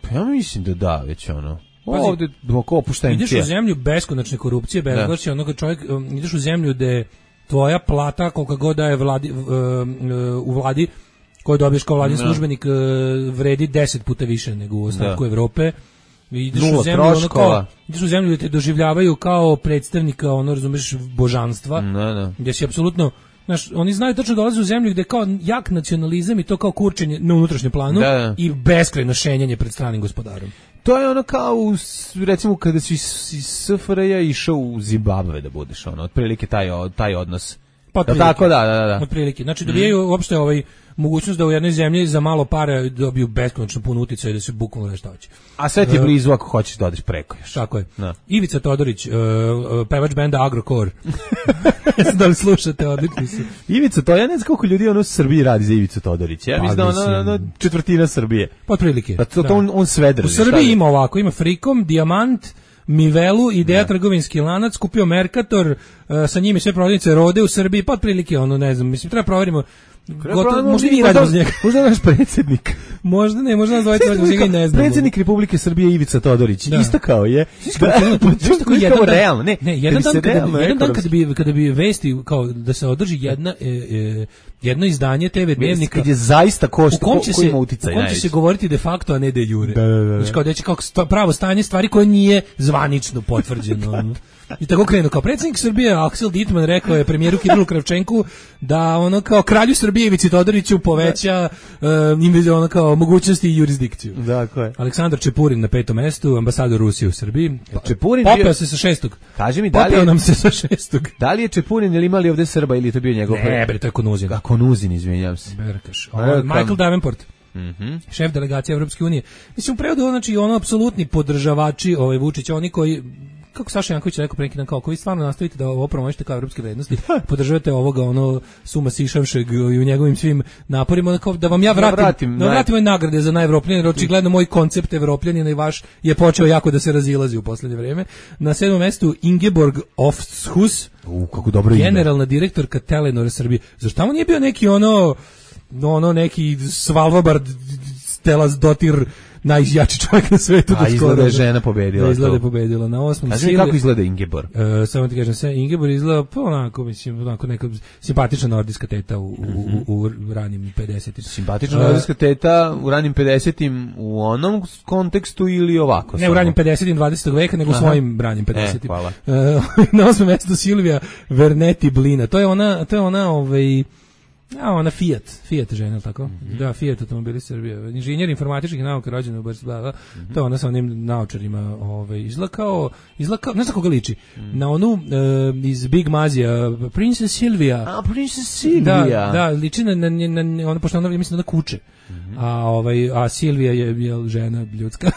Pa ja mislim da već ono. Ovde dok opuštajem. Ideš u zemlju beskonačne korupcije, bezgrešnosti, ono kad čovjek ideš u zemlju gde tvoja plata kolika god da je u vladi koju dobiješ kao vladin službenik vredi 10 puta više nego u ostatku Evrope. Ideš u zemlju ideš u zemlju gde te doživljavaju kao predstavnika, razumeš, božanstva. Gde si apsolutno, znaš, oni znaju tačno dolaze u zemlju gde kao jak nacionalizam i to kao kurčenje na unutrašnjem planu i beskrajno šenjanje pred stranim gospodarom. To je ono kao, recimo, kada si iz SFRJ išao u Zimbabve da budeš, otprilike taj odnos. Pa tako, da. Otprilike. Znači, dobijaju uopšte mogućnost da u jednoj zemlji za malo para dobiju beskonačno puno uticaja i da se bukvalno nešto hoće. A sve ti je blizu ako hoćeš da odeš preko još. Tako je. No. Ivica Todorić, pevač benda Agrokor. Da li slušate, odlični su. Ivica, to ja ne znam koliko ljudi u Srbiji radi za Ivicu Todorić. Ja mislim da četvrtina Srbije. Pa otprilike. Pa to on sve drži. U Srbiji ima ovako, ima Frikom, Dijamant, Mivelu, Ideja trgovinski lanac, kupio Mercator, sa njimi sve prodavnice Rode u Srbiji, pa otprilike ne znam, mislim, treba proverimo. Možda i radimo uz njega. Možda naš predsjednik. Možda nas dvojite radimo uz njega i ne znamo. Predsjednik Republike Srbije Ivica Todorić. Isto kao je. Jedan dan kada bi vesti kao da se održi jedno izdanje TV dnevnika kad je zaista košta ko ima uticaj. U kom će se govoriti de facto, a ne de jure. Znači kao da će pravo stanje stvari koje nije zvanično potvrđeno. I tako krenu. Kao predsjednik Srbije Aksel Dittman rekao je premijeru Kirilu Kravčenku da ono kao kralju Srbije Ivici Todoriću poveća ono kao mogućnosti i jurisdikciju. Dakle. Aleksandar Čepurin na 5. mestu, ambasador Rusije u Srbiji. Čepurin popeo se sa 6. Kaži mi, da li popeo nam se sa 6. Da li je Čepurin ili imali ovde Srba ili je to bio njegov? Ne, bre, to je Konuzin. Konuzin, izvinjavam se. Berkaš. Michael Davenport. Šef delegacije Evropske unije. Mislim, u prevodu, znači, apsolutni podržavači Vučića, oni koji, kako Saša Janković rekao pre neki dan, kao koji stvarno nastavite da ovo promovišete kao evropske vrednosti, podržavate ovoga Suma Sišavšeg i u njegovim svim naporima, da vam ja vratim nagrade za najevropljanije, jer očigledno moj koncept evropljanina i vaš je počeo jako da se razilazi u poslednje vreme. Na 7. mestu Ingeborg Ofshus, kako dobro ime, generalna direktorka Telenora Srbije. Zašto tamo nije bio neki neki Svalbard Stelas Dotir, najjači čovjek na svetu. A izgleda je žena pobedila. Da, izgleda je pobedila. Na 8. Kaži mi kako izgleda Ingeborg? Samo ti kažem, Ingeborg izgleda onako neka simpatična nordijska teta u ranim 50-im. Simpatična nordijska teta u ranim 50-im u onom kontekstu ili ovako? Ne u ranim 50-im 20. veka, nego u svojim ranim 50-im. Hvala. Na 8. mjestu Silvija Verneti Blina. To je ona Fiat žena, tako? Da, Fiat automobili Srbije. Inženjer informatičkih nauka, rođena u Bratislavi. To je ona sa onim naočarima, izgleda kao, ne znam koga liči. Na onu iz Big Mazija, Princess Silvia. A, Princess Silvia. Da, liči na ona, pošto ona, mislim, da kuće. A Silvija je žena ljudska.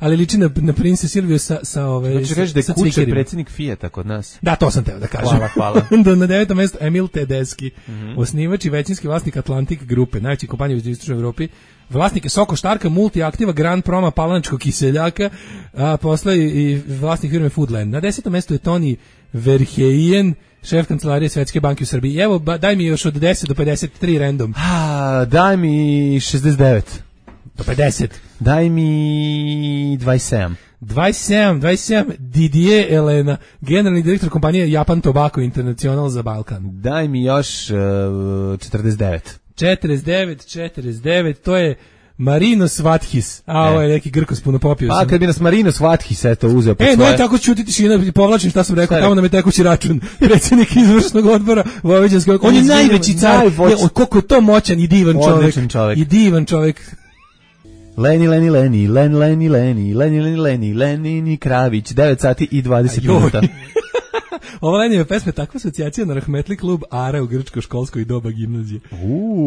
Ali liči na Princess Silviju sa znači reći da je kuće predsjednik Fijata kod nas. Da, to sam teo da kažem. Hvala. Na 9. mjestu Emil Tedeschi, osnivač i većinski vlasnik Atlantic grupe, najveći kompanija u istočnoj Evropi. Vlasnik je Soko Štarka, Multiaktiva, Grand Proma, Palanačkog kiseljaka, a posle i vlasnik firme Foodland. Na 10. mjestu je Toni Verheyen, šef kancelarije Svetske banke u Srbiji. Evo, daj mi još od 10 do 53 random. Daj mi 69. Do 50. Daj mi 27. 27, Didier Elena, generalni direktor kompanije Japan Tobacco International za Balkan. Daj mi još 49. 49, to je Marinos Vathis. Ovo je neki Grkos puno popio. Pa kad bi nas Marinos Vathis uzeo pod svoje... no tako ćuti tišina, povlačim šta sam rekao, tamo nam je tekući račun. Predsjednik izvršnog odbora Vojvođanskog. On je najveći car. Koliko je to moćan i divan čovjek. I divan čovjek. Leni Kravić, 9 sati i 20 minuta. Ova Lenijeva pesma je takva asocijacija na rahmetli klub Ara u grčko-školskoj doba gimnazije.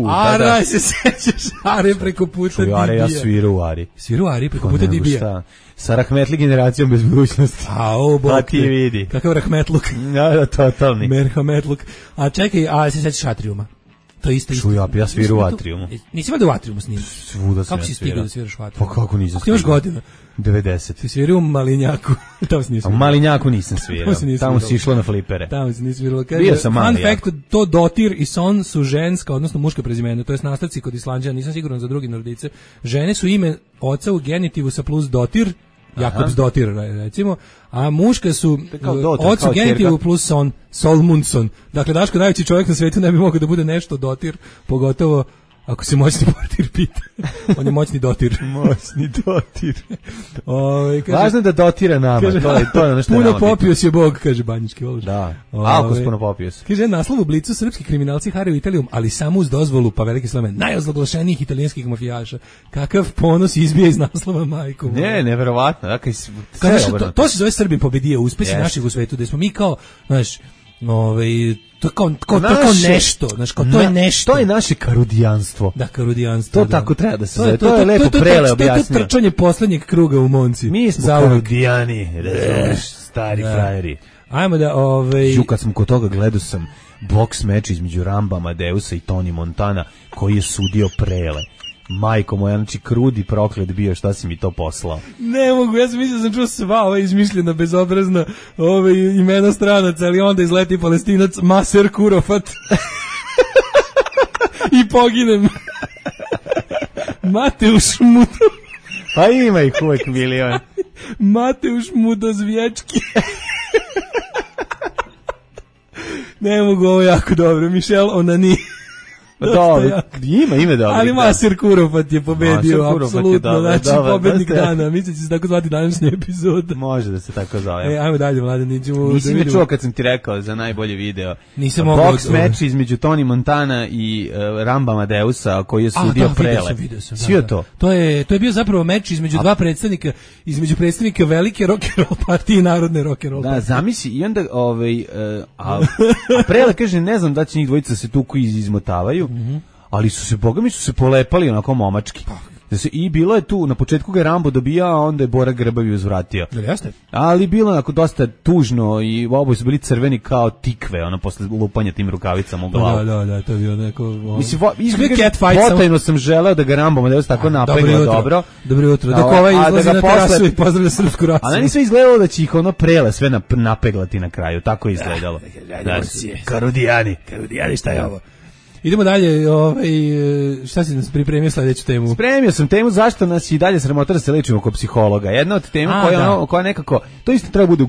Ara, se sećaš Are preko puta Dibija. Are, ja sviru u Ari. Sviru u Ari preko puta Dibija. Šta? Sa rahmetli generacijom bez budućnosti. Pa ti vidi. Kakav rahmetluk. Da, totalni. Merhametluk. A čekaj, se sećaš Atriuma? To isto. Ja sviru u Atriumu. Nisi valjda u Atriumu snimio? Svuda sam. Kako si stigao da sviraš u Atriumu? Pa kako nisam stigao? Ti imaš godina? 90. Si svirao u Malinjaku. Tamo si nisam. U Malinjaku nisam svirao. Tamo si išlo na flipere. Tamo si nisam svirao. Bio sam Malinjak. Fun fact, to Dotir i Son su ženska, odnosno muška prezimena. To je nastavci kod Islanđana, nisam siguran za drugi Nordice. Žene su ime oca u genitivu sa plus Dotir, Jakobs Dotir recimo, a muška su oc u genitivu plus Son, Solmundsson. Dakle, Daško najveći čovjek na svetu ne bi mogao da bude nešto Dotir, pogotovo ako se moćni portir pita. On je moćni dotir. Moćni dotir. Važno je da dotira nama. Kaže, to je ono što puno popio si je Bog, kaže Banjički Ološ. Da, alkos puno popio si. Kaže, naslov u Blicu, srpski kriminalci haraju Italijom, ali samo uz dozvolu, pa veliki slame, najozloglašenijih italijanskih mafijaša. Kakav ponos izbija iz naslova, majko. Ne, neverovatno. Dakle, to se zove Srbi pobedije, uspesi naših u svetu, da smo mi kao, znaš, to kao nešto, znaš, kao to je nešto. To je naše karudijanstvo. Da, karudijanstvo. To tako treba da se zove. To je lepo Prele objasnio. To je trčanje poslednjeg kruga u Monci. Mi smo karudijani, razumeš, stari frajeri. Ajmo da, kad sam kod toga gledao sam boks meč između Ramba Amadeusa i Tony Montana, koji je sudio Prele. Majko moja, znači krudi proklet bio, šta si mi to poslao? Ne mogu, ja sam mislio da sam čuo sva ova izmišljena, bezobrazna imena stranaca, ali onda izleti Palestinac Maser Kurofat i poginem. Mateuš Mudo. Pa ima ih uvek milion. Mateuš Mudozvječki. Ne mogu, ovo jako dobro. Michel Onani. Dobro, ima dobro. Ali Maser Kurofat je pobedio, apsolutno, znači pobednik dana. Mislim da će se tako zvati današnja epizoda. Može da se tako zove. Ajmo dalje, Mladen, nićemo. Nisi me čuo kad sam ti rekao za najbolji video. Nisam mogao. Boks meč između Tony Montana i Ramba Amadeusa, koji je sudio Prele. Svi to? To je bio zapravo meč između dva predstavnika, između predstavnika velike rock and roll partije i narodne rock and roll partije. Da, zamisli, i onda a Prele kaže, ne znam da će njih dvojica se tuku izmotavaju. Ali boga mi su se polepali onako momački. I bilo je tu, na početku ga je Rambo dobija, a onda je Bora Grbavi uzvratio. Jeste. Ali bilo onako dosta tužno i oboje su bili crveni kao tikve, ono posle lupanja tim rukavicama u glavu. Da, to je bio neko... Mislim, potajno sam želeo da ga Rambo Amadeus tako napegla dobro. Dobro jutro. Dok ovaj izlazi na terasu i pozdravlja srpsku rasu. A meni sve izgledalo da će ih ono Prele sve napeglati na kraju, tako je izgledalo. Karudijani, šta je ovo? Idemo dalje, šta si nas pripremio sledeću temu? Spremio sam temu zašto nas i dalje sramota da se lečimo kod psihologa. Jedna od tema koja nekako, to isto treba bude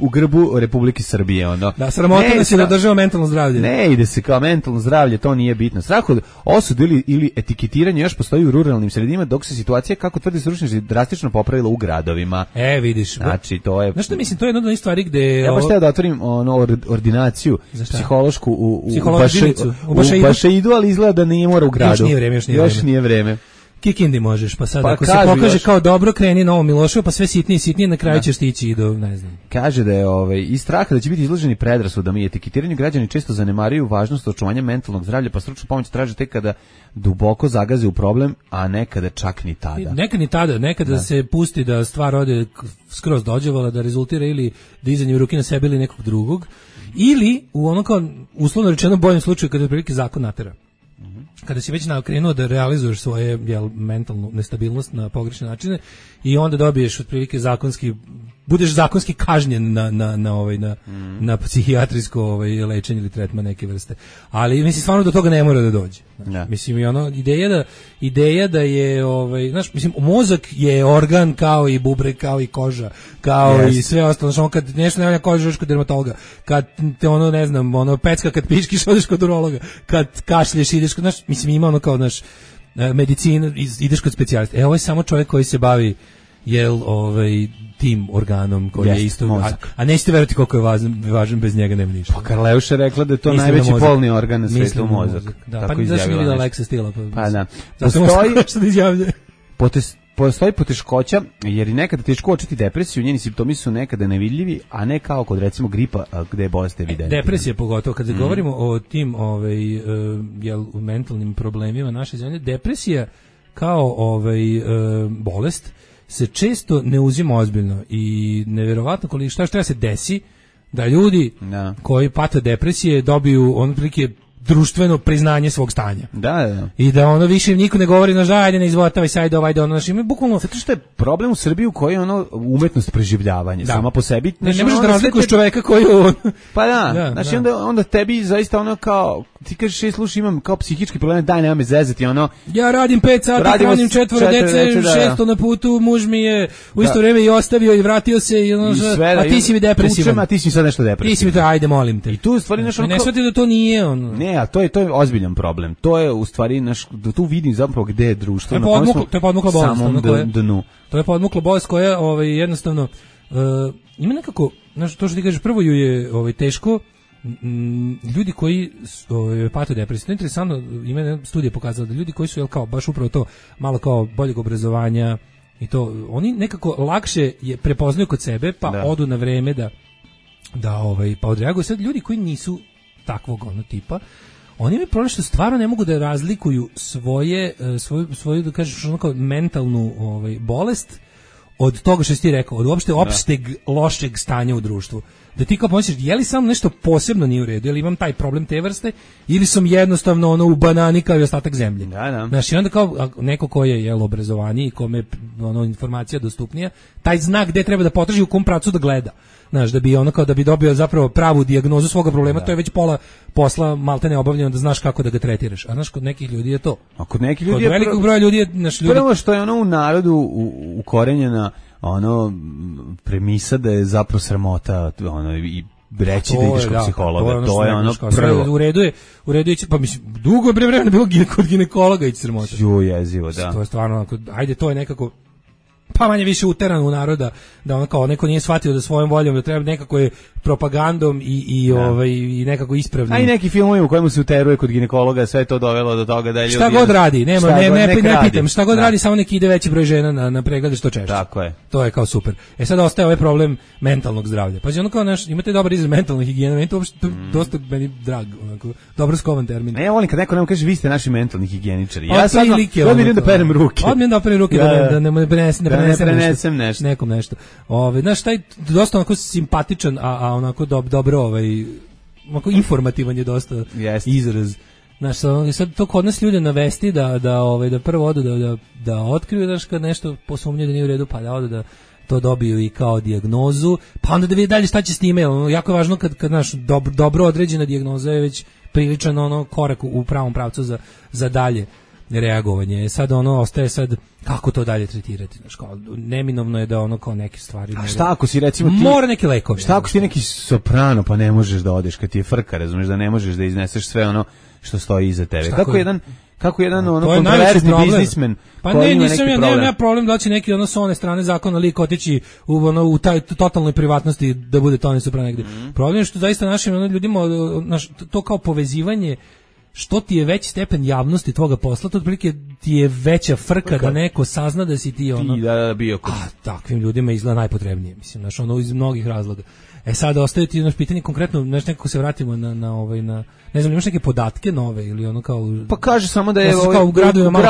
u grbu Republike Srbije. Da, sramota nas je da država mentalno zdravlje. Ne ide se kao mentalno zdravlje, to nije bitno. Strah od osudu ili etiketiranje još postoji u ruralnim sredinama, dok se situacija, kako tvrdi stručnjaci, drastično popravila u gradovima. Vidiš. Znači, to je... Znaš što mislim, to je jedna od onih stvari gde... Ja baš htio da otvorim ordinaciju psihološku u Bašeidu, ali izgleda da nije mora u gradu. Još nije vreme. Kikindi možeš, pa sad ako se pokaže kao dobro, kreni Novo Miloševo, pa sve sitnije, na kraju ćeš stići i do, ne znam. Kaže da je iz straha da će biti izloženi predrasudama i etiketiranju, građani često zanemaruju važnost očuvanja mentalnog zdravlja, pa stručnu pomoć traže tek kada duboko zagaze u problem, a nekada čak ni tada. Nekada se pusti da stvar ode skroz dođevala, da rezultira ili dizanjem ruke na sebe ili nekog drugog, ili u ono kao uslovno rečeno boljem slučaju kada je prilike zakon natera. Kada si već krenuo da realizuješ svoje mentalnu nestabilnost na pogrešne načine i onda dobiješ otprilike budeš zakonski kažnjen na psihijatrijsko lečenje ili tretman neke vrste. Ali mislim stvarno do toga ne mora da dođe. Znači, mislim i ideja da je znaš, mislim mozak je organ kao i bubreg, kao i koža, kao i sve ostalo. Znači, kad nešto ne valja koža, kod dermatologa. Kad te ne znam, pecka kad piškiš, odeš kod urologa. Kad kašlješ, ideš kod, znaš, mislim ima kao naš medicina, ideš kod specijalista. Ovo je samo čovjek koji se bavi tim organom koji je isto, a nećete verovati koliko je važan, bez njega nema ništa. Pa Karleuša je rekla da je to najveći polni organ na svetu, mozak. Da, pa zašto nije vidjela Alexa Stila? Pa da. Zato možda nešto da izjavljuje. postoji poteškoća, jer i nekada teško uočiti depresiju, njeni simptomi su nekada nevidljivi, a ne kao kod recimo gripa gde je bolest evidentna. Depresija pogotovo, kad govorimo o tim mentalnim problemima naše zemlje, depresija kao bolest se često ne uzima ozbiljno i neverovatno koliko šta treba se desi da ljudi koji pate depresije dobiju prilike društveno priznanje svog stanja. Da. I da ono više niko ne govori ajde ne izvotavaj sajde ono ima bukvalno zato što je problem u Srbiji u kojoj umetnost preživljavanja sama po sebi. Ne možeš da razlikuješ čoveka koji pa da. Znači onda tebi zaista kao ti kažeš slušaj imam kao psihički problem, daj nema me zezati ja radim 5 sati, hranim 4 dece, 6 na putu, muž mi je u isto vrijeme i ostavio i vratio se a ti si mi depresivan. A ti si sad nešto depresivan. Ti si mi to, ajde molim te. I tu stvari nešto ne shvati da to nije Ne, a to je ozbiljan problem. To je u stvari da tu vidim zapravo gde je društvo. To je podmukla bolest. Dnu. To je podmukla bolest koja jednostavno ima nekako, to što ti kažeš, prvo ju je teško. Ljudi koji pate depresiju, to je interesantno, ima jedna studija pokazala da ljudi koji su kao baš upravo to malo kao boljeg obrazovanja i to, oni nekako lakše je prepoznaju kod sebe pa odu na vreme pa odreaguju. Sad ljudi koji nisu takvog tipa, oni imaju problem što stvarno ne mogu da razlikuju svoju da kažeš kao mentalnu bolest od toga što si ti rekao, od uopšte opšteg lošeg stanja u društvu. Da ti kao pomisliš, je li samo nešto posebno nije u redu, je li imam taj problem te vrste, ili sam jednostavno u banani kao i ostatak zemlje. Znaš, i onda kao neko ko je obrazovaniji i kome je informacija dostupnija, taj znak gde treba da potraži u kom pravcu da gleda. Znaš, da bi dobio zapravo pravu dijagnozu svoga problema, to je već pola posla maltene obavljeno da znaš kako da ga tretiraš. A znaš, kod nekih ljudi je to. A kod nekih ljudi je velikog broja ljudi je prvo što je u narodu ukorenjena premisa da je zapravo sramota i reći da ideš kod psihologa, to je prvo. U redu je, pa mislim, dugo je vremena bilo kod ginekologa ići sramota. Jezivo, da. To je stvarno, ajde, to je nekako pa manje više uteran u naroda, da kao neko nije shvatio da svojom voljom da treba nekako je propagandom i nekako ispravnim. A i neki filmovi u kojemu se uteruje kod ginekologa, sve je to dovelo do toga da ljudi... Šta god radi, ne pitam, šta god radi, samo neki ide veći broj žena na preglede što češće. Tako je. To je kao super. Sad ostaje ovaj problem mentalnog zdravlja. Pa kao imate dobar izraz mentalna higijena, meni to uopšte dosta meni drag, dobro skovan termin. Ne, ja volim kad neko nam kaže vi ste naši mentalni higijeničari. Ja sad odmah da perem ruke. Da ne prenesem nešto. Nekom nešto. Znaš, taj dosta onako simpatičan, a onako dobro, onako informativan je dosta izraz. Znaš, sad to kod nas ljude navesti da prvo odu da otkriju, znaš, kad nešto posumnju da nije u redu, pa da odu da to dobiju i kao dijagnozu, pa onda da vidi dalje šta će s time. Jako je važno kad znaš, dobro određena dijagnoza je već priličan korak u pravom pravcu za dalje reagovanje. Sad ostaje kako to dalje tretirati. Znaš, kao, neminovno je da kao neke stvari... A šta ako si recimo ti... Mora neki lekovi. Šta ako si neki soprano pa ne možeš da odeš kad ti je frka, razumeš, da ne možeš da izneseš sve što stoji iza tebe. Kako jedan kontroverzni biznismen koji ima neki problem. Nemam ja problem da će neki s one strane zakona lik otići u taj totalnoj privatnosti da bude Toni Soprano negde. Problem je što zaista našim ljudima to kao povezivanje, što ti je veći stepen javnosti tvoga posla, to otprilike ti je veća frka da neko sazna da si ti bio kod... takvim ljudima izgleda najpotrebnije, mislim, iz mnogih razloga. Sad ostaje ti pitanje konkretno, nekako se vratimo na ne znam, imaš neke podatke nove ili kao... Pa kaže samo da je kao u gradovima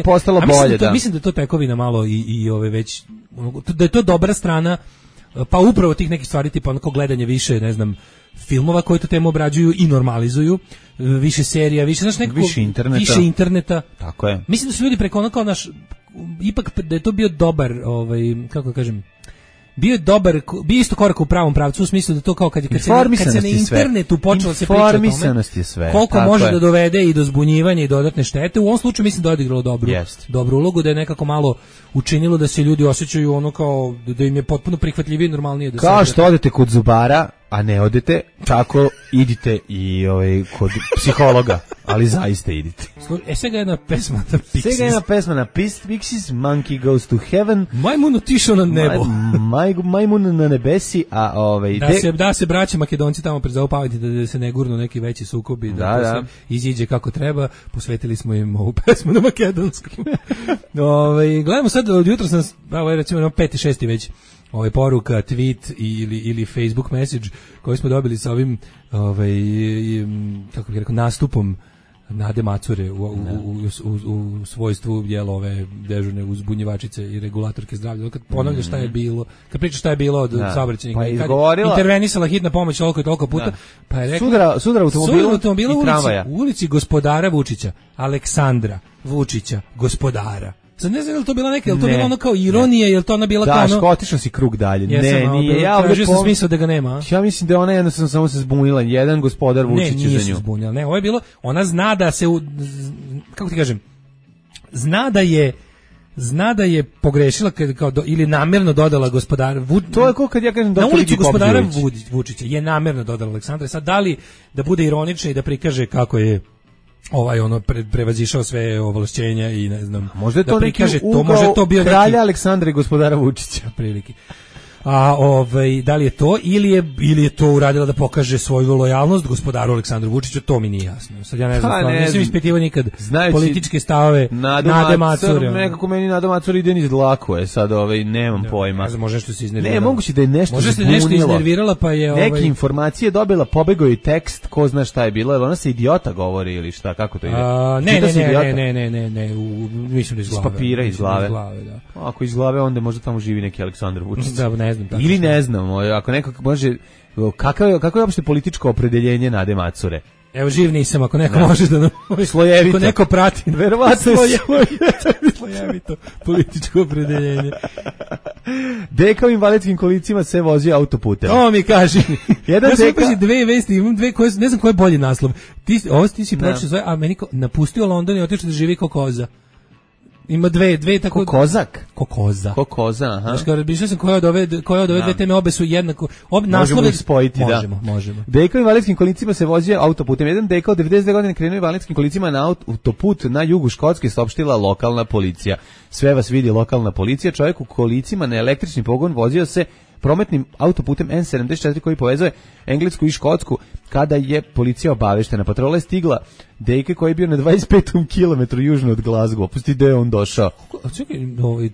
postalo bolje, da. Mislim da to tekovina malo i već, da je to dobra strana, pa upravo tih nekih stvari, tipa gledanje više, ne znam, filmova koji tu temu obrađuju i normalizuju, više serija, više, znaš, nekako... Više interneta. Tako je. Mislim da su ljudi preko ipak da je to bio dobar, kako kažem, bio isto korak u pravom pravcu, u smislu da to kao kad se na internetu počelo se pričati o tome, koliko može da dovede i do zbunjivanja i dodatne štete. U ovom slučaju mislim da je odigralo dobru ulogu, da je nekako malo učinilo da se ljudi osjećaju kao da im je potpuno prihvatljivije i normalnije. Kao što odete kod zubara a ne odete, tako idite i kod psihologa, ali zaista idite. Svega jedna pesma na Pixies. Svega jedna pesma na Pixies, Monkey Goes to Heaven. Majmun otišao na nebo. Majmun na nebesi, a da se braće Makedonci tamo prezopaviti da se ne gurnu neki veći sukobi, da se iziđe kako treba. Posvetili smo im ovu pesmu na makedonskom. Gledamo sad, od jutra sam, recimo 5. 6. već poruka, tweet ili Facebook message koji smo dobili sa ovim kako bih rekao, nastupom Nade Macure u svojstvu ove dežurne uzbunjivačice i regulatorke zdravlja. Kad ponavlja šta je bilo, kad priča šta je bilo od saobraćajnika, pa intervenisala hitna pomoć toliko puta, pa je rekla sudar automobila i tramvaja u ulici gospodara Vučića, Aleksandra Vučića, gospodara. Sad ne znam je li to bila neka, je li to bilo ono kao ironija, je li to ona bila kao ono... Da, otišao si krug dalje. Nije. Ja tražio sam smisao da ga nema. Ja mislim da ona jednostavno samo se zbunila. Jedan gospodar Vučić za nju. Ne, nije se zbunila. Ne, ovo je bilo, ona zna da se, kako ti kažem, zna da je pogrešila ili namjerno dodala gospodara Vučića. To je kao kad ja kažem na ulici gospodara Vučića je namjerno dodala Aleksandra. Sad da li da bude ironična i da prikaže kako je prevazišao sve ovlašćenja i ne znam, možda je to da prikaže to, može to bio kralja neki... Aleksandra i gospodara Vučića prilike. A da li je to ili je to uradila da pokaže svoju lojalnost gospodaru Aleksandru Vučiću, to mi nije jasno. Sad ja ne znam, nisam ispitivao nikad političke stavove Nade Macure. Nekako meni Nada Macure ide niz dlako, sad nemam pojma. Ne znam, može što se iznervirala. Ne, moguće da je nešto može se nešto iznervirala, pa je neke informacije dobila, pobegao je tekst, ko zna šta je bilo, ona se idiota govori ili šta, kako to ide? Ne, mislim da iz glave. Iz papira, iz glave. Da. Ako iz glave, onda možda tamo živi neki Aleksandar Vučić. Da, ne znam. Ili ne znam, ako neko može, kako je uopšte političko opredeljenje Nade Macure? Evo, živ nisam, ako neko može da nam... Slojevito. Ako neko prati. Verovatno je slojevito političko opredeljenje. Deka u invalidskim kolicima se vozi autoputem. To mi kaži. Jedan ja deka... sam dve vesti, imam dve koje, ne znam koji je bolji naslov. Ti si pročito zove, a meni napustio London i otišao da živi kao koza. Ima dve tako Kozak. Kokoza, aha. Znači, kao razmišljao sam koje od ove dve teme obe su jednako. Možemo ih spojiti, možemo. Deka u invalidskim kolicima se vozio autoputem. Jedan deka od 92 godine krenuo invalidskim kolicima na autoput na jugu Škotske, saopštila lokalna policija. Sve vas vidi lokalna policija. Čovjek u kolicima na električni pogon vozio se prometnim autoputem N74 koji povezuje Englesku i Škotsku. Kada je policija obaveštena, patrola je stigla deke koji je bio na 25. kilometru južno od Glasgow. Pusti da je on došao. Čekaj,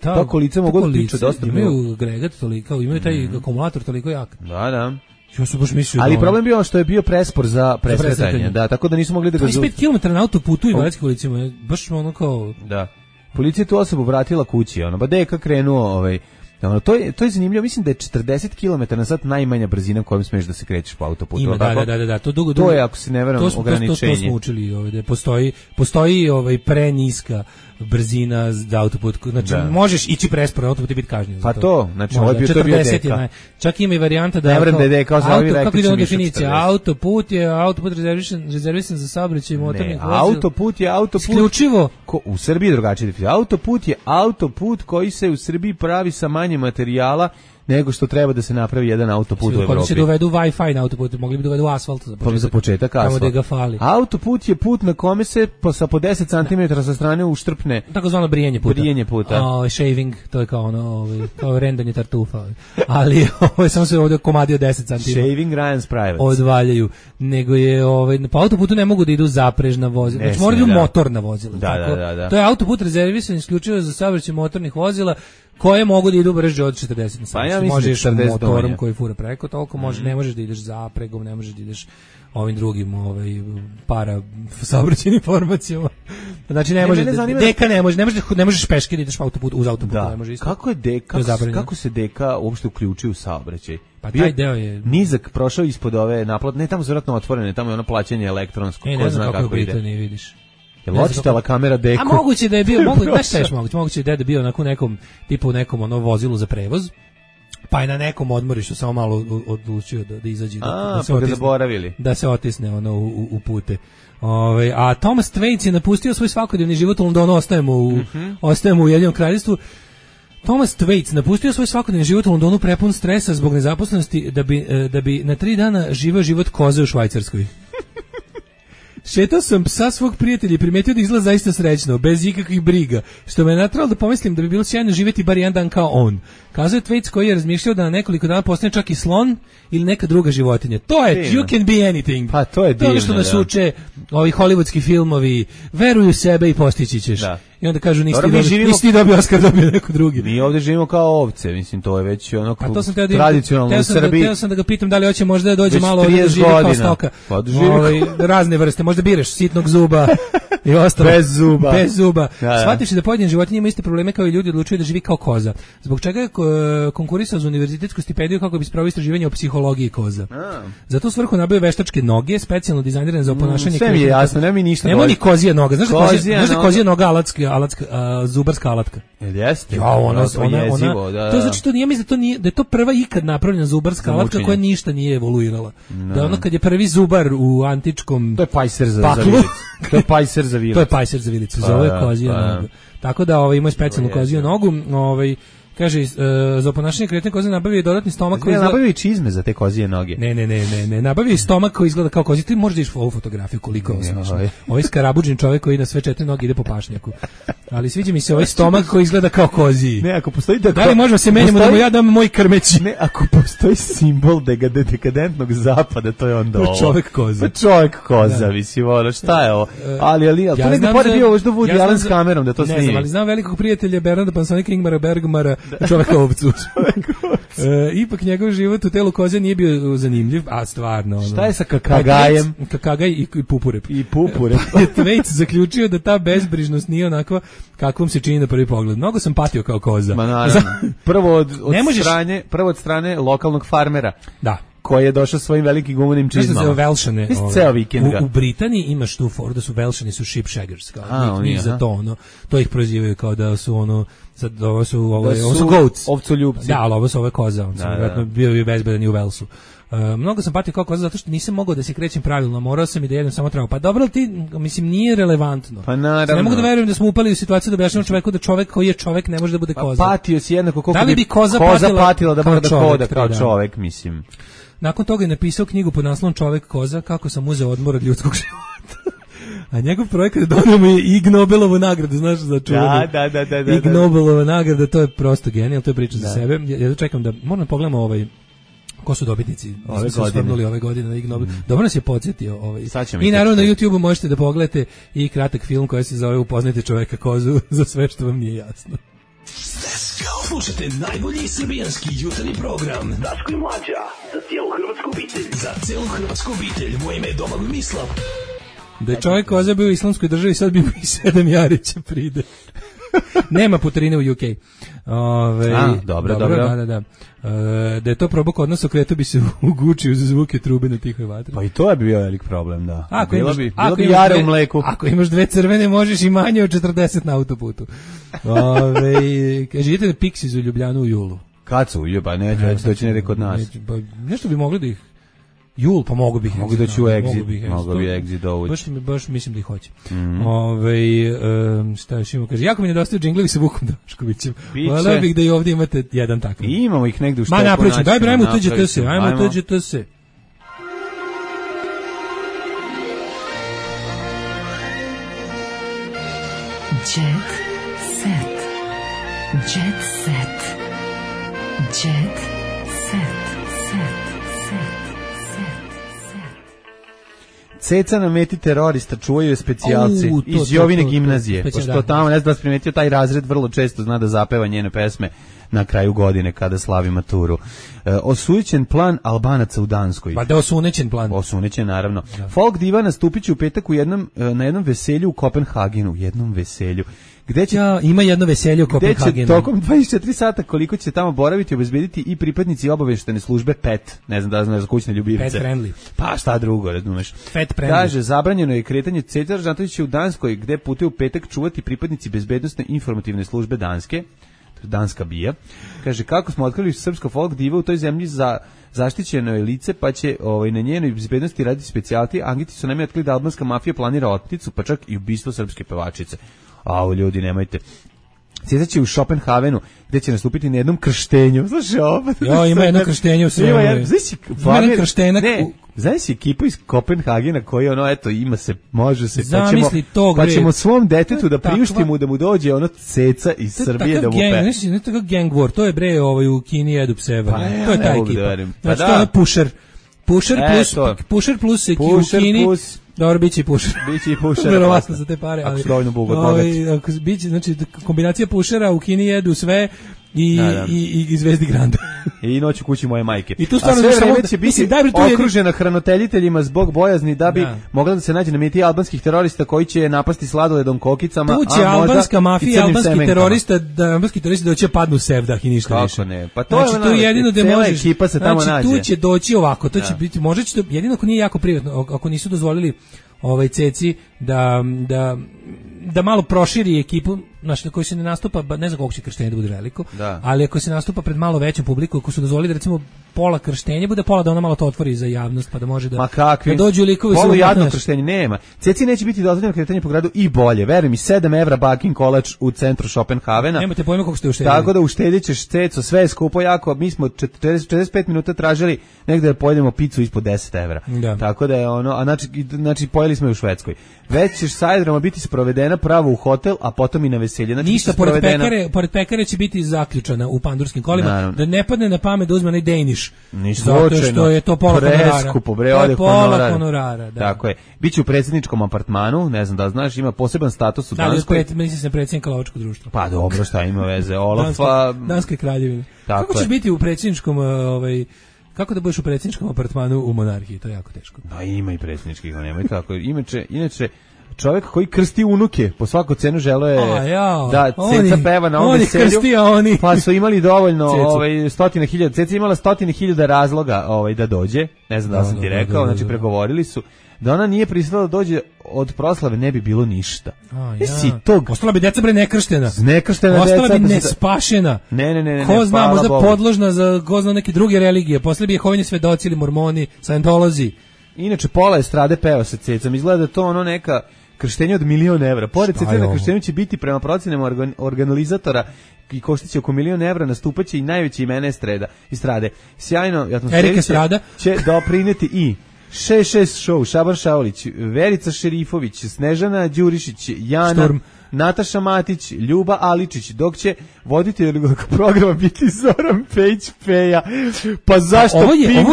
ta kolica mogu da tiče dosta. Imaju agregat toliko, imaju taj akumulator toliko jak. Da. Ja sam baš mislio ali problem bio što je bio prespor za presretanje. Da, tako da nisu mogli da ga 25 km na autoputu i invalidskim kolicima. Baš ono kao... Da. Policija tu osobu vratila kući. Ba deka krenuo... To je zanimljivo, mislim da je 40 km na sat najmanja brzina kojom smiješ da se krećeš po autoputu. Ima, da, to dugo. To je, ako se ne veram, ograničenje. To smo učili ovdje, postoji preniska brzina za autoput, znači možeš ići presporo autoput i biti kažnjen. Pa to, znači ovo je bio 40 čak ima i varijanta da kako ide definicija, autoput rezervisan za saobraćaj motornih vozila. Autoput je autoput isključivo u Srbiji drugačije definicija. Autoput je autoput koji se u Srbiji pravi sa manje materijala nego što treba da se napravi jedan autoput u Evropi. Kako će dovedu Wi-Fi na autoput, mogli bi dovedu asfalt za početak asfalt. Tamo da ga fali. Autoput je put na kome se po 10 cm sa strane uštrpne. Takozvano brijanje puta. Shaving, to je kao ono, kao rendanje tartufa. Ali samo se ovdje komadio 10 cm. Shaving Ryan's Private. Odvaljaju. Nego je, po autoputu ne mogu da idu zaprežna vozila. Znači moraju idu motorna vozila. Da. To je autoput rezervisan isključivo za saobraćaj motornih vozila koje mogu da idu brže od 40 na sat. Pa ja mislim možeš motorom koji fura preko toliko, ne možeš da ideš zapregom, ne možeš da ideš ovim drugim para saobraćajnim formacijama. Znači ne možeš deka ne možeš peške da ideš uz autoput, ne može isto. Kako je deka? Kako se deka uopšte uključuje u saobraćaj? Pa taj deo je nizak, prošao ispod ove naplatne, ne tamo su vjerojatno otvorene, tamo je ono plaćanje elektronsko, ko zna kako ide. Ne vidiš. Jel očitala kamera deku? A moguće da je bio, moguće da je bio na nekom tipu nekom vozilu za prevoz. Pa je na nekom odmorištu samo malo odlučio da izađe da se otisne u pute. A Thomas Twaits je napustio svoj svakodnevni život u Londonu, ostajemo u Ujedinjenom Kraljevstvu. Thomas Thwaites napustio svoj svakodnevni život u Londonu prepun stresa zbog nezaposlenosti da bi na 3 dana živeo život koze u Švajcarskoj. Šetao sam psa svog prijatelja i primetio da izgleda zaista srećno, bez ikakvih briga, što me je natralo da pomislim da bi bilo sjajno živjeti bar jedan dan kao on. Kazao je Thwaites koji je razmišljao da na nekoliko dana postane čak i slon ili neka druga životinja. To je, divno. You can be anything. Pa to je divno, to što nas uče ovi hollywoodski filmovi, veruj u sebe i postići ćeš. Da. I onda kažu nisi ti dobio Oskar, dobio neko drugi. Mi ovdje živimo kao ovce, mislim, to je već ono tradicionalno u Srbiji. Teo sam da ga pitam da li hoće možda da dođe malo ovdje da živi kao stoka. Razne vrste, možda biraš sitnog zuba i ostalo. Bez zuba. Shvatiš da pojedine životinje ima iste probleme kao i ljudi, odlučuju da živi kao koza. Zbog čega je konkurisao za univerzitetsku stipendiju kako bi spravio istraživanje o psihologiji koza. Za tu svrhu nabavio veštačke noge, specijalno dizajnirane za oponašanje. Sve mi je jasno, nema mi ništa. Nema ni kozija noga. Znaš da kozija noga zubarska alatka. Jeste. Ja, ona, to znači to nije, mislim da je to prva ikad napravljena zubarska alatka koja ništa nije evoluirala. Da ono kad je prvi zubar u antičkom to je pajser za vilicu. To je pajser za vilicu. To je pajser za vilicu, zove kozija noga. Tako da ima specijalnu koziju nogu, kaže, za oponašanje kretanja koze nabavio dodatni stomak koji izgleda... nabavio i čizme za te kozije noge. Ne, nabavio i stomak koji izgleda kao kozije. Ti možeš da iš ovu fotografiju koliko je osmišno. Ovaj skarabuđen čovjek koji na sve 4 noge ide po pašnjaku. Ali sviđa mi se ovaj stomak koji izgleda kao koziji. Ne, ako postoji da li možemo se menjamo da mu ja dam moj krmeć? Ne, ako postoji simbol dekadentnog zapada, to je onda ovo. Čovjek koza. Pa čovjek koza, mislim, ono, šta je ovo? Ali, to negde pored bio možda Woody Allen s kamerom da to snimi. Ne znam, ali znam velikog prijatelja Bernarda Pansonika Ingmara Bergmara, čovjeka ovcu. Ipak njegov život u telu koze nije bio zanimljiv, a stvarno. Šta je sa kakagajem? Kakagaj i pupurep. I pupurep. Thwaites zaključio da ta bezbrižnost nije onako kakvom se čini na prvi pogled. Mnogo sam patio kao koza. Ma naravno. Prvo od strane lokalnog farmera. Da. Koji je došao svojim velikim gumenim čizmama. Velšane. Ceo vikend ga. U Britaniji imaš tu foru da su Velšani su sheep shaggers. Njih za to, to ih prozivaju kao da su ovo su goats. Ovcoljubci. Da, ali ovo su ove koza. Vjerojatno bio je bezbedan i u Velsu. Mnogo sam patio kao koza zato što nisam mogao da se krećem pravilno, morao sam i da jedem samo travu. Pa dobro, mislim, nije relevantno. Pa naravno. Ne mogu da verujem da smo upali u situaciju da objašnjamo čoveku da čovek koji je čovek ne može da bude koza. Pa patio si jednako koliko da li bi koza patila da mora da hoda kao čovek, mislim. Nakon toga je napisao knjigu pod naslovom Čovek koza, kako sam uzeo odmor od ljudskog života. A njegov projekat donio mu je Ig Nobelovu nagradu, znaš, za čuvenu. Da. Ig Nobelova nagrada, to je prosto genijal, to je priča za sebe. Ja čekam da, moram da pogledamo ko su dobitnici ove godine na Ig Nobel. Dobro nas je podsjetio. I naravno na YouTubeu možete da pogledate i kratak film koji se zove Upoznajte čoveka kozu za sve što vam nije jasno. Slušajte najbolji srbijanski jutarnji program Daško i Mlađa, za cijelu hrvatsku obitelj. Za cijelu hrvatsku obitelj, moje ime je Domagoj Mislav. Da je čovjek koza bio u islamskoj državi, sad bi mu i 7 Jarića pride. Nema putarine u UK. Dobro. Da. Da je to probok odnos, okretao bi se u Guči uz zvuke trube na tihoj vatri. Pa i to je bio velik problem, da. Bilo bi jare u mleku. Ako imaš 2 crvene, možeš i manje od 40 na autoputu. Kaže, idete na Pixies u Ljubljanu u julu. Kad su? Pa neće već doći negdje kod nas. Nešto bi mogli da ih... Jul, pa mogu bih. Mogu doći u Exit. Mogu bi Exit dovući. Baš mislim da ih hoće. Šta još imamo? Kaže, jako mi nedostaju džinglovi sa Vukom Daškovićem. Voleo bih da i ovdje imate jedan takav. I imamo ih negdje u štepu. Ma napričam, daj ajmo tuđete se. Ajmo tuđete se. Jet set. Jet set. Jet set. Ceca na meti terorista čuvaju specijalci iz Jovine gimnazije. Pošto tamo, ne znam da vas primetio, taj razred vrlo često zna da zapeva njene pesme na kraju godine kada slavi maturu. Osujećen plan Albanaca u Danskoj. Pa da je osunećen plan. Osunećen, naravno. Da. Folk diva nastupit će u petak na jednom veselju u Kopenhagenu. Jednom veselju. Ima jedno veselje u Kopenhagenu. Gde će tokom 24 sata koliko će tamo boraviti obezbediti i pripadnici obaveštene službe PET, ne znam da znaš za kućne ljubimce. PET friendly. Pa šta drugo, razumeš. PET friendly. Kaže, zabranjeno je kretanje. Cecar Žantović će u Danskoj, gde putuje u petak čuvati pripadnici bezbednosne informativne službe Danske, danska bija. Kaže, kako smo otkrili srpsko folk diva u toj zemlji za zaštićeno je lice, pa će na njenoj bezbednosti raditi specijalti. Angiti su nam otkrili da albanska mafija planira otmicu, pa čak i ubistvo srpske pevačice. Ljudi, nemojte. Ceca će u Schopenhavenu, gde će nastupiti na jednom krštenju. Slušaj, ovo. Jo, ima jedno krštenje u svemu. Ima jedan krštenak. Znaš si ekipu iz Kopenhagena koji ono, eto, ima se, može se, pa ćemo svom detetu da priuštimo da mu dođe ono Ceca iz Srbije da mu pe. Znaš, ne tako gang war, to je bre u Kini jedu pseva. To je ta ekipa. Znači, to je Pusher. Pusher plus ekipa u Kini. Dobro, biće i Pusher. Biće i Pusher. Verovatno za te pare. Ako su dovoljno biće, znači, kombinacija Pushera u Kini jedu sve i Zvezdi Granda. I noć u kući moje majke. I tu stvarno sve vreme će biti okružena hraniteljiteljima zbog bojazni da bi mogla da se nađe na meti albanskih terorista koji će napasti sladoledom kokicama, tu će albanska mafija, albanski terorista doće padnu u sevdah i ništa više. Kako ne? Pa to znači, je jedino da možeš. Ekipa se tamo nađe. Tu će doći ovako, to će biti, možda će to, jedino ako nije jako privatno, ako nisu dozvolili Ceci da malo proširi ekipu, znači na kojoj se ne nastupa, ne znam koliko će krštenje da bude veliko, ali ako se nastupa pred malo većom publiku, ako su dozvolili da recimo pola krštenja bude, pola da ona malo to otvori za javnost, pa da može da dođu likovi sa jadno krštenje nema. Ceci neće biti dozvoljeno kretanje po gradu i bolje. Veruj mi, 7 evra baking kolač u centru Schopenhavena. Nemate pojma koliko ste uštedili. Tako da uštedit ćeš, Ceco, sve je skupo jako. Mi smo 45 minuta tražili negde da pojedemo picu ispod 10 evra. Da. Tako da je ono, a znači pojeli smo je u Švedskoj. Već ćeš sa Ajdroma biti sprovedena pravo u hotel, a potom i na veselje. Znači, ništa, pored pekare će biti zaključana u pandurskim kolima, da ne padne na pamet da uzme onaj Danish. Zato što je to pola honorara. Da. Tako je. Biće u predsjedničkom apartmanu, ne znam da znaš, ima poseban status u Danskoj. Mislim se predsjednika lovačkog društva. Pa dobro, šta ima veze, Olafa. Danske kraljevine. Kako ćeš biti u predsjedničkom, kako da budeš u predsjedničkom apartmanu u monarhiji, to je jako teško. Da, ima i predsjedničkih, nemoj tako. Inače, čovjek koji krsti unuke, po svaku cenu želo je da Ceca peva na ovom veselju, pa su imali dovoljno 100.000, Ceca imala 100.000 razloga da dođe, ne znam da sam ti rekao, znači pregovorili su, da ona nije pristala da dođe od proslave ne bi bilo ništa. Ostala bi deca nekrštena. Ostala bi nespašena. Ne. Ko zna, možda podložna za ko zna neke druge religije, posle bi Jehovini svedoci ili mormoni, Scientolozi. Inače, pola estrade peva sa Cecom, izgleda da to ono neka krštenje od 1.000.000 evra. Pored Cece na krštenju će biti prema procenama organizatora i koštiće oko 1.000.000 evra, nastupaće i najveće imena estrade. Sjajno, Erika Estrada će doprineti i 6 show, Šaban Šaulić, Verica Šerifović, Snežana Đurišić, Jana, Šturm, Nataša Matić, Ljuba Aličić, dok će voditelj programa biti Zoran Pejić-Peja. Pa zašto ovo je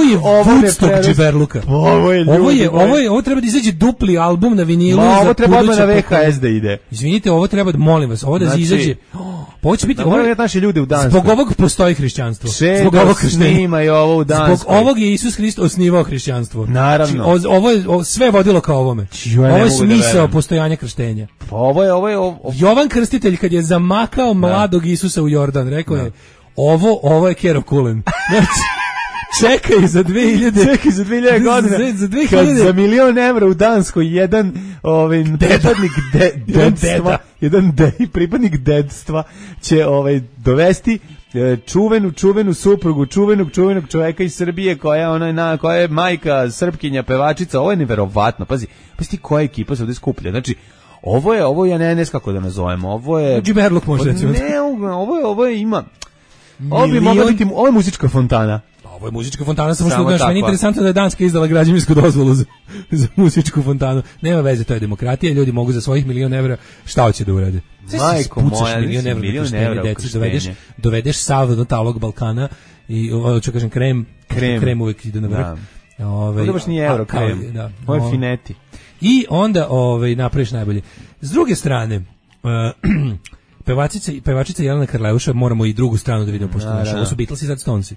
Woodstock džiberluka. Ovo treba da izađe dupli album na vinilu. Ovo treba odmah na VHS da ide. Izvinite, ovo treba da, molim vas, ovo da izađe. Ovo će biti, naše ljude u Danskoj. Zbog ovog postoji hrišćanstvo. Zbog ovog snima i ovo u Danskoj. Zbog ovog je Isus Hrist osnivao hrišćanstvo. Naravno. Ovo je sve vodilo ka ovome. Ovo je smisao postojanja krštenja. Ovo je Jovan Krstitelj kad je zamakao mladog Isusa u Jordan, rekao je ovo je Kero Kulen. Znači, čekaj za 2000 godina. Kad za 1.000.000 evra u Danskoj jedan pripadnik pripadnik dedstva će dovesti čuvenu suprugu, čuvenog čoveka iz Srbije koja je majka, Srpkinja, pevačica. Ovo je neverovatno. Pazi ti koja ekipa se ovdje skuplja. Znači, ovo ja ne znam kako da nazovemo. Ovo je džiberluk možda recimo. Ne, ovo je ima. Ovo bi mogla biti, ovo je muzička fontana. Ovo je muzička fontana, samo što meni interesantno da je Danska izdala građevinsku dozvolu za muzičku fontanu. Nema veze, to je demokratija, ljudi mogu za svojih 1.000.000 evra šta hoće da urade. Majko moja, 1.000.000 evra dovedeš sav do talog Balkana i što kažem krem uvek ide na vrh. Ovo baš nije euro krem, ovo je fineti. I onda napraviš najbolje. S druge strane, pevačica Jelena Karleuša, moramo i drugu stranu da vidimo, pošto ovo su Beatlesi, sad Stonesi.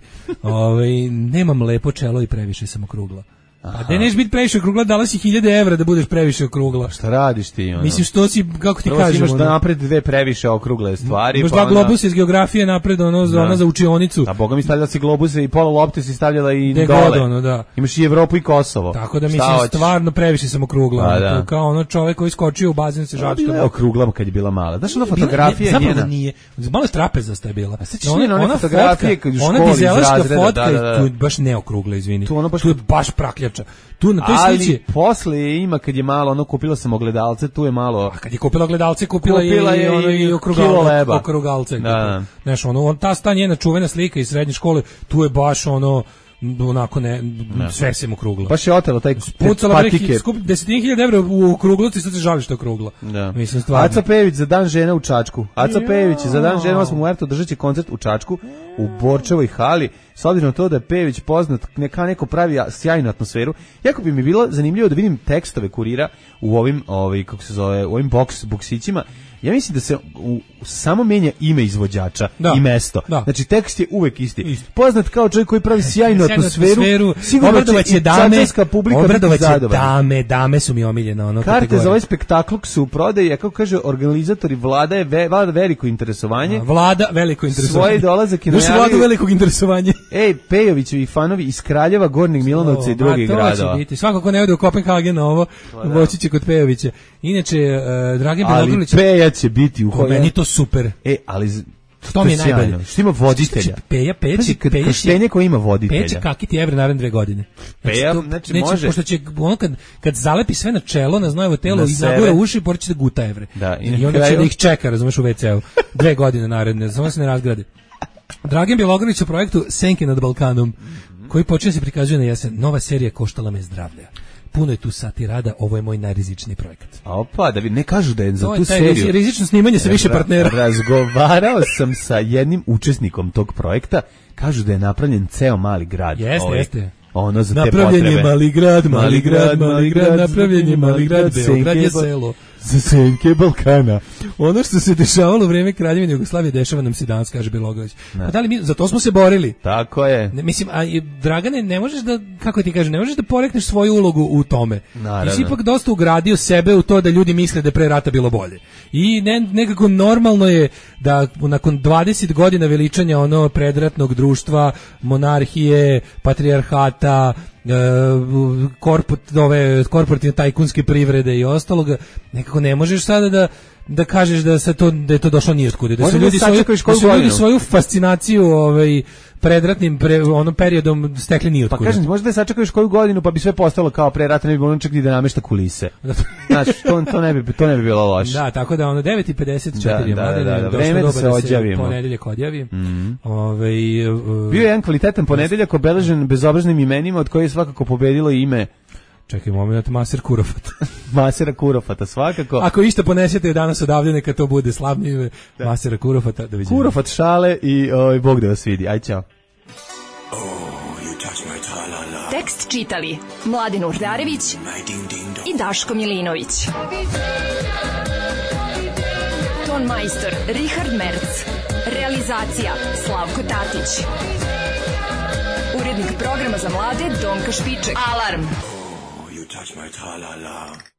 Nemam lepo čelo i previše sam okrugla. Pa da neš biti previše okrugla, dala si 1.000 evra da budeš previše okrugla. Šta radiš ti? Mislim, što si, kako ti kažemo? Imaš da napred dve previše okrugle stvari. Imaš dva globusa iz geografije napred, ona za učionicu. Da, boga mi stavljala si globuse i pola lopte si stavljala i dole. Da. Imaš i Evropu i Kosovo. Tako da mislim, stvarno previše sam okrugla. Kao ono čovek koji skočio u bazen se žačka. Bila je okrugla kad je bila mala. Znaš, ona fotografija njena. Zapravo nije. Malo je trapeza sta je bila. Ona fotografije kad u školi iz razreda. Fotka, tu je baš neokrugla, izvini. Tu je baš prakljač priča. Tu na toj slici... Ali posle ima, kad je malo, ono, kupila sam ogledalce, tu je malo... A kad je kupila ogledalce, kupila je ono i okrugalce. Da. Znaš, ono, ta njena čuvena slika iz srednje škole, tu je baš ono... onako sve se mu kruglo. Baš je otelo taj patiker. Skup 10.000 evra u okruglosti, sad se žali što je okruglo. Da. Mislim, stvarno. Aca Pejević za dan žena u Čačku. Aca Pejević za dan žena 8. marta držat će koncert u Čačku u Borčevoj hali. S obzirom na to da je Pejević poznat, neko pravi sjajnu atmosferu. Jako bi mi bilo zanimljivo da vidim tekstove Kurira u ovim, kako se zove, u ovim boksićima. Ja mislim da se samo menja ime izvođača i mesto. Da. Znači tekst je uvek isti. Poznat kao čovjek koji pravi sjajnu atmosferu. Sigurno će čačanska publika biti zadovoljna. Dame su mi omiljena. Ono karte za ovaj spektakl su u prodaji, kako kaže organizatori, vlada veliko interesovanje. Vlada veliko interesovanje. Svoje dolazak i najavio. Vladu velikog interesovanja. Pejovićevi fanovi iz Kraljeva, Gornjeg Milanovca i drugih gradova. Svako ko ne ode u Kopenhagen ovo, moći će kod Pejovića. Inače, Dragan Bilogrlić će biti u Holandiji. Meni to super. Ali to mi je najbolje. Što ima voditelja. Peja krštenje koji ima voditelja. Peće kakiti evre naredne 2 godine. Znači može. Pošto će on kad zalepi sve na čelo, na znojevo telo i zagura uši, počeće da guta evre. Da, i onda će da ih čeka, razumeš, u WC-u. 2 godine naredne, samo se ne razgradi. Dragan Bjelogrlić u projektu Senke nad Balkanom, koji počinje se prikazuje na jesen. Nova serija koštala me zdravlja. Puno je tu sati rada, ovo je moj najrizičniji projekat. Opa, da ne kažu da je za tu seriju. Rizično snimanje sa više partnera. Razgovarao sam sa jednim učesnikom tog projekta, kažu da je napravljen ceo mali grad. Jeste. Ono za te potrebe. Napravljen je mali grad, napravljen je mali grad, Beograd je selo. Za senke Balkana. Ono što se dešavalo u vreme Kraljevine Jugoslavije, dešava nam se danas, kaže Bjelogrlić. Pa da li mi, za to smo se borili. Tako je. Mislim, a Dragane, ne možeš da, kako ti kažem, ne možeš da porekneš svoju ulogu u tome. Ti si ipak dosta ugradio sebe u to da ljudi misle da je pre rata bilo bolje. I nekako normalno je da nakon 20 godina veličanja ono predratnog društva, monarhije, patrijarhata, korporativne tajkunske privrede i ostaloga, nekako ne možeš sada da kažeš da je to došlo nijotkude, da su ljudi svoju fascinaciju predratnim periodom stekli nijotkude. Pa kažem, možda da sačekaš koju godinu pa bi sve postalo kao pre rata, ne bi bilo čak ni da namešta kulise. Znači, to ne bi bilo loše. Da, tako da 9:54 Da, vreme da se odjavimo. Ponedeljak odjavi. Bio je jedan kvalitetan ponedeljak obeležen bezobraznim imenima, od koje je svakako pobedilo ime. Čekaj moment, Maser Kurofat. Masera Kurofata, svakako. Ako isto ponesete danas odavde, neka to bude slavno ime Masera Kurofata. Kurofat šale i Bog da vas vidi. Aj, čao. Tekst čitali Mladin Urdarević i Daško Milinović. Ton majstor Richard Merc. Realizacija Slavko Tatić. Urednik programa za mlade Donka Špiček. Alarm! You touch my tra-la-la.